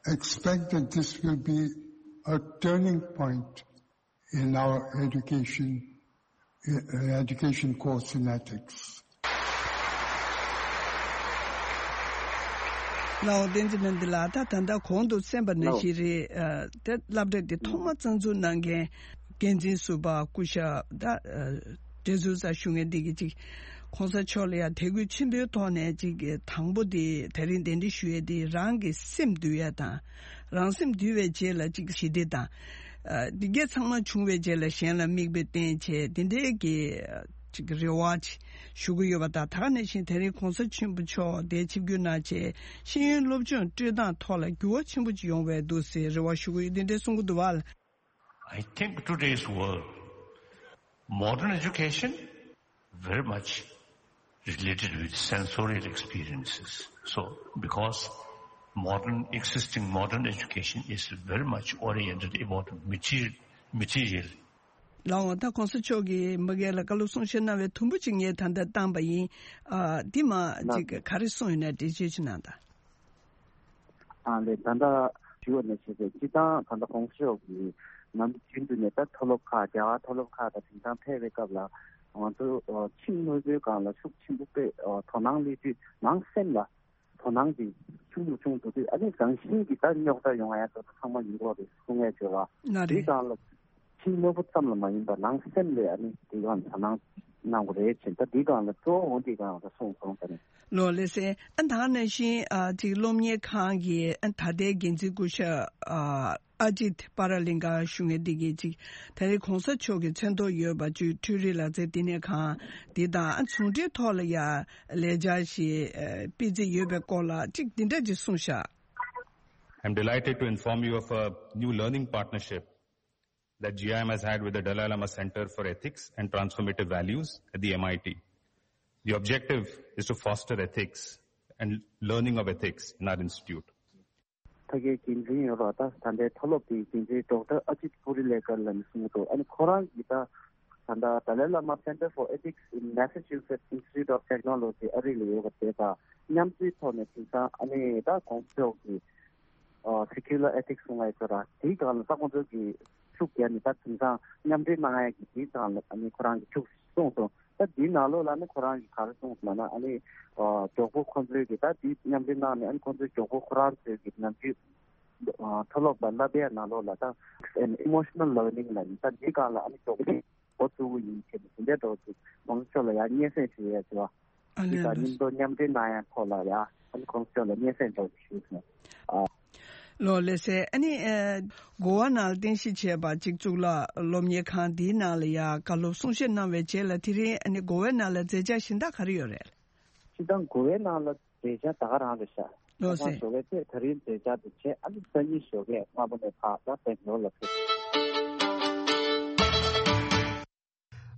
Expect that this will be a turning point in our education, uh, education course in ethics. ལའོ་བསྟན་འཛིན་ཕན་བདེ་ལགས། ད་ད་ལྟ་གོང་དུ་གསན་པ་ནང་བཞིན་རེད། ཨ་དེ་སློབ་གྲྭ་འདི་ཐོག་མ་རྩ་འཛུགས་གནང་མཁན་འགན་འཛིན་ཟུར་པ་སྐུ་ཞབས་ད་ཨ་ཌེ་སུ་ཟ་ཞུ་མཁན་འདི་གི་ཅིག་༸གོང་ས་མཆོག་ལ་ཡང་དད་གུས་ཆེན་པོའི་ཐོག་ནས་ཅིག་དང་པོ་དེ་དེ་རིང་གདན་འདྲེན་ཞུ་ཡས་དེ་རང་གི་སེམས་འདུལ་ཡས་དང་། རང་སེམས་འདུལ་བའི་རྗེས་ལ་ཅིག་ཞི་བདེ་དང་། ཨ་འདི་གས་ཚང་མ་བྱུང་བའི་རྗེས་ལ་གཞན་ལ་མིག་དཔེ་བསྟན་བྱས་དེ་འདྲའི་གི་ཅིག་རེ་བ་ཅིག་ཞུ་གི་ཡོད་པ་དང་། ད་ག་ནང་བཞིན་དེ་རིང་༸གོང་ས་ཆེན་པོ་མཆོག་དེ་ཆིབས་བསྒྱུར་གནང་བྱས་ཤེས་ཡོན་སློབ་སྦྱོང་སྤྲོད་སྟངས་ཐོག་ལ་འགྱུར་བ་ཆེན་པོ་ཅིག་ཡོང་བའི་འདུག་ཟེར་རེ་བ་ཞུ་གི་ཡོད། དེ་འདྲའི་གསུང་གི་འདུག་བ། I think today's world, modern education very much related with sensorial experiences. So, because modern, existing modern education is very much oriented about material, material. ལའོ་ད་༸གོང་ས་མཆོག་གིས་མ་གི་ལ་བཀའ་སློབ་གསུང་བཤད་གནང་བའི་དུམ་བུ་ཅིག་ངས་ད་ལྟ་བཏང་པ་ཡིན། ཨ་འདི་མ་ཅིག་ག་རེ་གསུངས་ཡོད་ན་འགྲེལ་བརྗོད་ཅིག་གནང་དང་། ཨ་ལས་ད་ལྟ་ཞུ་བ་ནས་བྱས་ཏེ་སྤྱིར་བཏང་ད་ལྟ་༸གོང་ས་མཆོག་གིས་ནམ་རྒྱུན་དུ་ནས་ད་མཐོ་སློབ་ཁག་རྒྱ་གར་མཐོ་སློབ་ཁག་དང་དེང་སང་ཕེབས་པའི་སྐབས་ལ་ང་ཚོ་ཁྱིམ་དངོས་པོའི་སྒང་ལ་ཤུགས་ཆེན་པོ་དཔེ་དོ་སྣང་སླེབས་དུས་ནང་སེམས་ལ་དོ་སྣང་དེ་ཆུང་རུ་ཆུང་རུ་འགྲོ་དུས་ཨ་ནི་རང་བཞིན་གྱིས་ད་རྙོག་དྲ་ཡོང་ཡ་ད་ཚང་མ་ཡིན་གྱི་རེད་གསུང་ཡ་བྱེད་བ། ན་དེའི་རེད། སྒང་ལ། ཕྱི་དངོས་པོ་ཙམ་ལ་མ་ཡིན་པར་ནང་སེམས་ལ་ཨ་ནི་དེ་གང་དོ་སྣང་གནང་དགོས་རེད་ཅེས་ད་འདི་གང་ལ་གཙོ་བོ་འོ་འདི་གང་ལ་གསུངས་སོང་ད་ནི། ལོ་ལེ་སེ་ཨ་ད་ག་ནང་བཞིན་ཨ་ཅིག་སློབ་གཉེར་ཁང་གི་ཨ་ད་ལྟའི་འགན་འཛིན་སྐུ་ཞབས་ཨ་ཨ་ཇིད་པ་ར་ལིང་ག་ཞུ་མཁན་འདི་གིས་ཅིག་ད་རེས་༸གོང་ས་མཆོག་གི་མཚན་ཐོག་ཡོད་པ་ཅིག་འཕྲུལ་རིག་ལག་རྩལ་བསྟི་གནས་ཁང་འདི་དང་ཨ་ཟུང་འབྲེལ་ཐོག་ལ་ཡ་ལས་འཆར་ཞིག་ཨ་སྤེལ་རྩིས་ཡོད་པའི་སྐོར་ལ་ཅིག་འདི་འདྲ་ཅིག་གསུངས་ཤག I'm delighted to inform you of a new learning partnership that G I M has had with the Dalai Lama Center for Ethics and Transformative Values at the M I T. The objective is to foster ethics and learning of ethics in our institute. ཕ་གིའི་འགན་འཛིན་ཡོད་པ་ད་ད་ལྟའི་མཐོ་སློབ་དེའི་འགན་འཛིན་ཌོག་ཊར་ཨ་ཇིད་པུ་རི་ལེ་ཀར་ལ་ནི་གསུངས་འདུག་ཨ་ནི་ཁོ་རང་གིས་ད་ད་ལྟ་ཏཱ་ལའི་བླ་མ་Center for Ethics in Massachusetts Institute of Technology ཨ་རི་ལ་ཡོད་པ་དེ་དང་མཉམ་འབྲེལ་ཐོག་ནས་དེང་སང་ཨ་ནི་ད་གོང་ས་མཆོག་གིས་ཨ་Secular Ethics གསུང་བ་ཡོད་ཚོད་ར་དེའི་སྒང་ལ་ད་ཁོང་ཚོ་གིས་ཤུགས་རྒྱབ་ནས་ད་དེང་སང་མཉམ་འབྲེལ་གནང་ཡ་གི་དེའི་སྒང་ལ་ཨ་ནི་ཁོ་རང་གིས་ཤུགས་གསུངས་སོང་། ད་འདིའི་ནང་ལོགས་ལ་ནི་ཁོ་རང་གིས་ག་རེ་གསུངས་སོང་ལབ་ན་ཨ་ནི་ཨ་མགྱོགས་པོ་ཁོང་ཚོའི་གི་ད་འདི་མཉམ་འབྲེལ་གནང་ནས་ཨ་ནི་ཁོང་ཚོའི་མགྱོགས་པོ་ཁོ་རང་ཚོའི་གི་ནམ་རྒྱུན་ཨ་མཐོ་སློབ་ལ་བསླབ་པའི་ནང་ལོགས་ལ་ད་an emotional learning ལབ་ནི་ད་འདིའི་སྒང་ལ་ཨ་ནི་མགྱོགས་པོ་འགོ་བཙུགས་ཀྱི་ཡིན་ཞེས་ནས་དེ་འདྲའི་འདྲ་བོ་ཅིག་གོང་ས་མཆོག་ལ་ཡང་སྙན་སེང་ཞུ་ཡས་ཟེར་བ། ཨ་ནི་དང་མཉམ་དུ་མཉམ་འབྲེལ་གནང་ཡ་ཐོག་ལ་ཡ་ཨ་ནི་གོང་ས་མཆོག་ལ་སྙན་སེང་འདྲ་བོ་ཞུས་སོང་། ཨ། ལོ་ལེ་སེ་ཨ་ནི་ཨ་གོ་བ་ནང་ལ་རྟེན་གཞི་བྱས་པ་གཅིག་གཙུག་ལག་སློབ་གཉེར་ཁང་འདིའི་ནང་ལ་ཡ་བཀའ་སློབ་གསུང་བཤད་གནང་བའི་རྗེས་ལ་དེ་རིང་ཨ་ནི་གོ་བའི་ནང་ལ་མཛད་འཆར་གཞན་དག་ག་རེ་ཡོད་རེད། སྤྱིར་བཏང་གོ་བའི་ནང་ལ་མཛད་འཆར་ད་ག་རང་རེད་ཤག་ལོ་སེ། ད་ཞོགས་ཀས་ཚེ་ད་རིང་མཛད་འཆར་དེ་བྱས་ཨ་ནི་སང་ཉིན་ཞོགས་ཀས་སྔ་པོ་ནས་ཕར་ད་སྦེང་ལོར་ལ་ཕེབས།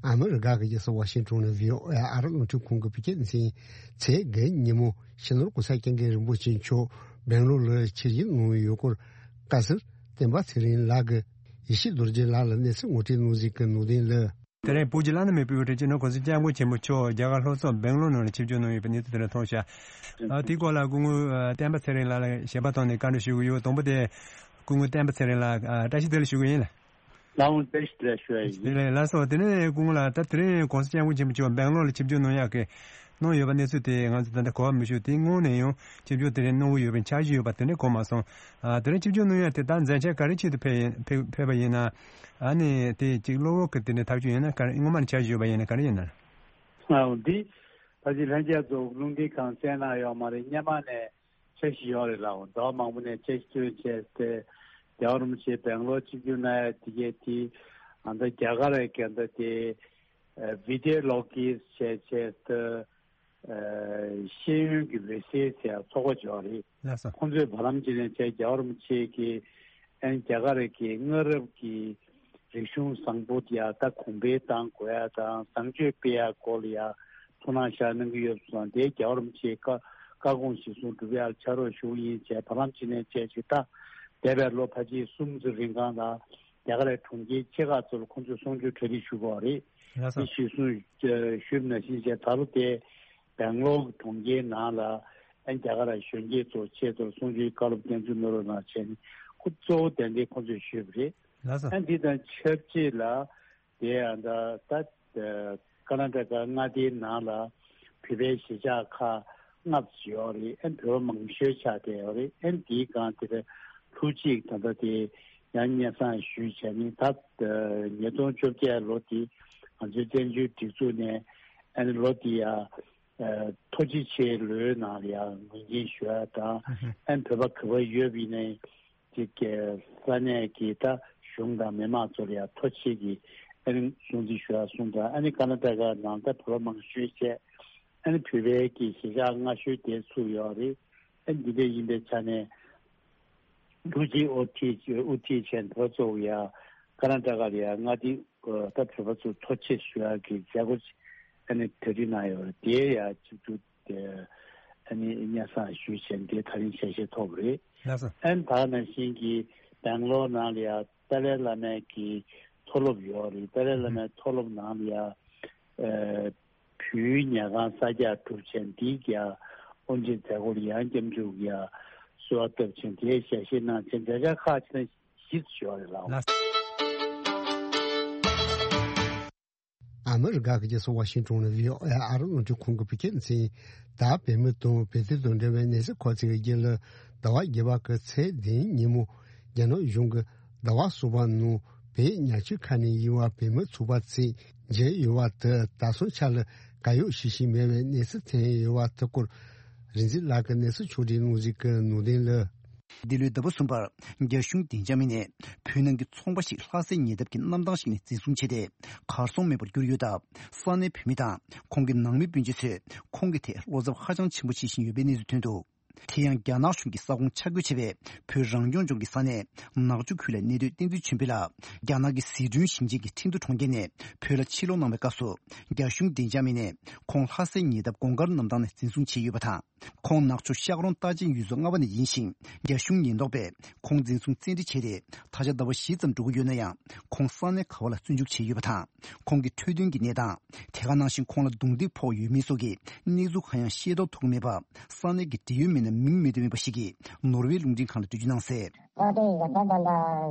ཨ་མི་རི་ཀ་གི་རྒྱལ་ས་ཝ་ཤིང་ཊོན་ནས་བྷི་ཨོ་ཨེ་ཨ་རི་རླུང་འཕྲིན་ཁང་གི་བོད་སྐད་སྡེ་ཚན་ཚེས་བརྒྱད་ཉིན་མོ་སྤྱི་ནོར་༸གོང་ས་༸སྐྱབས་མགོན་རིན་པོ་ཆེ་མཆོག་སྦེང་ལོར་ལ་ཆིབས་བསྒྱུར་གནང་ཡོད་སྐོར་བཀའ་ཟུར་བསྟན་པ་ཚེ་རིང་ལགས་ཀྱིས་ཡེ་ཤེས་རྡོ་རྗེ་ལགས་ལ་གནས་ཚུལ་ངོ་སྤྲོད་གནང་གཟིགས་ཀྱི་ནང་དོན་ལ། དེ་རིང་བོད་ཀྱི་བླ་ན་མེད་པའི་དབུ་ཁྲིད་སྤྱི་ནོར་༸གོང་ས་༸སྐྱབས་མགོན་ཆེན་པོ་མཆོག་རྒྱ་གར་ལྷོ་ཕྱོགས་སྦེང་ལོར་ནང་ལ་ཆིབས་བསྒྱུར་གནང་ཡོད་པའི་གནས་ཚུལ་དེ་འདྲ་མཐོང་ཤག་ཨ། དེའི་སྐོར་ལ་སྐུ་ངོ་ཨ་བསྟན་པ་ཚེ་རིང་ལགས་ལ་ཞལ་པར་ཐོག་ནས་བཀའ་འདྲི་ཞུ་གི་ཡོད། དང་པོ་དེ་སྐུ་ངོ་བསྟན་པ་ཚེ་རིང་ལགས་ཨ་བཀྲ་ཤིས་བདེ་ལེགས་ཞུ་གི་ཡིན། ལགས་འོང་། བཀྲ་ཤིས་བདེ་ལེགས་ཞུ་ཡ་ཡིན། དེ་ལས་ལགས་སོ། དེ་ནས་སྐུ་ངོ་ལགས་ད་དེ་རིང་༸གོང་ས་༸སྐྱབས་མགོན་ཆེན་པོ་མཆོག་སྦེང་ལོར་ལ་ཆིབས་བསྒྱུར་གནང་ཡག་གི་གནང་ཡོད་པ་གནས་ཚུལ་དེ་ང་ཚོ་ད་ལྟ་གོ་བ་མི་ཤོར། དེ་སྔོན་ནས་ཡང་ཆིབས་བསྒྱུར་དེ་རིང་གནང་གི་ཡོད་པའི་འཆར་གཞི་ཡོད་པ་དེ་འདྲ་གོ་མ་སོང་། ཨ། དེ་རིང་ཆིབས་བསྒྱུར་གནང་ཡ་དེ་ད་མཛད་འཆར་ག་རེ་ཆེད་དུ་ཕེབས་ཡིན་ཕེབས་ཕེབས་པ་ཡིན་ན། ཨ་ནི་དེ་གཅིག་གློ་བོར་གྱི་དེ་འདྲ་ཐག་གཅོད་ཡིན་ན་ག་རེ་སྔོན་མ་ནས་འཆར་གཞི་ཡོད་པ་ཡིན་ན་ག་རེ་ཡིན་ན། ཨ་འདི་ཕལ་ཆེར་ལྷན་རྒྱས་ཚོ་རླུང་འཕྲིན་ཁང་གསན་གནང་ཡོད་མ་རེད། སྔོན་མ་ནས་འཆར་གཞི་ཡོད་རེད་ལགས། ཟླ་བ་མང་པོ་ནས་འཆར་གཞི་བཏོན་བྱས་ཏེ་རྒྱལ་བ་རིན་པོ་ཆེ་སྦེང་ལོར་ཆིབས་བསྒྱུར་གནང་ཡ་དེ་གས་དེ་ཨ་ད་རྒྱ་གར་ར་ག་ད་དེ་ཨ་བི་ཌི་ཡོ་ལོ་ཀི་ཟེར་བྱས་ཏེ། ཨ་ཤེས་ཡོན་གྱི་འོད་ཟེར་ཟེར་ཚོགས་པ་ཅིག་ཡོད་རེད། ལགས་སོ། ཁོང་ཚོས་བར་ལམ་ཅིག་ནས་བྱས་རྒྱལ་བ་རིན་པོ་ཆེ་གིས་ཨན་རྒྱ་གར་གྱི་སྔ་རབས་ཀྱི་རིག་གཞུང་བཟང་པོ་དེ་ཡ་ད་གོང་འཕེལ་གཏང་དགོས་ཡ་དང་བཟང་སྤྱོད་སྤེལ་ཡ་སྐོར་ལ་ཡ་ཐུགས་སྣང་ཤར་གནང་གི་ཡོད་པ་སོང་། དེ་རྒྱལ་བ་རིན་པོ་ཆེའི་བཀའ་བཀའ་དགོངས་གཞིར་བཟུང་སྒྲུབ་ཡ་ལ་ཕྱག་རོགས་ཞུ་གི་ཡིན་བྱས་བར་ལམ་ཅིག་ནས་བྱས་ཅིག་ད་འདས་པའི་ལོ་ཕལ་ཆེར་གསུམ་ཙམ་རིང་གང་ལ་རྒྱ་གར་གྲོང་ཁྱེར་ཆེ་ཁག་ཚོ་ལ་ཁོང་ཚོས་གསུང་ཆོས་གྲ་སྒྲིག་ཞུ་དགོས་རེད། ལགས་སོ། དེ་གཞིར་བཟུང་ཞུས་པ་ནང་བཞིན་བྱས་ད་ལོ་དེ་སྦེང་ལོར་གྲོང་ཁྱེར་ནང་ལ་ཨ་རྒྱ་གར་གཞོན་སྐྱེས་ཚོ་ཆེད་དུ་གསུང་ཆོས་བཀའ་སློབ་བསྟན་འཛིན་གནང་རོགས་གནང་བྱས་ནས་ཁོ་གཙོ་བོ་དེ་འདྲའི་ཁོང་ཚོས་ཞུས་པ་རེད། ལགས་སོ། ཨ་འདི་དང་ཆབས་ཅིག་ལ་དེ་ཨ་ད་ད་ཀར་ནཱ་ཊ་ཀ་མངའ་སྡེའི་ནང་ལ་བོད་པའི་གཞིས་ཆགས་ཁག་ལྔ་ཙམ་ཡོད་རེད། ཨ་བོད་པ་མང་ཤོས་ཆགས་བསྡད་ཡོད་རེད། ཨ་འདིའི་སྒང་དེ་ལ་ལྷུ་ཅིག་ད་ལྟ་དེ་ཡང་སྙན་སེང་ཞུས་བྱས་ནས་ད་ཉིས་སྟོང་བཅོ་བརྒྱད་ལོ་དེ་ང་ཚོའི་བཙན་བྱོལ་སྒྲིག་འཛུགས་ནས་ཨ་ནི་ལོ་དེ་ཡ་ཨ་ཐོ་ཅི་ཆེའི་ལོའི་ནང་ལ་ཡང་ངོས་འཛིན་ཞུ་ཡ་དང་། ཨ་ནི་བོད་པ་ག་པར་ཡོད་པ་ཡིན་ནའི་ཅིག་གི་ས་གནས་ཀྱི་ད་གཞུང་དང་མི་མང་ཚོ་ལ་ཡང་ཐོ་ཆེ་གི་ཨ་ནི་སྲུང་བརྩི་ཞུ་ཡ་གསུངས་དང་། ཨ་ནི་ཀར་ནཱ་ཊ་ཀ་ནང་ད་བོད་པ་མང་ཤོས་བྱས་ཨ་ནི་བོད་པའི་གི་གཞིས་ཆགས་སྔ་ཤོས་དེ་ཚུགས་ཡོད་རེད། ཨ་ནི་འདི་འདྲ་ཡིན་པའི་ཆ་ནས་ལྷུ་ཅིག་ཨོ་ཐི་ཨུ་ཐི་ཆེན་བོད་ཚོ་ཡ་ཀར་ནཱ་ཊ་ཀ་ལ་ཡ་མངའ་སྡེ་ད་བོད་པ་ཚོ་ཐོ་ཆེ་ཞུ་ཡ་གི་མཛད་སྒོ་ཨ་ནི་གྲ་སྒྲིག་གནང་ཡོད་རེད། དེ་ཡ་གཅིག་ཏུ། ཨ་ནི་སྙན་སེང་ཞུས་བྱས་འདི་ད་རིང་ཞལ་བཞེས་ཐོབ་པ་རེད། ལགས་སོ། ཨ་ནི་ད་ནང་བཞིན་གྱི་སྦེང་ལོར་ནང་ལ་ཡང་ཏཱ་ལའི་བླ་མའི་གི་མཐོ་སློབ་ཡོད་རེད། ཏཱ་ལའི་བླ་མའི་མཐོ་སློབ་ནང་ལ་ཡང་ཨ་བོད་ཡིག་ཉལ་ཁང་གསར་རྒྱག་གྲུབ་བྱས་འདིའི་ཀྱང་དབུ་འབྱེད་མཛད་སྒོ་ལ་ཡང་སྐྱབས་འཇུག་ཡང་གསོལ་བ་བཏབ་བྱས་འདིའི་ཞལ་བཞེས་གནང་བྱས་མཛད་འཆར་ཁག་ཅིག་ནང་བཞི་ཙམ་ཡོད་རེད་ལགས། ལགས། ཨ་མི་རི་ཀ་གི་རྒྱལ་ས་ཝ་ཤིང་ཊོན་ནས་བྷི་ཨོ་ཨེ་ཨ་རི་རླུང་འཕྲིན་ཁང་གི་བོད་སྐད་སྡེ་ཚན། ད་བོད་མི་དང་བོད་དོན་དང་འབྲེལ་བའི་གནས་ཚུལ་གོ་ཚིགས་རྒྱུན་ལ་ཟླ་བ་བརྒྱད་པ་གི་ཚེས་བདུན་ཉིན་མོ་རྒྱ་ནག་གཞུང་གི་ཟླ་བ་གསུམ་པ་ནང་བོད་ཉག་ཆུ་ཁ་ནས་ཡིན་པ་བོད་མི་ཚོགས་པ་ཚོས་མཇལ་ཡོད་པ་དེ་ད་སོང་ཆ་ལ་གར་གཡོག་བྱེད་བཞིན་མེད་པའི་གནས་ཚུལ་ཐོན་ཡོད་པ་དེ་སྐོར་རིག་འཛིན་ལགས་ཀྱིས་གནས་ཚུལ་ཕྱོགས་སྒྲིག་གནང་གཟིགས་ཀྱི་ནང་དོན་ལ། འདི་ལོའི་ཟླ་བ་གསུམ་པར་རྒྱ་གཞུང་བདེ་འཇགས་མི་སྣས་བོད་ནང་གི་ཚོང་པ་ཞིག་ལྷ་སའི་ཉེ་འདབས་ཀྱི་གནམ་ཐང་ཞིག་ནས་འཛིན་བཟུང་བྱས་ཏེ་གར་སོང་མེད་པར་གྱུར་ཡོད་སྟབས། ས་གནས་བོད་མི་དང་ཁོང་གི་ནང་མི་སྤུན་མཆེད་ཚོས་ཁོང་གི་ཐད་བློ་འཚབ་ཧ་ཅང་ཆེན་པོ་བྱེད་བཞིན་ཡོད་པའི་གནས་ཚུལ་ཐོན་འདུག་དེ་ཡང་རྒྱ་ནག་གཞུང་གིས་ས་ཁོངས་ཆ་བགོས་བྱས་པའི་བོད་རང་སྐྱོང་ལྗོངས་ཀྱི་ས་གནས་ནག་ཆུ་ཁུལ་ལ་གནས་སྡོད་བསྟན་འཛིན་ཆོས་འཕེལ་ལགས་རྒྱ་ནག་གི་ཟི་ཁྲོན་ཞིང་ཆེན་གྱི་ཁྲིན་ཏུའུ་གྲོང་ཁྱེར་ནས་བོད་ལ་ཕྱིར་ལོག་གནང་བའི་སྐབས་སུ་རྒྱ་གཞུང་བདེ་འཇགས་མི་སྣས་ཁོང་ལྷ་སའི་ཉེ་འདབས་གོང་དཀར་གནམ་ཐང་ནས་འཛིན་བཟུང་བྱས་ཡོད་པ་དང་། ཁོང་ནག་ཆུ་ཤག་རོང་རྟ་ཅན་ཡུལ་ཚོ་ལྔ་པ་ནས་ཡིན་ཞིང་། རྒྱ་གཞུང་ཉེན་རྟོག་པས་ཁོང་འཛིན་བཟུང་བཙན་ཁྲིད་བྱས་ཏེ། ད་ཆ་ཟླ་བ་བཞི་ཙམ་འགྲོ་གི་ཡོད་ན་ཡང་། ཁོང་ས་གནས་ག་བ་ལ་བཙོན་འཇུག་བྱས་ཡོད་པ་དང་། ཁོང་གི་འཕྲོད་བསྟེན་གྱི་གནས་སྟངས། དེ་ག་ནང་བཞིན་ཁོང་ལ་རྡུང་རྡེག་ཕོག་ཡོད་མེད་སོགས་ཀྱི་གནས་ཚུལ་གང་ཡང་ཤེས་རྟོགས་ཐུབ་ཀྱི་མེད་པ། ས་གནས་ཀྱི་འབྲེལ་ཡོད་མི་སྣ་མིང་མི་འདོན་མེད་པ་ཞིག་གིས་ནོར་ཝེ་རླུང་འཕྲིན་ཁང་ལ་འགྲེལ་བརྗོད་གནང་གསལ། ཨོ་དེ་ཡིན་ད་ད་ད་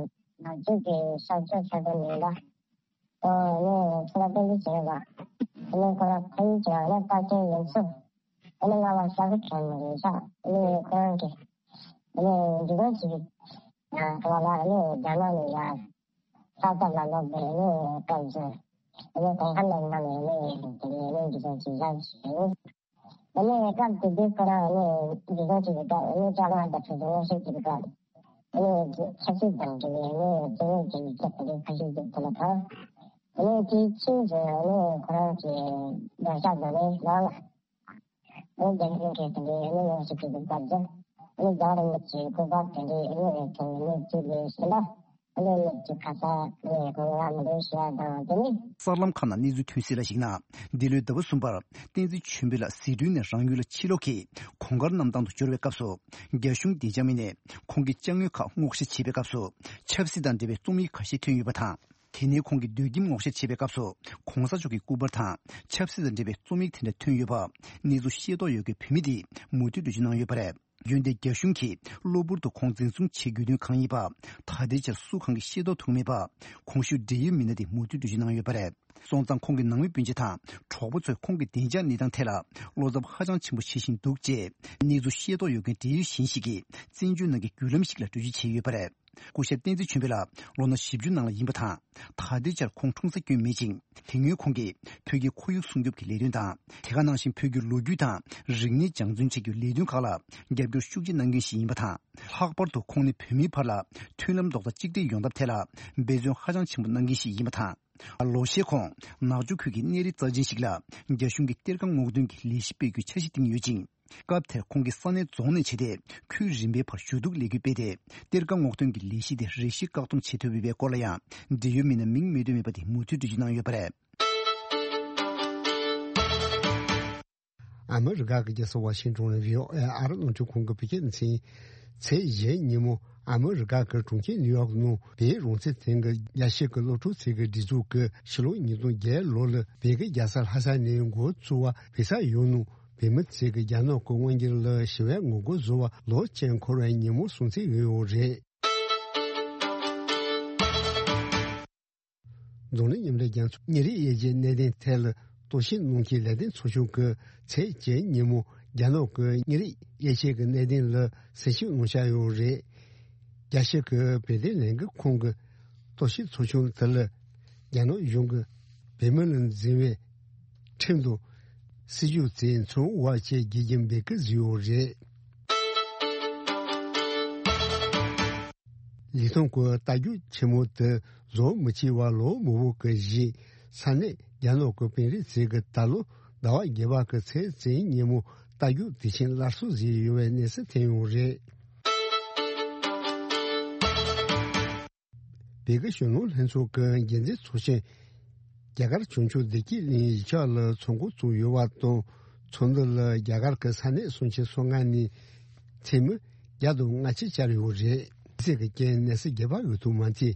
ང་ཚོས་ཀྱི་ས་ཆ་ཆ་ཚང་མིན་ད། ཨོ་ནི་ཁྱེད་ལ་དཔེ་འདི་བྱས་པ། ཨ་ནི་ཁོ་རང་ཕ་ཡུལ་གྱི་ཨ་ནི་རྟ་ཅན་ཡུལ་ཚོ། ཨ་ནི་ང་ལ་ཤ་ཁུ་ཁྱོན་མི་རེད་ཤག་ཨ་ནི་ཁོ་རང་གི་ཨ་ནི་འདི་ག་ཅིག་ཡང་ཁོ་ལ་ཨ་ནི་རྒྱ་ནག་ནས་ཡང་ས་ཐོག་ལ་ལོག་པའི་ཨ་ནི་སྐབས་སུ་ཨ་ནི་གོང་ཁ་ལ་ང་ནས་ཨ་ནི་དེ་ནས་ཨ་ནི་འདི་ག་ཅིག་ཡང་བྱས། ཨ་ནི་སྐབས་དེ་དུས་ཁོ་རང་ཨ་ནི་འདི་ག་ཅིག་གི་སྐབས་ཨ་ནི་ལྕགས་ལམ་དང་གྲོས་ཚོགས་ངོ་ཤེས་ཀྱི་སྐབས། ཨ་ནི་ཆབ་སྲིད་དང་འབྲེལ་བའི་ཨ་ནི་རྩོད་རྙོག་དེ་ཡིག་ཆ་དེ་འདྲའི་ཁ་ཤས་ཅིག་ཐོན་པ་དང་། ཨ་ནི་དེའི་ཕྱིས་སུ་ཨ་ནི་ཁོ་རང་གི་སྡོད་ཤག་འཛམ་གླིང་ནང་ལ། ཨ་ནི་རྒྱ་གཞུང་གིས་དེ་འདྲའི་ཨ་ནི་ངོ་ཤེས་ཀྱི་སྐབས་སུ། ཨ་ནི་རྒྱལ་བ་རིན་པོ་ཆེའི་སྐུ་པར་དེ་འདྲའི་ཨ་ནི་ཐོན་ནས་བཙུགས་པའི་ཞིང་ལ། ཨ་ནི་ནུབ་ཀྱི་ཁ་ས་ཨ་ནི་གོང་ལ་མི་འདུག་ཞེས་དང་དེ་ནི། གསར་ལམ་ཁག་ནང་གནས་ཚུལ་ཐོན་གསལ་ལ་གཞིགས་ན། འདི་ལོའི་ཟླ་བ་གསུམ་པར་བསྟན་འཛིན་ཆོས་འཕེལ་ལགས་ཟི་ཁྲོན་ནས་རང་ཡུལ་ལ་ཕྱིར་ལོག་གིས་གོང་དཀར་གནམ་ཐང་དུ་འབྱོར་བའི་སྐབས་སུ། རྒྱ་གཞུང་བདེ་འཇགས་མི་སྣས་ཁོང་གི་ཅ་དངོས་ཁག་སྔོག་བཤེར་བྱེད་པའི་སྐབས་སུ། ཆབ་སྲིད་དང་འབྲེལ་བའི་རྩོམ་ཡིག་ཁ་ཤས་ཐོན་ཡོད་པ་དང་། དེ་ནས་ཁོང་གི་སྡོད་ཁྱིམ་སྔོག་བཤེར་བྱེད་པའི་སྐབས་སུ། གོང་ས་མཆོག་གི་སྐུ་པར་དང་ཆབ་སྲིད་དང་འབྲེལ་བའི་རྩོམ་ཡིག་དེ་འདྲ་ཐོན་ཡོད་པ། གནས་ཚུལ་ཤེས་རྟོགས་ཡོད་མཁན་བོད་མི་དེས་མུ་མཐུད་འགྲེལ་བརྗོད་གནང་ཡོད་པ་རེད། རྒྱུན་དེ་རྒྱ་གཞུང་གིས་གློ་བུར་དུ་ཁོང་འཛིན་བཟུང་བྱེད་དགོས་དོན་གང་ཡིན་པ། ད་ལྟའི་ཆར་སུ་གང་གིས་ཤེས་རྟོགས་ཐུབ་མེད་པ། གོང་ཞུས་འབྲེལ་ཡོད་མི་སྣ་དེས་མུ་མཐུད་འགྲེལ་བརྗོད་གནང་ཡོད་པ་རེད། སོང་ཙང་ཁོང་གི་ནང་མི་སྤུན་མཆེད་དང་གྲོགས་པོ་ཚོས་ཁོང་གི་བདེ་འཇགས་གནས་སྟངས་ཐད་ལ་བློ་འཚབ་ཧ་ཅང་ཆེན་པོ་བྱེད་བཞིན་འདུག་ཅེས་གནས་ཚུལ་ཤེས་རྟོགས་ཡོད་མཁན་འབྲེལ་ཡོད་གཞན་ཞིག་གིས་བཙན་བྱོལ་ནང་གི་བརྒྱུད་ལམ་ཞིག་ལ་འགྲེལ་བརྗོད་བྱས་ཡོད་པ་རེད། སྐུ་ཞབས་བསྟན་འཛིན་ཆོས་འཕེལ་ལགས་ལོ་ན་བཞི་བཅུ་ནང་ལ་ཡིན་པ་དང་། ད་ལྟའི་ཆར་ཁོང་འཁྲུངས་ས་སྐྱོན་མེད་ཅིང་། དེ་སྔོན་ཁོང་གིས་བོད་ཀྱི་ཁོར་ཡུག་སྲུང་སྐྱོབ་ཀྱི་ལས་དོན་དང་། དེ་ག་ནང་བཞིན་བོད་ཀྱི་ལོ་རྒྱུས་དང་རིག་གནས་སྦྱང་བརྩོན་བྱེད་རྒྱུའི་ལས་དོན་ཁག་ལ་རྒྱབ་སྐྱོར་ཤུགས་ཆེ་གནང་མཁན་ཞིག་ཡིན་པ་དང་། ལྷག་པར་དུ་ཁོང་ནི་བོད་མིའི་བར་ལ་མཐུན་ལམ་རྡོག་རྩ་གཅིག་སྒྲིལ་ཡོང་ཐབས་ཐད་ལ་འབད་བརྩོན་ཧ་ཅང་ཆེན་པོ་གནང་མཁན་ཞིག་ཡིན་པ་དང་། ལོ་ཤས་གོང་ནག་ཆུ་ཁུལ་གྱི་གནས་རི་རྩ་ཆེན་ཞིག་ལ་རྒྱ་གཞུང་གིས་གཏེར་ཁ་སྔོག་འདོན་གྱི་ལས་གཞི་སྤེལ་རྒྱུའི་འཆར་གཞི་བཏིང་ཡོད་ཅིང་། སྐབས་དེར་ཁོང་གིས་ས་གནས་རྫོང་ནས་བྱས་ཏེ་ཁུལ་རིམ་པའི་བར་ཞུ་གཏུག་ལས་འགུལ་སྤེལ་ཏེ། གཏེར་ཁ་སྔོག་འདོན་གྱི་ལས་གཞི་དེ་རེ་ཞིག་བཀག་སྡོམ་བྱེད་ཐུབ་ཡོད་པའི་སྐོར་ལ་ཡང་འབྲེལ་ཡོད་མི་སྣ་མིང་མི་འདོན་མེད་པ་དེས་མུ་མཐུད་འགྲེལ་བརྗོད་གནང་ཡོད་པ་རེད། ཨ་མི་རི་ཀ་གི་རྒྱལ་ས་ཝ་ཤིང་ཏོན་ལ་བྷི་ཨོ་ཨེ་ཨ་རི་རླུང་འཕྲིན་ཁང་གི་བོད་སྐད་སྡེ་ཚན། ཚེས་བཞི་ཉིན་མོ་ཨ་མི་རི་ཀ་གི་གྲོང་ཁྱེར་ནིའུ་ཡོག་ནང་བོད་རང་བཙན་ལྷན་ཁང་གི་རྒྱལ་སྤྱི་གི་སློབ་ཕྲུག་ཚོགས་པའི་སྒྲིག་འཛུགས་ཀྱིས་ཕྱི་ལོ་ཉིས་སྟོང་བརྒྱད་ལོ་ལ་བོད་ཀྱི་རྒྱལ་ས་ལྷ་ས་ནས་འགོ་བཙུགས་པ་བོད་ས་ཡོངས་ནང་བོད་མི་ཚོས་ཀྱི་རྒྱ་ནག་གི་དབང་སྒྱུར་ལ་ཞི་བའི་ངོ་རྒོལ་བཟོ་བ་ལོ་གཅིག་འཁོར་བའི་ཉིན་མོ་སྲུང་བརྩི་ཡོད་ཡོད་རེད། འཛམ་གླིང་མཉམ་འབྲེལ་རྒྱལ་ཚོགས་ཉིན་རེའི་དབྱེ་འབྱེད་གནད་དོན་ཐད་ལ་རྟོག་ཞིབ་གནང་མཁན་ལས་དོན་ཚོགས་ཆུང་གིས་ཚེས་བརྒྱད་ཉིན་མོ་རྒྱ་ནག་གི་ཉིན་རེའི་དབྱེ་འབྱེད་ཀྱི་གནད་དོན་ལ་གསལ་བཤད་གནང་བཞག་ཡོད་རེད། རྒྱལ་སྤྱི་གི་བོད་དོན་ལས་འགུལ་ཁང་གི་རྟོག་ཞིབ་ཚོགས་ཆུང་དེ་ལ་རྒྱ་ནག་གཞུང་གིས་བོད་མི་ལ་འཛིན་པའི་ཁྲིམས་དང་སྲིད་ཇུས་དེ་འཚོ་བ་བཅས་བརྒྱུད་ཀྱིས་འབོད་སྐུལ་བཟོས་ཡོད་རེད། ལི་ཐང་གི་རྟ་རྒྱུག་ཆེན་མོ་དེ་བཟོ་མི་བྱེད་པར་ལོ་མང་པོ་གི་རྗེས་ས་གནས་རྒྱ་ནག་གི་དཔོན་རིགས་ཚོས་ཀྱི་ད་ལོ་ཟླ་བ་བརྒྱད་པ་གི་ཚེས་བཅུ་ཉིན་མོ་རྟ་རྒྱུག་དུས་ཆེན་སླར་གསོ་བཟོས་ཡོད་པའི་གནས་ཚུལ་ཐོན་ཡོད་རེད། བོད་ཀྱི་གཞོན་ནུ་ལྷན་ཚོགས་ཀྱི་འགན་འཛིན་ཚོགས་ཆེན་རྒྱ་གར་བྱང་ཕྱོགས་བདེ་སྐྱིད་གླིང་ཡིག་ཆ་ལ་ཚོགས་འགོ་བཙུགས་ཡོད་པ་དང་། ཚོགས་འདུ་ལ་རྒྱ་གར་གྱི་ས་གནས་སུམ་ཅུ་སོ་ལྔ་ནས་འཐུས་མི་བརྒྱ་དང་ལྔ་བཅུ་བཅར་ཡོད་རེད། གསེར་གྱི་རྐྱེན་ནད་སེལ་རྒྱག་པ་འོས་ཐུབ་མ་ཐེ།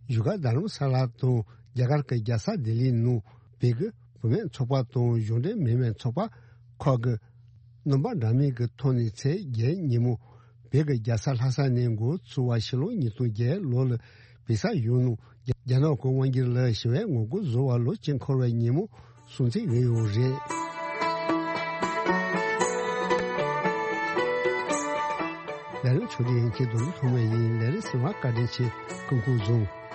བཞུགས་སྒར་རྡ་རམ་ས་ལ་དང་རྒྱ་གར་གྱི་རྒྱལ་ས་ལྡི་ལིའི་ནང་བོད་ཀྱི་བུད་མེད་ཚོགས་པ་དང་གཞུང་འབྲེལ་མིན་པའི་ཚོགས་པ་ཁག་གིས་སྣུམ་པ་འདྲ་མིན་གྱི་ཐོག་ནས་ཚེས་བརྒྱད་ཉིན་མོ་བོད་ཀྱི་རྒྱལ་ས་ལྷ་ས་ནས་འགོ་བཙུགས་པ་ཕྱི་ལོ་ཉིས་སྟོང་བརྒྱད་ལོ་ལ་བོད་ས་ཡོངས་ནང་རྒྱ་ནག་གི་དབང་སྒྱུར་ལ་ཞི་བའི་ངོ་རྒོལ་བཟོ་བ་ལོ་གཅིག་འཁོར་བའི་ཉིན་མོ་སྲུང་བརྩི་ཡོད་ཡོད་རེད། ལས་རིམ་ཕྱོགས་སྒྲིག་ཡིན་གྱི་རྡོ་རིང་ཐོག་མ་ཡིན། ལས་རིམ་གསན་པར་བཀའ་དྲིན་ཆེ། སྐུ་ཁམས་བཟང་།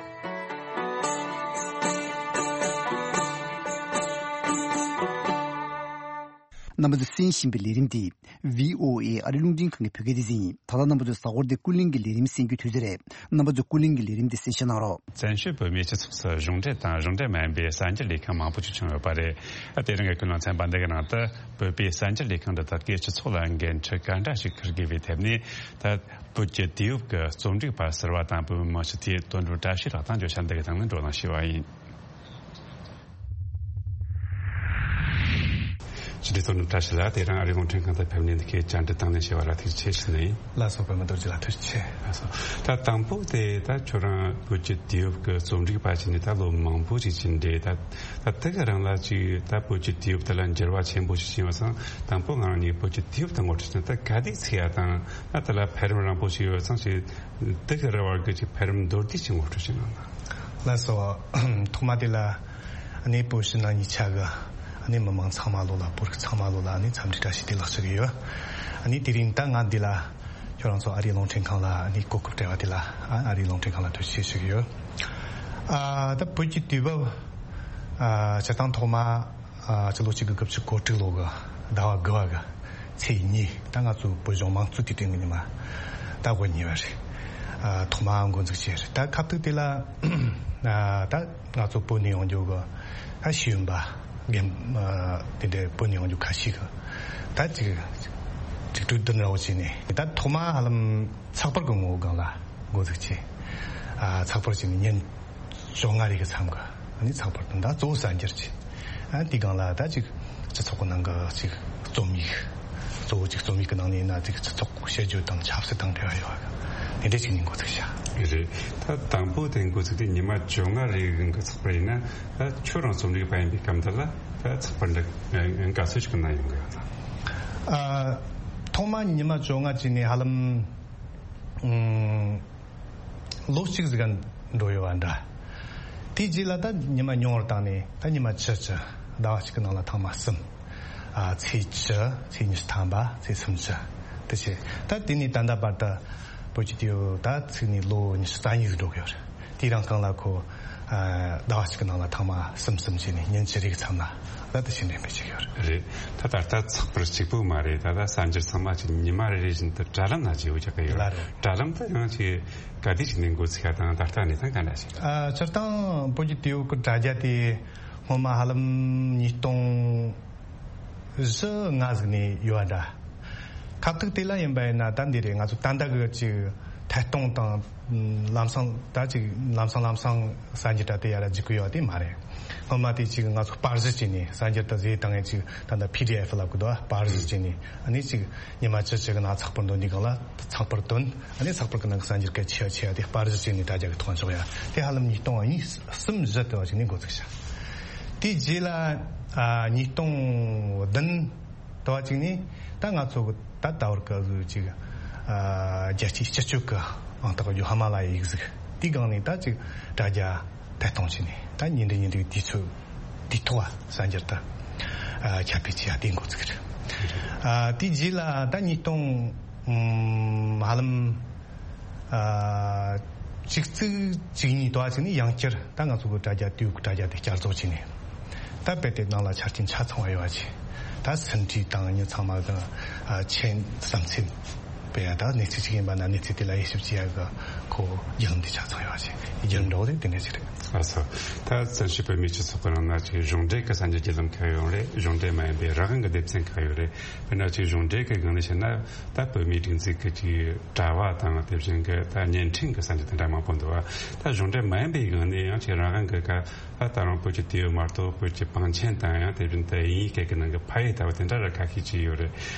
རྣམ་པ་ཚོས་གསན་བཞིན་པའི་ལས་རིམ་འདི་བྷི་ཨོ་ཨེ་ཨ་རི་རླུང་འཕྲིན་ཁང་གི་བོད་སྐད་སྡེ་ཚན་ཡིན། ད་ལྟ་རྣམ་པ་ཚོས་གཟའ་འཁོར་འདིའི་ཀུན་གླེང་གི་ལས་རིམ་གསན་རྒྱུའི་དུས་ཚོད་རེད། རྣམ་པ་ཚོས་ཀུན་གླེང་གི་ལས་རིམ་འདི་གསན་བཞེས་གནང་རོགས། བཙན་བྱོལ་བོད་མིའི་སྤྱི་ཚོགས་སུ་གཞུང་འབྲེལ་དང་གཞུང་འབྲེལ་མ་ཡིན་པའི་གསར་འགྱུར་ལས་ཁང་མང་པོ་ཞིག་བྱུང་ཡོད་པ་རེད། དེ་རིང་གི་ཀུན་གླེང་ཚན་པ་འདི་གི་ནང་དུ་བོད་པའི་གསར་འགྱུར་ལས་ཁང་འདི་དག་གིས་སྤྱི་ཚོགས་ལ་འགན་འཁྲི་ག་འདྲ་ཞིག་འཁུར་དགོས་པའི་ཐད་ནས། ད་བོད་ཀྱི་དུས་བབ་ཀྱི་རྩོམ་སྒྲིག་པ་ཟུར་པ་དང་བོད་མི་མང་སྤྱི་འཐུས་དོན་གྲུབ་བཀྲ་ཤིས་ལགས་དང་བརྗོད་བྱ་འདི་གི་སྟེང་ནས་བགྲོ་གླེང་བྱས་པ་ཡིན། ཕྱི་དྲིལ་གཙོ་ནུབ་བཀྲ་ཤིས་ལགས། དེ་རིང་ཨ་རིའི་རླུང་འཕྲིན་ཁང་དུ་ཕེབས་ནས་འདི་གའི་བཅར་འདྲི་དང་ལེན་བྱས་པ་ལ་ཐུགས་རྗེ་ཆེ་ཞུ་ནི་ཡིན། ལགས་སོ། པད་མ་རྡོ་རྗེ་ལགས་ཐུགས་རྗེ་ཆེ། ལགས་སོ། ད་དང་པོ་དེ་ད་ཁྱོད་རང་བོད་ཀྱི་དུས་བབ་ཀྱི་རྩོམ་སྒྲིག་པ་བྱས་ནས་ད་ལོ་མང་པོ་ཞིག་ཕྱིན་འདྲ། ད་ད་དེ་ག་རང་ལ་ཅིག་ད་བོད་ཀྱི་དུས་བབ་དེ་ལ་འགྱུར་བ་ཆེན་པོ་ཞིག་ཕྱིན་པ་སོང་། དང་པོ་ང་རང་ནས་བོད་ཀྱི་དུས་བབ་དེ་ངོ་སྤྲོད་བྱས་ན་ད་ག་དུས་ཚིག་ཡ་དང་ད་དེ་ལ་འཕེལ་རིམ་རིང་པོ་ཞིག་ཡོད་ཙང་ཞིག་དེ་ག་རང་བར་གྱི་ཅིག་འཕེལ་རིམ་མདོར་བསྡུས་ཤིག་ངོ་སྤྲོད་བྱས་གནང་ན། ལགས་སོ། ཐོག་མ་དེ་ལ་ཨ་ནི་བོད་ཕྱི་ནང་གཉིས་ཆ་གི་ཨ་ནི་མི་མང་ཚང་མ་ལོ་ལ་བོད་རིགས་ཚང་མ་ལོ་ལ་ཨ་ནི་འཚམས་འདྲི་བཀྲ་ཤིས་བདེ་ལེགས་ཞུ་གི་ཡོད། ཨ་ནི་དེ་རིང་ད་ང་འདི་ལ་ཁྱོད་རང་ཚོ་ཨ་རིའི་རླུང་འཕྲིན་ཁང་ལ་ཨ་ནི་གོ་སྐབས་སྤྲད་པ་དེ་ལ་ཨ་ཨ་རིའི་རླུང་འཕྲིན་ཁང་ལ་ཐུགས་རྗེ་ཆེ་ཞུ་གི་ཡོད། ཨ་ད་བོད་ཀྱི་དུས་བབ་ཨ་སྤྱིར་བཏང་ཐོག་མ་ཨ་ཕྱི་ལོ་གཅིག་དགུ་དགུ་བཅུ་གོ་དྲུག་ལོ་གི་ཟླ་བ་དགུ་བ་གི་ཚེས་གཉིས། ད་ང་ཚོའི་བོད་གཞུང་དམངས་གཙོའི་དུས་དྲན་གྱི་ཉི་མ་ད་དགུ་ཉིན་པ་རེད། ཨ་ཐོག་མ་འགོ་འཛུགས་བྱས་རེད། ད་ཁ་ཐུག་དེ་ལ་ཨ་ད་ང་ཚོ་བོད་ནས་ཡོང་རྒྱུ་གི་ད་ཤེས་ཡོན་པ་རྒན་ཨ་དེ་འདྲའི་བོད་ནས་ཡོང་རྒྱུ་ཁ་ཤས་གི་ད་ཅིག་ཅིག་གྲོས་བསྡུར་འདྲ་བོ་བྱས་ནས། ད་ཐོག་མ་ཧ་ལམ་ཚགས་པར་གི་ངོ་བོ་སྒང་ལ་འགོ་འཛུགས་བྱས། ཨ་ཚགས་པར་བྱས་ནས་ཉིན་བཅོ་ལྔ་རེ་གི་མཚམས་གི་ཨ་ནི་ཚགས་པར་དང་ད་གཙོ་བོ་གསར་འགྱུར་ཅིག་ཨ་དེའི་སྒང་ལ་ད་ཅིག་སྤྱི་ཚོགས་ཀྱི་ནང་གི་ཅིག་རྩོམ་ཡིག་གཙོ་བོ་ཅིག་རྩོམ་ཡིག་གི་ནང་ནས་ཡིན་ན་ཅིག་སྤྱི་ཚོགས་དཔྱད་བརྗོད་དང་ཆབ་སྲིད་དང་འབྲེལ་བ་ཡོད་པ་དེ་འདྲ་ཅིག་ནས་འགོ་ཚུགས་བྱ། རེད། ད་དང་པོ་དེ་འགོ་ཚུགས་དུས་ཉི་མ་བཅོ་ལྔ་རེ་གི་ཚགས་པར་ཡིན་ན། ད་ཁྱོད་རང་རྩོམ་སྒྲིག་པ་ཡིན་པའི་སྐབས་འདི་ལ་ད་ཚགས་པར་འདི་ག་ཚོད་ཅིག་གནང་ཡོང་གི་ཡོད་དམ། ཨ་ཐོག་མ་ཉི་མ་བཅོ་ལྔ་ཅིག་ནས་ཧ་ལམ་ཨུམ། ལོ་གཅིག་ཟིག་ག་འགྲོ་ཡོད་པ་འདྲ། དེའི་རྗེས་ལ་ད་ཉི་མ་ཉུང་བར་བཏང་ནས་ད་ཉི་མ་བཅུ་བཅུ་ཟླ་བ་གཅིག་གི་ནང་ལ་ཐེངས་མ་གསུམ། ཨ་ཚེས་བཅུ། ཚེས་ཉི་ཤུ་ཐམ་པ། ཚེས་སུམ་ཅུ། དེ་བྱས་ད་དེ་ནས་ད་ལྟ་བར་དུ་བོད་ཀྱི་དུས་ད་ཚིག་ནས་ལོ་ཉི་ཤུ་རྩ་གཉིས་ཟིག་འགྲོ་གི་ཡོད་རེད། དེའི་རིང་གང་ལ་ཁོ་ཨ་ཟླ་བ་གཅིག་གི་ནང་ལ་ཐེངས་མ་གསུམ་གསུམ་བྱས་ནས་ཉིན་བཅུ་རེ་གི་མཚམས་ལ་ད་དེ་བཞིན་འགྲེམས་སྤེལ་བྱེད་ཀྱི་ཡོད་རེད། རེད། ད་ད་ལྟ་ཚགས་པར་གཅིག་པུ་མ་རེད། ད་ལྟ་གསར་འགྱུར་ཚང་མ་ཅིག་ཉི་མ་རེ་རེ་བཞིན་དུ་དྲ་ལམ་ན་བརྗེ་པོ་རྒྱག་གི་ཡོད་རེད། ལ་རེད། དྲ་ལམ་དུ་ཡང་ཅིག་ག་དུས་ཅིག་ནས་འགོ་ཚུགས་ཡ་དང་ད་ལྟ་གནས་སྟངས་ག་འདྲ་ཞིག་ཨ་སྤྱིར་བཏང་བོད་ཀྱི་དུས་བབ་ཀྱི་དྲ་རྒྱ་དེ་སྔོན་མ་ཧ་ལམ་ཉིས་སྟོང་བཞི་ལྔ་ཟིག་ནས་ཡོད་པ་འདྲ། ཁ་ཐུག་དེ་ལ་ཡིན་པ་ཡིན་ན་ད་འདི་རེད། ང་ཚོ་ད་ལྟ་གི་ཅིག་ཐད་གཏོང་དང་ལམ་སང་ད་ཅིག་ལམ་སང་ལམ་སང་གསར་འགྱུར་ད་དེ་ཡར་རྒྱུག་གི་ཡོད་དེ་མ་རེད། སྔོན་མ་དེ་ཅིག་ང་ཚོ་པར་གཞི་བྱས་ནས་གསར་འགྱུར་ད་བཟོས་བཏང་ཡས་ཅིག་ད་ལྟ་པི་ཌི་ཨེཕ་ལབ་གི་འདུག་པར་གཞི་བྱས་ནས་ཨ་ནི་ཅིག་ཉི་མ་བཅུ་བཅུ་གི་ནང་ཚགས་པར་འདོན་དུས་སྒང་ལ་ཚགས་པར་བཏོན། ཨ་ནི་ཚགས་པར་གི་ནང་གི་གསར་འགྱུར་གལ་ཆེ་བ་ཆེ་བ་དེ་པར་གཞི་བྱས་ནས་དྲ་རྒྱ་གི་ཐོག་འཇོག་ཡ་དེ་ཧ་ལམ་ཉིས་སྟོང་གཉིས་གསུམ་བཞི་དེ་བ་ཅིག་ནས་འགོ་ཚུགས་བྱ། དེའི་རྗེས་ལ་ཨ་ཉིས་སྟོང་བདུན་དེ་བ་ཅིག་ནས་ད་ང་ཚོ་གི་ད་ད་བར་གི་བཟོ་ཅིག་ཨ་རྒྱལ་སྤྱིའི་སྤྱི་སྤྱོད་གི་ཨང་རྟགས་ཡོད་ཧ་མ་ལ་ཡི་ཡིག་གཟུགས་དེའི་སྒང་ནས་ད་ཅིག་དྲ་རྒྱ་ཐད་གཏོང་བྱས་ནས་ད་ཉིན་རེ་ཉིན་རེ་དུས་ཚོད་དུས་ཐོག་གསར་འགྱུར་དུ་ཨ་ཁྱབ་སྤེལ་བྱེད་ཡ་དེ་འགོ་ཚུགས་རེད། ཨ་དེའི་རྗེས་ལ་ད་ཉིས་སྟོང་ཧ་ལམ་ཨ་གཅིག་བརྩེགས་གཅིག་གཉིས་དེ་བ་ཅིག་ནས་ཡང་བསྐྱར་ད་ང་ཚོ་གི་དྲ་རྒྱ་དུས་དྲ་རྒྱ་དེ་བསྐྱར་བཟོ་བྱས་ནས་ད་དཔེ་དེབ་ནང་ལ་ཆ་རྐྱེན་ཆ་ཚང་བ་ཡོད་པ་ཅིག་ད་ཟིན་བྲིས་དང་མྱི་ཚང་མ་གི་ཨ་མཆན་བསམ་ཚུལ། དཔེ་ཡང་ད་གནས་ཚུལ་ཅིག་ཡིན་པ་ན་གནས་ཚུལ་དེ་ལ་དབྱེ་ཞིབ་བྱེད་ཡ་གི་ཁོ་བརྒྱུད་ལམ་དེ་ཆ་ཚང་ཡོད་པ་ཅིག་བརྒྱུད་ལམ་འདྲ་བོ་དེ་དེ་འདྲ་ཅིག་རེད། ལགས་སོ། ད་བཙན་བྱོལ་བོད་མིའི་སྤྱི་ཚོགས་ཀྱི་ནང་ན་ཅིག་གཞུང་འབྲེལ་གྱི་གསར་འགྱུར་བརྒྱུད་ལམ་ཁག་ཡོད་རེད། གཞུང་འབྲེལ་མ་ཡིན་པའི་རང་དབང་གི་སྡེ་ཚན་ཁག་ཡོད་རེད། དཔེར་ན་ཅིག་གཞུང་འབྲེལ་གྱི་སྒང་ནས་བཤད་ན་ད་བོད་མིའི་སྒྲིག་འཛུགས་ཀྱི་ཅིག་དྲ་བ་དང་དེ་བཞིན་གྱི་ད་བརྙན་འཕྲིན་གྱི་གསར་འགྱུར་དེ་འདྲ་མང་པོ་འདུག་བ། ད་གཞུང་འབྲེལ་མ་ཡིན་པའི་སྒང་ནས་ཡང་ཅིག་རང་དབང་གི་ཁ་ད་ད་རུང་བོད་ཀྱི་དུས་བབ་མ་གཏོགས་བོད་ཀྱི་བང་ཆེན་དང་ཡང་དེ་བཞིན་དུ་དབྱིན་ཡིག་སྐད་ཀྱི་ནང་གི་ཕ་ཡུལ་ལྟ་བུ་དེ་འདྲ་ར་ཁ་ཤས་ཅིག་ཡོད་རེད།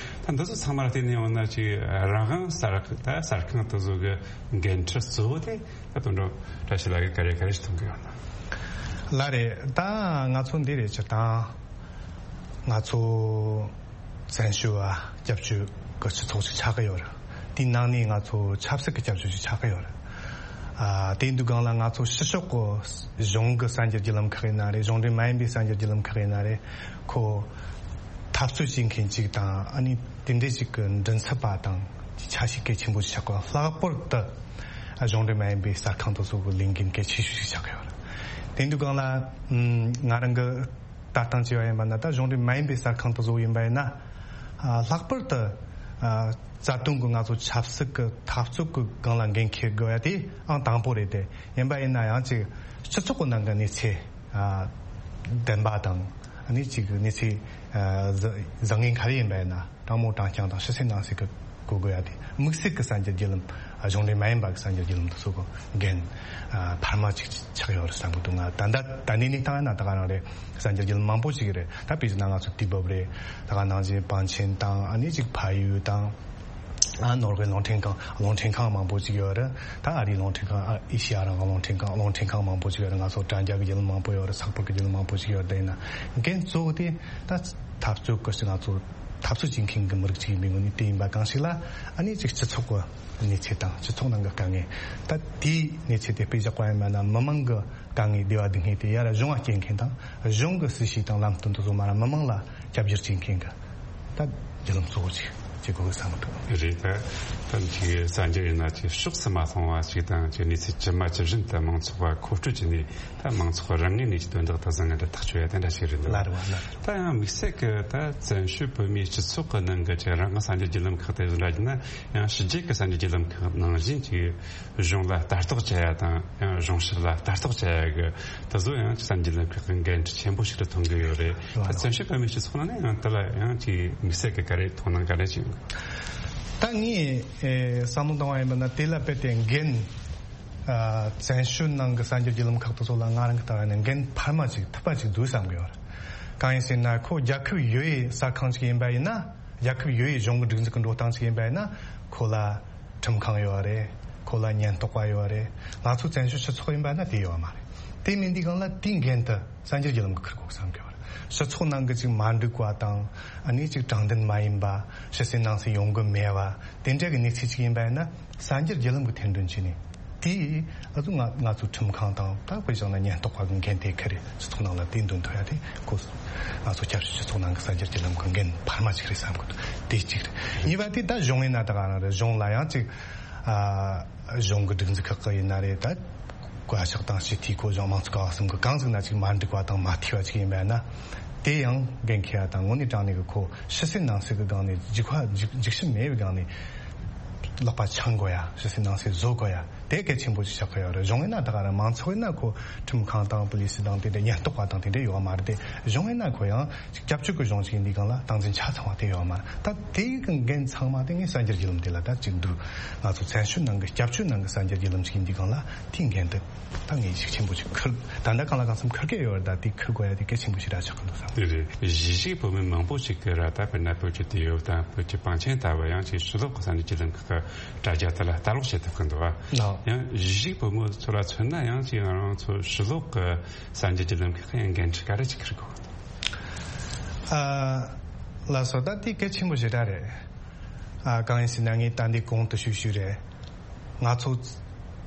ད་འདི་ཚོ་ཚང་མ་ལ་བལྟས་ནས་ཡོང་ན་ཅིག་རང་དབང་གསར་ད་གསར་ཁང་དེ་ཚོ་གི་འགན་འཁྲི་གཙོ་བོ་དེ་ད་དོན་གྲུབ་བཀྲ་ཤིས་ལགས་ཀྱིས་ག་རེ་ག་རེ་ཞིག་མཐོང་གི་ཡོད་ན། ལགས་རེད། ད་ང་ཚོ་འདི་རེད། སྤྱིར་བཏང་ང་ཚོ་བཙན་བྱོལ་བ་སྐྱབས་བཅོལ་གྱི་སྤྱི་ཚོགས་ཤིག་ཆགས་ཀྱི་ཡོད་རེད། དེའི་ནང་ནས་ང་ཚོ་ཆབ་སྲིད་ཀྱི་སྐྱབས་བཅོལ་ཞིག་ཆགས་ཀྱི་ཡོད་རེད། ཨ་དེ་འདུག་སྒང་ལ་ང་ཚོ་ཕྱི་ཕྱོགས་ཀྱི་གཞུང་གི་གསར་འགྱུར་བརྒྱུད་ལམ་ཁག་ཡིན་ན་རེད། གཞུང་འབྲེལ་མ་ཡིན་པའི་གསར་འགྱུར་བརྒྱུད་ལམ་ཁག་ཡིན་ན་རེད། ཁོ་འཐབ་རྩོད་བྱེད་མཁན་ཅིག་དང་ཨ་ནི་དེ་འདྲ་ཞིག་གི་མགྲིན་ཚབ་པ་དང་ཆ་ཤས་གལ་ཆེན་པོ་ཞིག་ཆགས་ཀྱི་ཡོད། ལྷག་པར་དུ་གཞུང་འབྲེལ་མ་ཡིན་པའི་གསར་ཁང་དེ་ཚོ་གི་ལས་འགན་གལ་ཆེ་ཤོས་ཤིག་ཆགས་ཀྱི་ཡོད་རེད། དེ་འདུག་སྒང་ལ་ང་རང་གི་ལྟ་སྟངས་བྱས་པ་ཡིན་པ་ན་ད་གཞུང་འབྲེལ་མ་ཡིན་པའི་གསར་ཁང་དེ་ཚོ་ཡིན་པ་ཡིན་ན། ཨ་ལྷག་པར་དུ་ཨ་རྩ་དོན་གྱི་ང་ཚོ་ཆབ་སྲིད་ཀྱི་འཐབ་རྩོད་ཀྱི་སྒང་ལ་འགན་འཁྱེར་དགོས་ཡ་དེ་ཨང་དང་པོ་རེད་དེ། ཡིན་པ་ཡིན་ན་ཡང་ཅིག་སྤྱི་ཚོགས་ཀྱི་ནང་གི་གནས་ཚུལ་ཨ་བདེན་པ་དང་ཨ་ནི་ཅིག་གནས་ཚུལ་ཨ་བཟང་ངན་ག་རེ་ཡིན་པ་ཡིན་ན་དྲང་མོ་དྲང་རྐྱང་དང་ཕྱི་གསལ་ནང་གསལ་གྱི་གོ་དགོས་ཡ་དེ། དམིགས་བསལ་གྱི་གསར་འགྱུར་བརྒྱུད་ལམ་ གཞུང་འབྲེལ་མ་ཡིན་པ་གི་གསར་འགྱུར་བརྒྱུད་ལམ་དེ་ཚོ་གི་འགན་ཨ་འཕར་མ་ཅིག་ཆགས་ཡོད་རེད་བསམ་གི་འདུག་ང་ད་ལྟ་ད་ནས་ནས་བཏང་ཡ་ན་ད་ག་རང་རེད། གསར་འགྱུར་བརྒྱུད་ལམ་མང་པོ་ཅིག་རེད། ད་དཔེ་བཞག་ན་ང་ཚོ་དུས་བབ་རེད། ད་ག་ནང་བཞིན་པཎ་ཆེན་དང་ཨ་ནི་ཅིག་ཕ་ཡུལ་དང་། ཨ་ནོར་ཝེ་རླུང་འཕྲིན་ཁང་རླུང་འཕྲིན་ཁང་མང་པོ་ཅིག་ཡོད་རེད། ད་ཨ་རིའི་རླུང་འཕྲིན་ཁང་ཨ་ཨེ་ཤི་ཡ་རང་དབང་རླུང་འཕྲིན་ཁང་རླུང་འཕྲིན་ཁང་མང་པོ་ཅིག་ཡོད་རེད། ང་ཚོ་དྲ་རྒྱ་གི་བརྒྱུད་ལམ་མང་པོ་ཡོད་རེད། ཚགས་པར་གི་བརྒྱུད་ལམ་མང་པོ་ཅིག་ཡོད་རེད། དེ་ཡིན་ན་འགན་གཙོ་བོ་དེ་ད་འཐབ་རྩོད་སྐོར་ཞིག་ང་ཚོ་འཐབ་རྩོད་བྱེད་མཁན་གི་མི་རིགས་ཅིག་ཡིན་པའི་ངོས་ནས་དེ་ཡིན་པ་གང་ཞིག་ལ་ཨ་ནི་ཅིག་སྤྱི་ཚོགས་གི་གནས་ཚུལ་དང་སྤྱི་ཚོགས་ནང་གི་དཀའ་ངལ། ད་དེའི་གནས་ཚུལ་དེ་དཔེ་བཞག་པ་ཡིན་པ་ན་མི་མང་གི་དཀའ་ངལ་བདེ་བ་སྡུག་བསྔལ་དེ་ཡར་གཞུང་ང་སྐྱེལ་མཁན་དང་གཞུང་གི་སྲིད་བྱུས་དང་ལམ་སྟོན་དེ་ཚོ་མར་མི་མང་ལ་ཁྱབ་བསྒྱུར་བྱེད་མཁན་གི་ད་བརྒྱུད་ལམ་གཙོ་བོ་ཅིག་བྱེད་དགོས་གི་བསམ་གི་འདུག་རེད། ད་ད་ཅིག་གསར་འགྱུར་ཡིན་ན་ཅིག་ཕྱོགས་སུ་མ་སོང་བ་ཞིག་དང་ཅིག་གནས་ཚུལ་ཇི་མ་ཇི་བཞིན་དུ་མང་ཚོགས་པ་མཁོ་སྤྲོད་བྱས་ནས་ད་མང་ཚོགས་རང་ངོས་ནས་ཀྱི་དོན་དག་དང་བཟང་ངན་དུ་ཐག་གཅོད་ཡ་དེ་འདྲ་ཞིག་རེད་འདུག་ལ་རེ་བ་ལ། ད་ཡང་དམིགས་བསལ་གི་ད་བཙན་བྱོལ་བོད་མིའི་སྤྱི་ཚོགས་ཀྱི་ནང་གི་ཅིག་རང་གི་གསར་འགྱུར་བརྒྱུད་ལམ་ཁག་དེ་འདྲ་ཡིན་ན་ཡང་ཕྱི་རྒྱལ་གྱི་གསར་འགྱུར་བརྒྱུད་ལམ་ཁག་ནང་བཞིན་ཅིག་གཞུང་ལ་ལྟ་རྟོག་བྱ་ཡ་དང་ཡང་གཞུང་ཞབས་ལ་ལྟ་རྟོག་བྱ་ཡ་གི་དེ་ཚོ་ཡང་ཅིག་གསར་འགྱུར་བརྒྱུད་ལམ་ཁག་གི་འགན་འཁྲི་ཆེན་པོ་ཞིག་ཏུ་མཐོང་གི་ཡོད་རེད། ད་བཙན་བྱོལ་བོད་མིའི་སྤྱི་ཚོགས་ནང་ནས་ཡང་དེ་ལ་ཡང་ཅིག་དམིགས་བསལ་གི་ག་རེ་མཐོང་སྣང་ག་རེ་ཅིག་ད་ངས་ཨེ་བསམ་བློ་བཏང་བ་ཡིན་པ་ན་དེ་ལ་དཔེ་དེ་འགན་ཨ་བཙན་བྱོལ་ནང་གི་གསར་འགྱུར་བརྒྱུད་ལམ་ཁག་དེ་ཚོ་ལ་ང་རང་གི་ལྟ་བ་ནས་འགན་འཕར་མ་ཅིག་ཐུབ་པ་ཅིག་འདུག་བསམ་གི་ཡོད་རེད། གང་ཡིན་ཟེར་ན་ཁོ་རྒྱལ་ཁབ་ཡོད་ཡའི་གསར་ཁང་ཅིག་ཡིན་པ་ཡིན་ན། རྒྱལ་ཁབ་ཡོད་ཡའི་གཞུང་གི་སྒྲིག་འཛུགས་ཀྱི་འགྲོ་སྟངས་ཅིག་ཡིན་པ་ཡིན་ན། ཁོ་ལ་ཁྲིམས་ཁང་ཡོད་རེད། ཁོ་ལ་ཉེན་རྟོག་པ་ཡོད་རེད། ང་ཚོ་བཙན་བྱོལ་སྤྱི་ཚོགས་ཡིན་པ་ན་དེ་ཡོད་མ་རེད། དེ་མིན་དུས་སྒང་ལ་དེའི་འགན་དེ་གསར་འགྱུར་བརྒྱུད་ལམ་གྱིས་འཁུར་དགོས་བསམ་གི་ཡོད་རེད། སྤྱི་ཚོགས་ནང་གི་ཅིག་མ་འགྲིག་པ་དང་ཨ་ནི་ཅིག་དྲང་བདེན་མ་ཡིན་པ། ཕྱི་གསལ་ནང་གསལ་ཡོང་གི་མེད་པ། དེ་འདྲ་གི་གནས་ཚུལ་ཅིག་ཡིན་པ་ཡིན་ན་གསར་འགྱུར་བརྒྱུད་ལམ་གྱིས་ཐེར་འདོན་བྱས་ནས། དེ་ཨ་ཚོ་ང་ང་ཚོ་ཁྲིམས་ཁང་དང་ད་དཔེ་བཞག་ན་ཉེན་རྟོག་པ་གི་འགན་དེ་ཁུར་རེད། སྤྱི་ཚོགས་ནང་ལ་དེ་འདོན་ཐུབ་ཡ་དེ་ཁོ་ང་ཚོ་སྐྱབས་བཅོལ་སྤྱི་ཚོགས་ནང་གི་གསར་འགྱུར་བརྒྱུད་ལམ་གི་འགན་འཕར་མ་ཅིག་རེད་བསམ་གི་འདུག་དེ་གཅིག་རེད། གཉིས་པ་དེ་ད་གཞུང་ཡིན་ན་ད་ག་རང་རེད། གཞུང་ལ་ཡང་ཅིག་ཨ་གཞུང་གི་སྒྲིག་འཛུགས་ཁག་གི་ཡིན་ན་རེད། ད་བཀའ་ཤག་དང་སྤྱི་འཐུས་སྐོར་གཞུང་མང་གཙོ་ཀ་བ་གསུམ་གི་གང་ཟིག་ན་ཅིག་མ་འགྲིག་པ་དང་མ་འཐུས་པ་ཅིག་ཡིན་པ་ཡིན་ན། དེ་ཡང་འགན་འཁྱེར་ཡ་དང་དངོས་གནས་དྲང་གནས་གི་ཁོ་ཕྱི་གསལ་ནང་གསལ་གི་སྒང་ནས་འཇིགས་པ་འཇིགས་འཇིགས་ཞུམ་མེད་པའི་སྒང་ནས་ལག་པ་འཆང་དགོས་ཡ། ཕྱི་གསལ་ནང་གསལ་བཟོ་དགོས་ཡ། དེ་གལ་ཆེན་པོ་ཞིག་ཆགས་ཀྱི་ཡོད་རེད། གཞུང་ཡིན་ན་ད་ག་རང་མང་ཚོགས་ཡིན་ན་ཁོ་ཁྲིམས་ཁང་དང་པུ་ལི་སི་དང་དེ་འདྲ་ཉེན་རྟོག་པ་དང་དེ་འདྲ་ཡོད་མ་རེད་དེ། གཞུང་ཡིན་ན་ཁོ་ཡང་ཅིག་སྐྱབས་བཅོལ་གྱི་གཞུང་ཞིག་ཡིན་དུས་སྒང་ལ་སྟངས་འཛིན་ཆ་ཚང་བ་དེ་ཡོད་མ་རེད། ད་དེའི་གི་འགན་ཚང་མ་དེ་ངས་གསར་འགྱུར་བརྒྱུད་ལམ་དེ་ལ་ད་ཅིག་འདུག་ང་ཚོ་བཙན་བྱོལ་ནང་གི་སྐྱབས་བཅོལ་ནང་གི་གསར་འགྱུར་བརྒྱུད་ལམ་ཞིག་ཡིན་དུས་སྒང་ལ་དེའི་འགན་དེ་ད་ངས་ཤུགས་ཆེན་པོ་ཞིག་འཁུར། ད་ལྟ་གང་ལ་གང་འཚམ་འཁུར་གི་ཡོད་རེད། ད་དེ་འཁུར་དགོས་ཡ་དེ་གལ་ཆེན་པོ་ཞིག་ར་ཆགས་ཀྱི་འདུག་བསམ། དེ་རེད། གཞིས་བྱེས་བོད་མི་མང་པོ་ཞིག་གིས་ར་ད་དཔེར་ན་བོད་ཀྱི་དུས་བབ་དང་བོད་ཀྱི་པང་ཆེན་ལྟ་བུ་ཡང་ཅིག་ཕྱི་ལོགས་ཀྱི་གསར་འགྱུར་བརྒྱུད་ལམ་ཁག་གི་དྲ་རྒྱ་དེ་ལ་ལྟ་ཀློག་བྱེད་ཐུབ་ཀྱི་འདུག་བ། ལགས། ཡང་གཞིས་བྱེས་བོད་མི་ཚོ་ལ་མཚོན་ན་ཡང་ཅིག་ང་རང་ཚོ་ཕྱི་ལོགས་ཀྱི་གསར་འགྱུར་བརྒྱུད་ལམ་ཁག་གི་ཡང་འགན་འཁྲི་ག་རེ་ཅིག་འཁུར་དགོས་ཀྱི་འདུག་ཨ། ལགས་སོ། ད་དེ་གལ་ཆེན་པོ་ཞེ་དྲག་རེད། ཨ། གང་ཡིན་ཟེར་ན་ངས་ད་འདི་གོང་དུ་ཞུས་ཞུས་རེད། ང་ཚོ་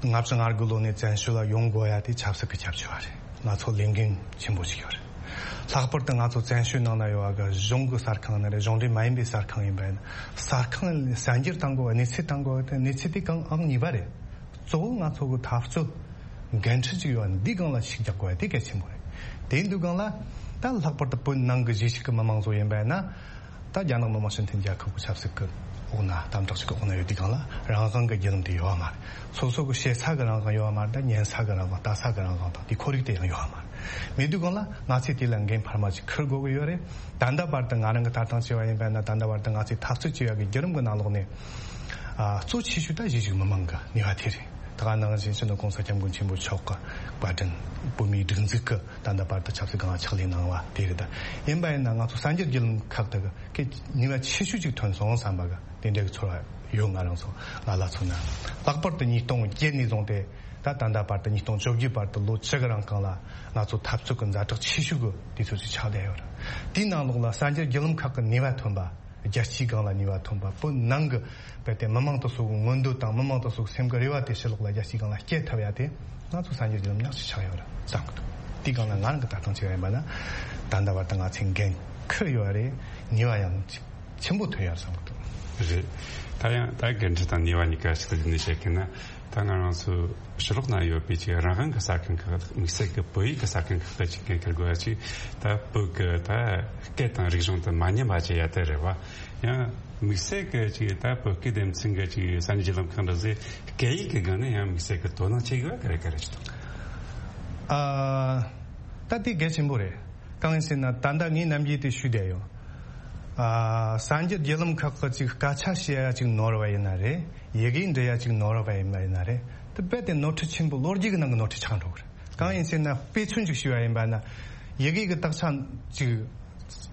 ལྔ་བཅུ་ང་དགུ་ལོ་ནས་བཙན་བྱོལ་ལ་ཡོང་དགོས་ཡ་དེ་ཆབ་སྲིད་ཀྱི་ཁྱབ་ཆོས་པ་རེད། ང་ཚོ་ལས་འགན་ཆེན་པོ་ཞིག་ཡོད་རེད། ལྷག་པར་དུ་ང་ཚོ་བཙན་བྱོལ་ནང་ན་ཡོད་པ་གི་གཞུང་གི་གསར་ཁང་ནི་རེད། གཞུང་འབྲེལ་མ་ཡིན་པའི་གསར་ཁང་ཡིན་པ་ཡིན། གསར་ཁང་གསར་འགྱུར་བཏང་དགོས་པ། གནས་ཚུལ་བཏང་དགོས་པ་དེ་གནས་ཚུལ་དེ་གང་ཨང་གཉིས་པ་རེད། གཙོ་བོ་ང་ཚོ་གི་འཐབ་རྩོད་འགན་འཁྲི་ཅིག་ཡོད་པ་འདི་སྒང་ལ་ཤུགས་རྒྱག་དགོས་པ་དེ་གལ་ཆེན་པོ་རེད། དེ་འདུག་སྒང་ལ་ད་ལྷག་པར་དུ་བོད་ནང་གི་གཞིས་བྱེས་ཀྱི་མི་མང་ཚོ་ཡིན་པ་ཡིན་ན། ད་རྒྱ་ནག་མི་དམངས་སྤྱི་མཐུན་རྒྱལ་ཁབ་ཀྱི་ཆབ་སྲིད་ཀྱི་འོག་ན་དམ་དྲག་ཅིག་གི་འོག་ན་ཡོད་དུས་སྒང་ལ་རང་དབང་གི་བརྒྱུད་ལམ་དེ་ཡོད་པ་མ་རེད། སོ་སོ་གི་བཤད་ས་གི་རང་དབང་ཡོད་པ་མ་རེད། ད་ཉན་ས་གི་རང་དབང་ལྟ་ས་གི་རང་དབང་དང་དེ་ཁོར་ཡུག་དེ་ཡང་ཡོད་པ་མ་རེད། མེད་དུས་སྒང་ལ་ང་ཚོས་དེ་ལ་འགན་འཕར་མ་ཅིག་འཁུར་དགོས་ཀྱི་ཡོད་རེད། ད་ལྟ་བར་དུ་ང་རང་གི་ལྟ་སྟངས་བྱས་པ་ཡིན་པ་ཡིན་ན། ད་ལྟ་བར་དུ་ང་ཚོས་འཐབ་རྩོད་བྱས་པ་གི་བརྒྱུད་རིམ་གི་ནང་ལོགས་ནས། ཨ། གཙོ་ཆེ་ཤོས་ད་གཞིས་བྱེས་མི་མང་གི་ནུས་པ་དེ་རེད། ད་ག་ནང་བཞིན་སྤྱི་ནོར་༸གོང་ས་༸སྐྱབས་མགོན་ཆེན་པོ་མཆོག་གི་བཀའ་དྲིན། བོད་མིའི་སྒྲིག་འཛུགས་ཀྱི་ད་ལྟ་བར་དུ་ཆབ་སྲིད་སྒང་ལ་ཕྱག་ལས་གནང་བ་དེ་རེད། ད་ཡིན་པ་ཡིན་ན་ང་ཚོ་གསར་འགྱུར་བརྒྱུད་ལམ་ཁག་དེ་གི་ནུས་པ་ཆེ་ཤོས་ཅིག་ཐོན་སོང་བསམ་པ་གི་དེ་འདྲ་གི་ཚོར་བ་ཡོད། ང་རང་ཚོ་ང་ལ་མཚོན་ན། ལྷག་པར་དུ་ཉིས་སྟོང་བརྒྱད་ནས་བཟུང་སྟེ་ད་ད་ལྟ་བར་དུ་ཉིས་སྟོང་བཅོ་བརྒྱད་བར་དུ་ལོ་བཅུ་གི་རིང་གང་ལ་ང་ཚོ་འཐབ་རྩོད་ཀྱི་ཛ་དྲག་ཆེ་ཤོས་ཀྱི་དུས་ཚོད་ཅིག་ཆགས་བསྡད་ཡོད་རེད། དེའི་ནང་ལོགས་ལ་གསར་འགྱུར་བརྒྱུད་ལམ་ཁག་གི་ནུས་པ་ཐོན་པ། རྒྱལ་སྤྱིའི་སྒང་ལ་ནུས་པ་ཐོན་པ། བོད་ནང་གི་རྦད་དེ་མི་མང་དེ་ཚོ་གི་མངོན་འདོད་དང་མི་མང་དེ་ཚོ་གི་སེམས་ཀྱི་རེ་བ་དེ་ཕྱི་ལོགས་ལ་རྒྱལ་སྤྱིའི་སྒང་ལ་སྐྱེལ་ཐུབ་ཡ་དེ་ང་ཚོ་གསར་འགྱུར་བརྒྱུད་ལམ་ཉག་གཅིག་ཆགས་ཡོད་རེད་བསམ་གི་འདུག་དེའི་སྒང་ལ་ང་རང་གི་ལྟ་སྟངས་བྱས་པ་ཡིན་པ་ན། ད་ལྟ་བར་དུ་ང་ཚོས་འགན་འཁུར་ཡོད་རེད། ནུས་པ་ཡང་ཆེན་པོ་ཐོན་ཡོད་རེད་བསམ་གི་འདུག་རེད། ད་ཡང་ད་འགན་འཁྲི་དང་ནུས་པ་གཉིས་ཀ་གཅིག་ཏུ་བསྡུས་ནས་བཤད་མཁན་ན། ད་ང་རང་ཚོ་ཕྱི་ལོགས་ན་ཡོད་པའི་ཅིག་རང་དབང་གི་གསར་ཁང་ཁག་དམིགས་བསལ་གྱི་བོད་ཡིག་གི་གསར་ཁང་ཁག་གི་ཅིག་འགན་འཁུར་དགོས་ཡ་ཅིག་ད་བོད་ཀྱི་ད་སྐད་དང་རིག་གཞུང་དེ་མ་ཉམས་པ་བྱེད་ཡ་དེ་རེད་བ། ཡང་དམིགས་བསལ་གྱི་ཅིག་ད་བོད་སྐད་སྡེ་ཚན་གྱི་ཅིག་གསར་འགྱུར་བརྒྱུད་ལམ་ཁག་འདྲ་ཟེར་སྐད་ཡིག་གི་སྒང་ནས་ཡང་དམིགས་བསལ་གྱི་དོ་སྣང་བྱེད་དགོས་ཡ་ག་རེ་ག་རེ་ཅིག་འདུག་ཨ། ད་དེ་གལ་ཆེན་པོ་རེད། གང་ཡིན་ཟེར་ན་ད་ལྟ་ངས་ནམ་རྒྱུན་དེ་ཞུས་བསྡད་ཡོད། ཨ། གསར་འགྱུར་བརྒྱུད་ལམ་ཁག་གི་ཅིག་སྐད་ཆ་བཤད་ཡ་ཅིག་ནོར་བ་ཡིན་ན་རེད། ཡི་གེ་འབྲི་ཡ་ཅིག་ནོར་བ་ཡིན་པ་ཡིན་ན་རེད། དེ་རྦད་དེ་ནོར་འཁྲུལ་ཆེན་པོ་ལོ་རྒྱུས་ཀྱི་ནང་གི་ནོར་འཁྲུལ་ཆགས་འགྲོ་གི་རེད། གང་ཡིན་ཟེར་ན་དཔེ་མཚོན་ཅིག་ཞུས་པ་ཡིན་པ་ན། ཡི་གེ་གི་དག་ཆ་ཅིག་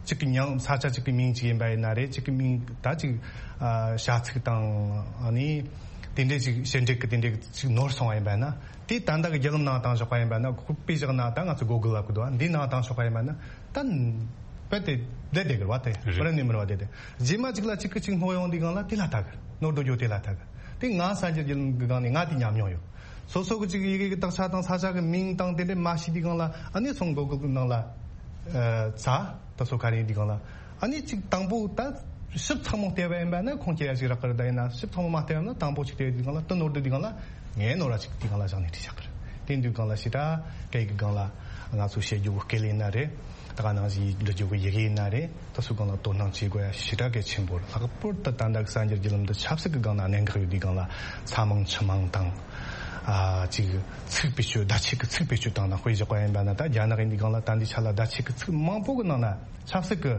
གཅིག་གི་མྱིང་ས་ཆ་གཅིག་གི་མིང་གཅིག་ཡིན་པ་ཡིན་ན་རེད། གཅིག་གི་མིང་ད་ཅིག་ཨ་བྱ་ཚིག་དང་ཨ་ནི་དེ་འདྲས་ཅིག་བྱེད་འབྲེལ་གི་དེ་འདྲས་ཅིག་ནོར་སོང་བ་ཡིན་པ་ན། དེ་ད་ལྟ་གི་བརྒྱུད་ལམ་ནང་བཏང་ཆོག་པ་ཡིན་པ་ན། ཁོ་དཔེ་བཞག་ན་ད་ང་ཚོ་གོ་གི་ལབ་གི་འདུག་འདི་ནང་བཏང་ཆོག་པ་ཡིན་པ་ན་ད་རྦད་དེ་བསྡད་བསྡད་གི་རེད་བ། དེ་རེད། མི་རེ་ནས་མི་རེ་བ་བསྡད་དེ། རྗེས་མ་གཅིག་ལ་གཅིག་གི་གཅིག་སྣོན་ཡོང་དུས་སྒང་ལ་དེ་ལ་ལྟ་གི། ནོར་འགྲོ་རྒྱུ་དེ་ལ་ལྟ་གི། དེ་ང་གསར་འགྱུར་བརྒྱུད་ལམ་གི་སྒང་ནས་ང་དེ་ཉམས་མྱོང་ཡོད། སོ་སོ་གི་ཅིག་ཡི་གེ་གི་དག་ཆ་དང་ས་ཆ་གི་མིང་དང་དེ་འདྲས་མ་ཤེས་དུས་སྒང་ལ་ཨ་ནི་སོང་གོ་གི་ནང་ལ་ཨ་ཚ་ད་སོ་ག་རེ་ཡིན་དུས་སྒང་ལ། ཨ་ནི་ཅིག་དང་པོ་ད་ཞིབ་ཚགས་མོ་བལྟས་པ་ཡིན་པ་ན་ཁུངས་སྐྱེལ་ཡ་ཞིག་རག་གི་རེད། ད་ཡིན་ན་ཞིབ་ཚགས་མོ་མ་བལྟས་པ་ན་དང་པོ་ཅིག་བལྟས་དུས་སྒང་ལ་དེ་ནོར་དུས་སྒང་ལ་ངས་ནོར་བ་ཅིག་དུས་སྒང་ལ་བཞག་ནས་བྲིས་བཞག་གི་རེད། དེ་དུས་སྒང་ལ་ཞེ་དྲག་སྐད་ཀྱི་སྒང་ལ་ང་ཚོ་བཤད་རྒྱུ་གི་སྐད་ལ་ཡིན་ན་རེད། ད་ག་ནང་བཞིན་འབྲི་རྒྱུ་གི་ཡི་གེ་ཡིན་ན་རེད། ད་སོ་སྒང་ལ་དོ་སྣང་བྱེད་དགོས་ཡ་ཞེ་དྲག་གལ་ཆེན་པོ་རེད། ལྷག་པར་དུ་ད་ལྟ་གི་གསར་འགྱུར་བརྒྱུད་ལམ་འདི་ཆབ་སྲིད་ཀྱི་སྒང་ན་གནད་འགག་ཡོད་དུས་སྒང་ལ་ས་མིང་ཆུ་མིང་དང་། ཨ་ཅིག་ཚིག་བེད་སྤྱོད་བརྡ་ཆད་ཀྱི་ཚིག་བེད་སྤྱོད་བཏང་ན་དཔེ་བཞག་པ་ཡིན་པ་ན། ད་རྒྱ་ནག་ཡིན་དུས་སྒང་ལ་ད་འདི་ཆ་ལ་བརྡ་ཆད་ཀྱི་ཚིག་མང་པོ་གི་ནང་ན་ཆབ་སྲིད་ཀྱི་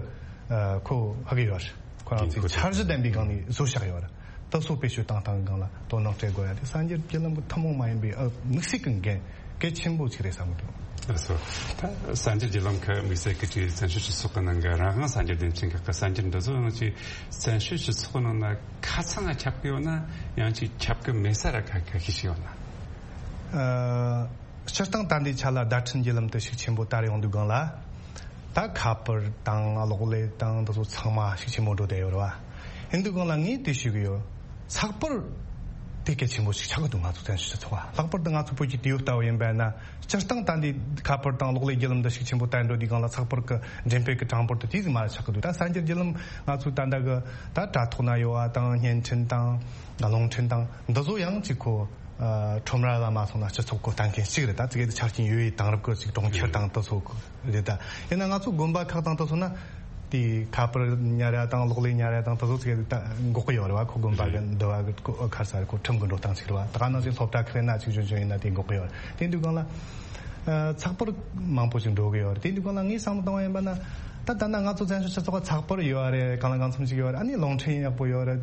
ཨ་ཁོ་ཧ་གི་ཡོད་རེད། ཁོ་རང་ཚོའི་འཆར་གཞི་ལྡན་པའི་སྒང་ནས་བཟོ་བཞག་ཡོད་རེད། ད་སོ་བེད་སྤྱོད་བཏང་སྟངས་སྒང་ལ་དོ་སྣང་སྤྲད་དགོས་ཡ་དེ་གསར་འགྱུར་བརྒྱུད་ལམ་གྱི་ཐུན་མོང་མ་ཡིན་པའི་ཨ་དམིགས་བསལ་གྱི་འགན་གལ་ཆེན་པོ་ཅིག་རེད་བསམ་གྱི་འདུག་ལགས་སོ། ད་གསར་འགྱུར་བརྒྱུད་ལམ་ཁག་དམིགས་བསལ་གྱི་ཅིག་བཙན་བྱོལ་སྤྱི་ཚོགས་ཀྱི་ནང་གི་རང་དབང་གསར་འགྱུར་སྡེ་ཚན་ཁག་གི་གསར་འགྱུར་འདི་ཚོ་ཡང་ཅིག་བཙན་བྱོལ་སྤྱི་ཚོགས་ནང་ན་ཁ་ཚང་ང་ཁྱབ་ཀྱི་ཡོད་ན། ཡང་ཅིག་ཁྱབ་ཀྱི་མེད་ས་ར་ཁ་ཁ་ཤས་ཤིག་ཡོད་ན། ཨ། སྤྱིར་བཏང་ད་ལྟའི་ཆ་ལ་བརྡ་འཕྲིན་བརྒྱུད་ལམ་དུ་ཤུགས་ཆེན་པོ་དར་ཡོང་དུས་སྒང་ལ། ད་ཁ་པར་དང་གློག་ཀླད་དང་འདི་ཚོ་ཚང་མ་ཤུགས་ཆེན་པོ་འགྲོ་བསྡད་ཡོད་རེད་བ། ཡིན་དུས་སྒང་ལ་ངས་དེ་ཞུ་གི་ཡོད། ཚགས་པར་དེ་གལ་ཆེན་པོ་ཞིག་ཆགས་ཀྱི་འདུག་ང་ཚོ་བཙན་བྱོལ་སྤྱི་ཚོགས་ལ། ལྷག་པར་དུ་ང་ཚོ་བོད་ཀྱི་དུས་བབ་ལྟ་བུ་ཡིན་པ་ན། སྤྱིར་བཏང་ད་ལྟའི་ཁ་པར་དང་གློག་ཀླད་བརྒྱུད་ལམ་འདི་ཤུགས་ཆེན་པོ་དར་འགྲོ་དུས་སྒང་ལ་ཚགས་པར་གྱི་འགྲེམས་སྤེལ་གྱི་གྲངས་འབོར་དེ་དེ་ཙམ་མ་ཆགས་ཀྱི་འདུག་ད་གསར་འགྱུར་བརྒྱུད་ལམ་ང་ཚོའི་ད་ལྟ་གི་ད་དྲ་ཐོག་ན་ཡོད་པ་དང་བརྙན་འཕྲིན་དང་རླུང་འཕྲིན་དང་འདི་ཚོ་ཡང་ཅིག་ཁོ། ཨ། ཁྲོམ་ར་ལ་མ་སོང་ན་སྤྱི་ཚོགས་ཁོ་ལྟ་མཁན་གཅིག་རེད། ད་ཙི་གེ་དེ་ཆ་རྐྱེན་ཡོད་ཡོད་དེང་རབས་ཀྱི་ཅིག་གྲོང་ཁྱེར་དང་དེ་ཚོ་རེད། ད་ཡིན་ན་ང་ཚོ་དགོན་པ་ཁག་དང་དེ་ཚོ་ན་དེ་ཁ་པར་ཉར་ཡ་དང་གློག་ཀླད་ཉར་ཡ་དང་དེ་ཚོ་ཙི་གེ་ད་འགོག་གི་ཡོད་རེད་བ། ཁོ་དགོན་པ་གི་འདུ་བ་གི་ཁོ་ཁར་ས་རེད། ཁོ་ཁྲིམས་གི་འགྲོ་སྟངས་ཅིག་རེད་བ། ད་ག་ནང་བཞིན་སློབ་གྲྭ་ཁག་ཡིན་ན་ཅིག་ཆུང་ཆུང་ཡིན་ན་དེ་འགོག་གི་ཡོད་རེད། དེ་དུས་སྒང་ལ་ཨ་ཚགས་པར་མང་པོ་ཞིག་འགྲོ་གི་ཡོད་རེད། དེ་དུས་སྒང་ལ་ངས་བསམ་བློ་བཏང་བ་ཡིན་པ་ན། ད་ད་ལྟ་ང་ཚོ་བཙན་བྱོལ་སྤྱི་ཚོགས་ལ་ཚགས་པར་ཡོད་རེད། གང་ལ་གང་འཚམ་ཞིག་ཡོད་རེད། ཨ་ནི་རླུང་འཕྲིན་ཡག་པོ་ཡོད་རེད།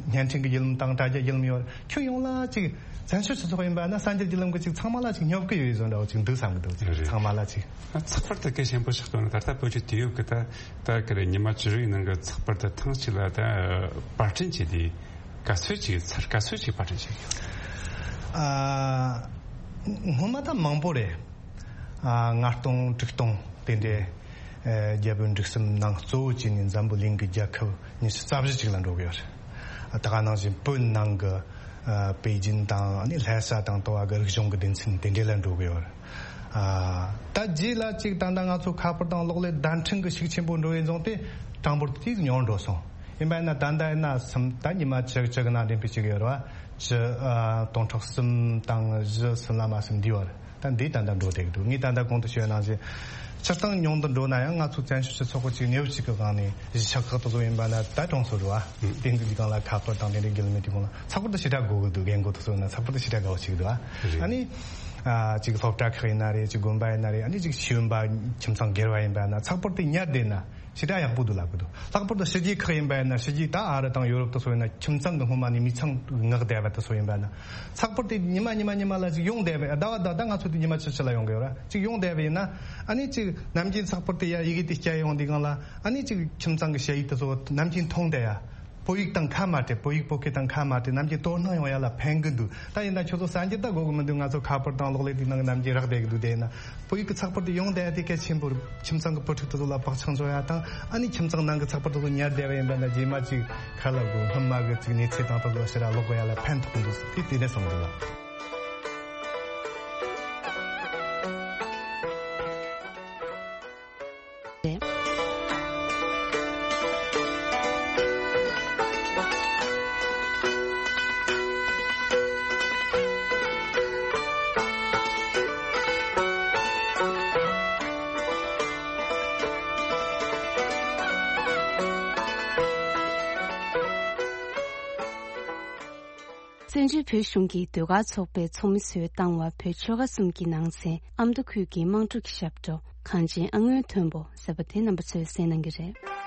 བརྙན་འཕྲིན་གྱི་བརྒྱུད་ལམ་དང་དྲ་རྒྱ་བརྒྱུད་ལམ་ཡོད་རེད། ཁྱོན་ཡོངས་ལ་ཅིག་བཙན་བྱོལ་སྤྱི་ཚོགས་ཡིན་པ་ན་གསར་འགྱུར་བརྒྱུད་ལམ་གྱི་ཅིག་ཚང་མ་ལ་ཅིག་སྙོབ་ཀྱི་ཡོད་བཟོ་འདྲ་བོ་ཅིག་འདུག་བསམ་གྱི་འདུག་ཅིག་རེད། ཚང་མ་ལ་ཅིག་ཚགས་པར་དེ་གལ་ཆེན་པོ་ཆགས་པ་ན། ད་ལྟ་བོད་ཀྱི་དུས་བབ་ཀྱི་ད་ད་ག་རེ་ཉི་མ་བཅུ་དྲུག་ནང་གི་ཚགས་པར་དེ་ཐེངས་གཅིག་ལ་ད་པར་སྐྲུན་བྱས་ཏེ་ག་ཚོད་ཅིག་ཚར། ག་ཚོད་ཅིག་པར་སྐྲུན་བྱས་ཡོད། ཨ། སྔོན་མ་ད་མང་པོ་རེད། ཨ། ལྔ་སྟོང་དྲུག་སྟོང་དེ་འདྲའི་ཨ་རྒྱལ་པོའི་འབྲུག་གསུམ་ནང་གཙོ་བོ་བྱས་ནས་འཛམ་བུ་གླིང་གི་རྒྱལ་ཁབ་ཉི་ཤུ་རྩ་བཞི་ཅིག་ལ་འགྲོ་གི་ཡོད་རེད། ད་ག་ནང་བཞིན་བོད་ནང་གི་ཨ་པེ་ཅིན་དང་ཨ་ནི་ལྷ་ས་དང་ལྟ་བ་གི་རིག་གཞུང་གི་སྡེ་ཚན་དེ་འདྲ་ལ་འགྲོ་གི་ཡོད་རེད། ཨ་ད་རྗེས་ལ་ཅིག་ད་ལྟ་ང་ཚོ་ཁ་པར་དང་གློག་ཀླད་བརྡ་འཕྲིན་གི་ཤུགས་ཆེན་པོ་འགྲོ་བའི་བཟུང་སྟེ་གྲངས་འབོར་དེ་ཏོག་ཙམ་ཉུང་འགྲོ་སོང་། ཡིན་པ་ཡིན་ན་ད་ལྟ་ཡིན་ན་སུམ་ད་ཉི་མ་བཅུ་བཅུ་གི་ནང་འགྲེམས་སྤེལ་བྱེད་ཀྱི་ཡོད་རེད་བ། བཅུ་ཨ་སྟོང་ཕྲག་གསུམ་དང་བཞི་གསུམ་ལ་མ་ཟིན་འདི་བར་ད་འདི་ད་ལྟ་འགྲོ་བསྡད་ཀྱི་འདུག་ངས་ད་ལྟ་གོང་དུ་ཞུས་པ་ནང་བཞིན་སྤྱིར་བཏང་ཉུང་དུ་འགྲོ་ན་ཡང་ང་ཚོ་བཙན་བྱོལ་སྤྱི་ཚོགས་ཀྱི་ཅིག་གནས་བབ་ཅིག་གི་སྒང་ནས་གཞིས་ཆགས་ཁག་དེ་ཚོ་ཡིན་པ་ན་ད་གྲོང་ཚོ་རེད་བ། དེ་འདི་གི་སྒང་ལ་ཁ་པར་དང་དེ་འདྲའི་བརྒྱུད་ལམ་མེད་དུས་གོང་ལ་ཚགས་པར་དེ་ཞེ་དྲག་དགོས་ཀྱི་འདུག་རྒན་རྒོན་དེ་ཚོ་ཡིན་ན་ཚགས་པར་དེ་ཞེ་དྲག་དགའ་བོ་བྱེད་ཀྱི་འདུག་ཨ། རེད། ཨ་ནི་ཨ་ཅིག་སློབ་གྲྭ་ཁག་ཡིན་ན་རེད། ཅིག་དགོན་པ་ཡིན་ན་རེད། ཨ་ནི་ཅིག་ཤེས་ཡོན་པ་ཁྱིམ་ཚང་སྒེར་བ་ཡིན་པ་ཡིན་ན་ཚགས་པར་དེ་ཉར་བསྡད་ན་ཞེ་དྲག་ཡག་པོ་འདུག་ལབ་ཀྱི་འདུག་ལྷག་པར་དུ་ཕྱི་རྒྱལ་ཁག་ཡིན་པ་ཡིན་ན། ཕྱི་རྒྱལ་ད་ཨ་རི་དང་ཡོ་རོབ་དེ་ཚོ་ཡིན་ན་ཁྱིམ་ཚང་གི་སྔོན་མ་ནས་མི་ཚང་མངགས་བསྡད་པ་དེ་ཚོ་ཡིན་པ་ཡིན་ན་ཚགས་པར་དེ་ཉི་མ་ཉི་མ་ཉི་མ་ལ་ཅིག་ཡོང་བསྡད་པ། ཟླ་བ་ཟླ་ཟླ་ང་ཚོ་དེ་ཉི་མ་ཕྱི་ཕྱི་ལ་ཡོང་གི་ཡོད་ར། ཅིག་ཡོང་བསྡད་པ་ཡིན་ན་ཨ་ནི་ཅིག་ནམ་རྒྱུན་ཚགས་པར་དེ་ཡ་ཡི་གེ་དེ་སྐྱེལ་ཡོང་དུས་སྒང་ལ་ཨ་ནི་ཅིག་ཁྱིམ་ཚང་གི་ཞ་ཡིག་དེ་ཚོ་ནམ་རྒྱུན་མཐོང་བསྡད་ཡ། བོད་ཡིག་དང་ཁ་མ་བྲལ། བོད་ཡིག་བོད་སྐད་དང་ཁ་མ་བྲལ། ནམ་རྒྱུན་དོ་སྣང་ཡོང་ཡ་ལ་ཕན་གི་འདུག་ད་ཡིན་ན་ཁྱོད་ཚོ་གསར་འགྱུར་ད་དགོས་གི་མི་འདུག་ང་ཚོ་ཁ་པར་དང་གློག་ཀླད་དེའི་ནང་གི་ནམ་རྒྱུན་རག་བསྡད་གི་འདུག་དེ་ཡིན་ན་བོད་ཡིག་གི་ཚགས་པར་དེ་ཡོང་བསྡད་ཡ་དེ་གལ་ཆེན་པོ་རེད། ཁྱིམ་ཚང་གི་བུ་ཕྲུག་དེ་ཚོ་ལ་བག་ཆགས་འཇོག་ཡ་དང་། ཨ་ནི་ཁྱིམ་ཚང་ནང་གི་ཚགས་པར་དེ་ཚོ་ཉར་བསྡད་པ་ཡིན་པ་ན་རྗེས་མ་ཅིག་ཁ་ལ་དགོས་སྔོན་མ་གི་ཅིག་གནས་ཚུལ་དང་དེ་ཚོ་ཕྱིར་ར་ཀློག་གི་ཡ་ལ་ཕན་ཐོགས་གི་འདུག་དེ་དེ་འདྲ་བསམ་གི་འདུག་ལ། བཙན་བྱོལ་བོད་གཞུང་གི་ཟློས་གར་ཚོགས་པའི་ཚོགས་མི་ཚོས་བཏང་བ། བོད་ཆོལ་ཁ་གསུམ་གྱི་ནང་ཚན་ཨ་མདོ་ཁུལ་གྱི་དམངས་ཁྲོད་ཀྱི་ཞབས་བྲོ་གངས་ཅན་ཨ་སྔོན་མཐོན་པོ་ཟེར་བ་དེ་རྣམ་པ་ཚོས་གསན་གནང་གི་རེད།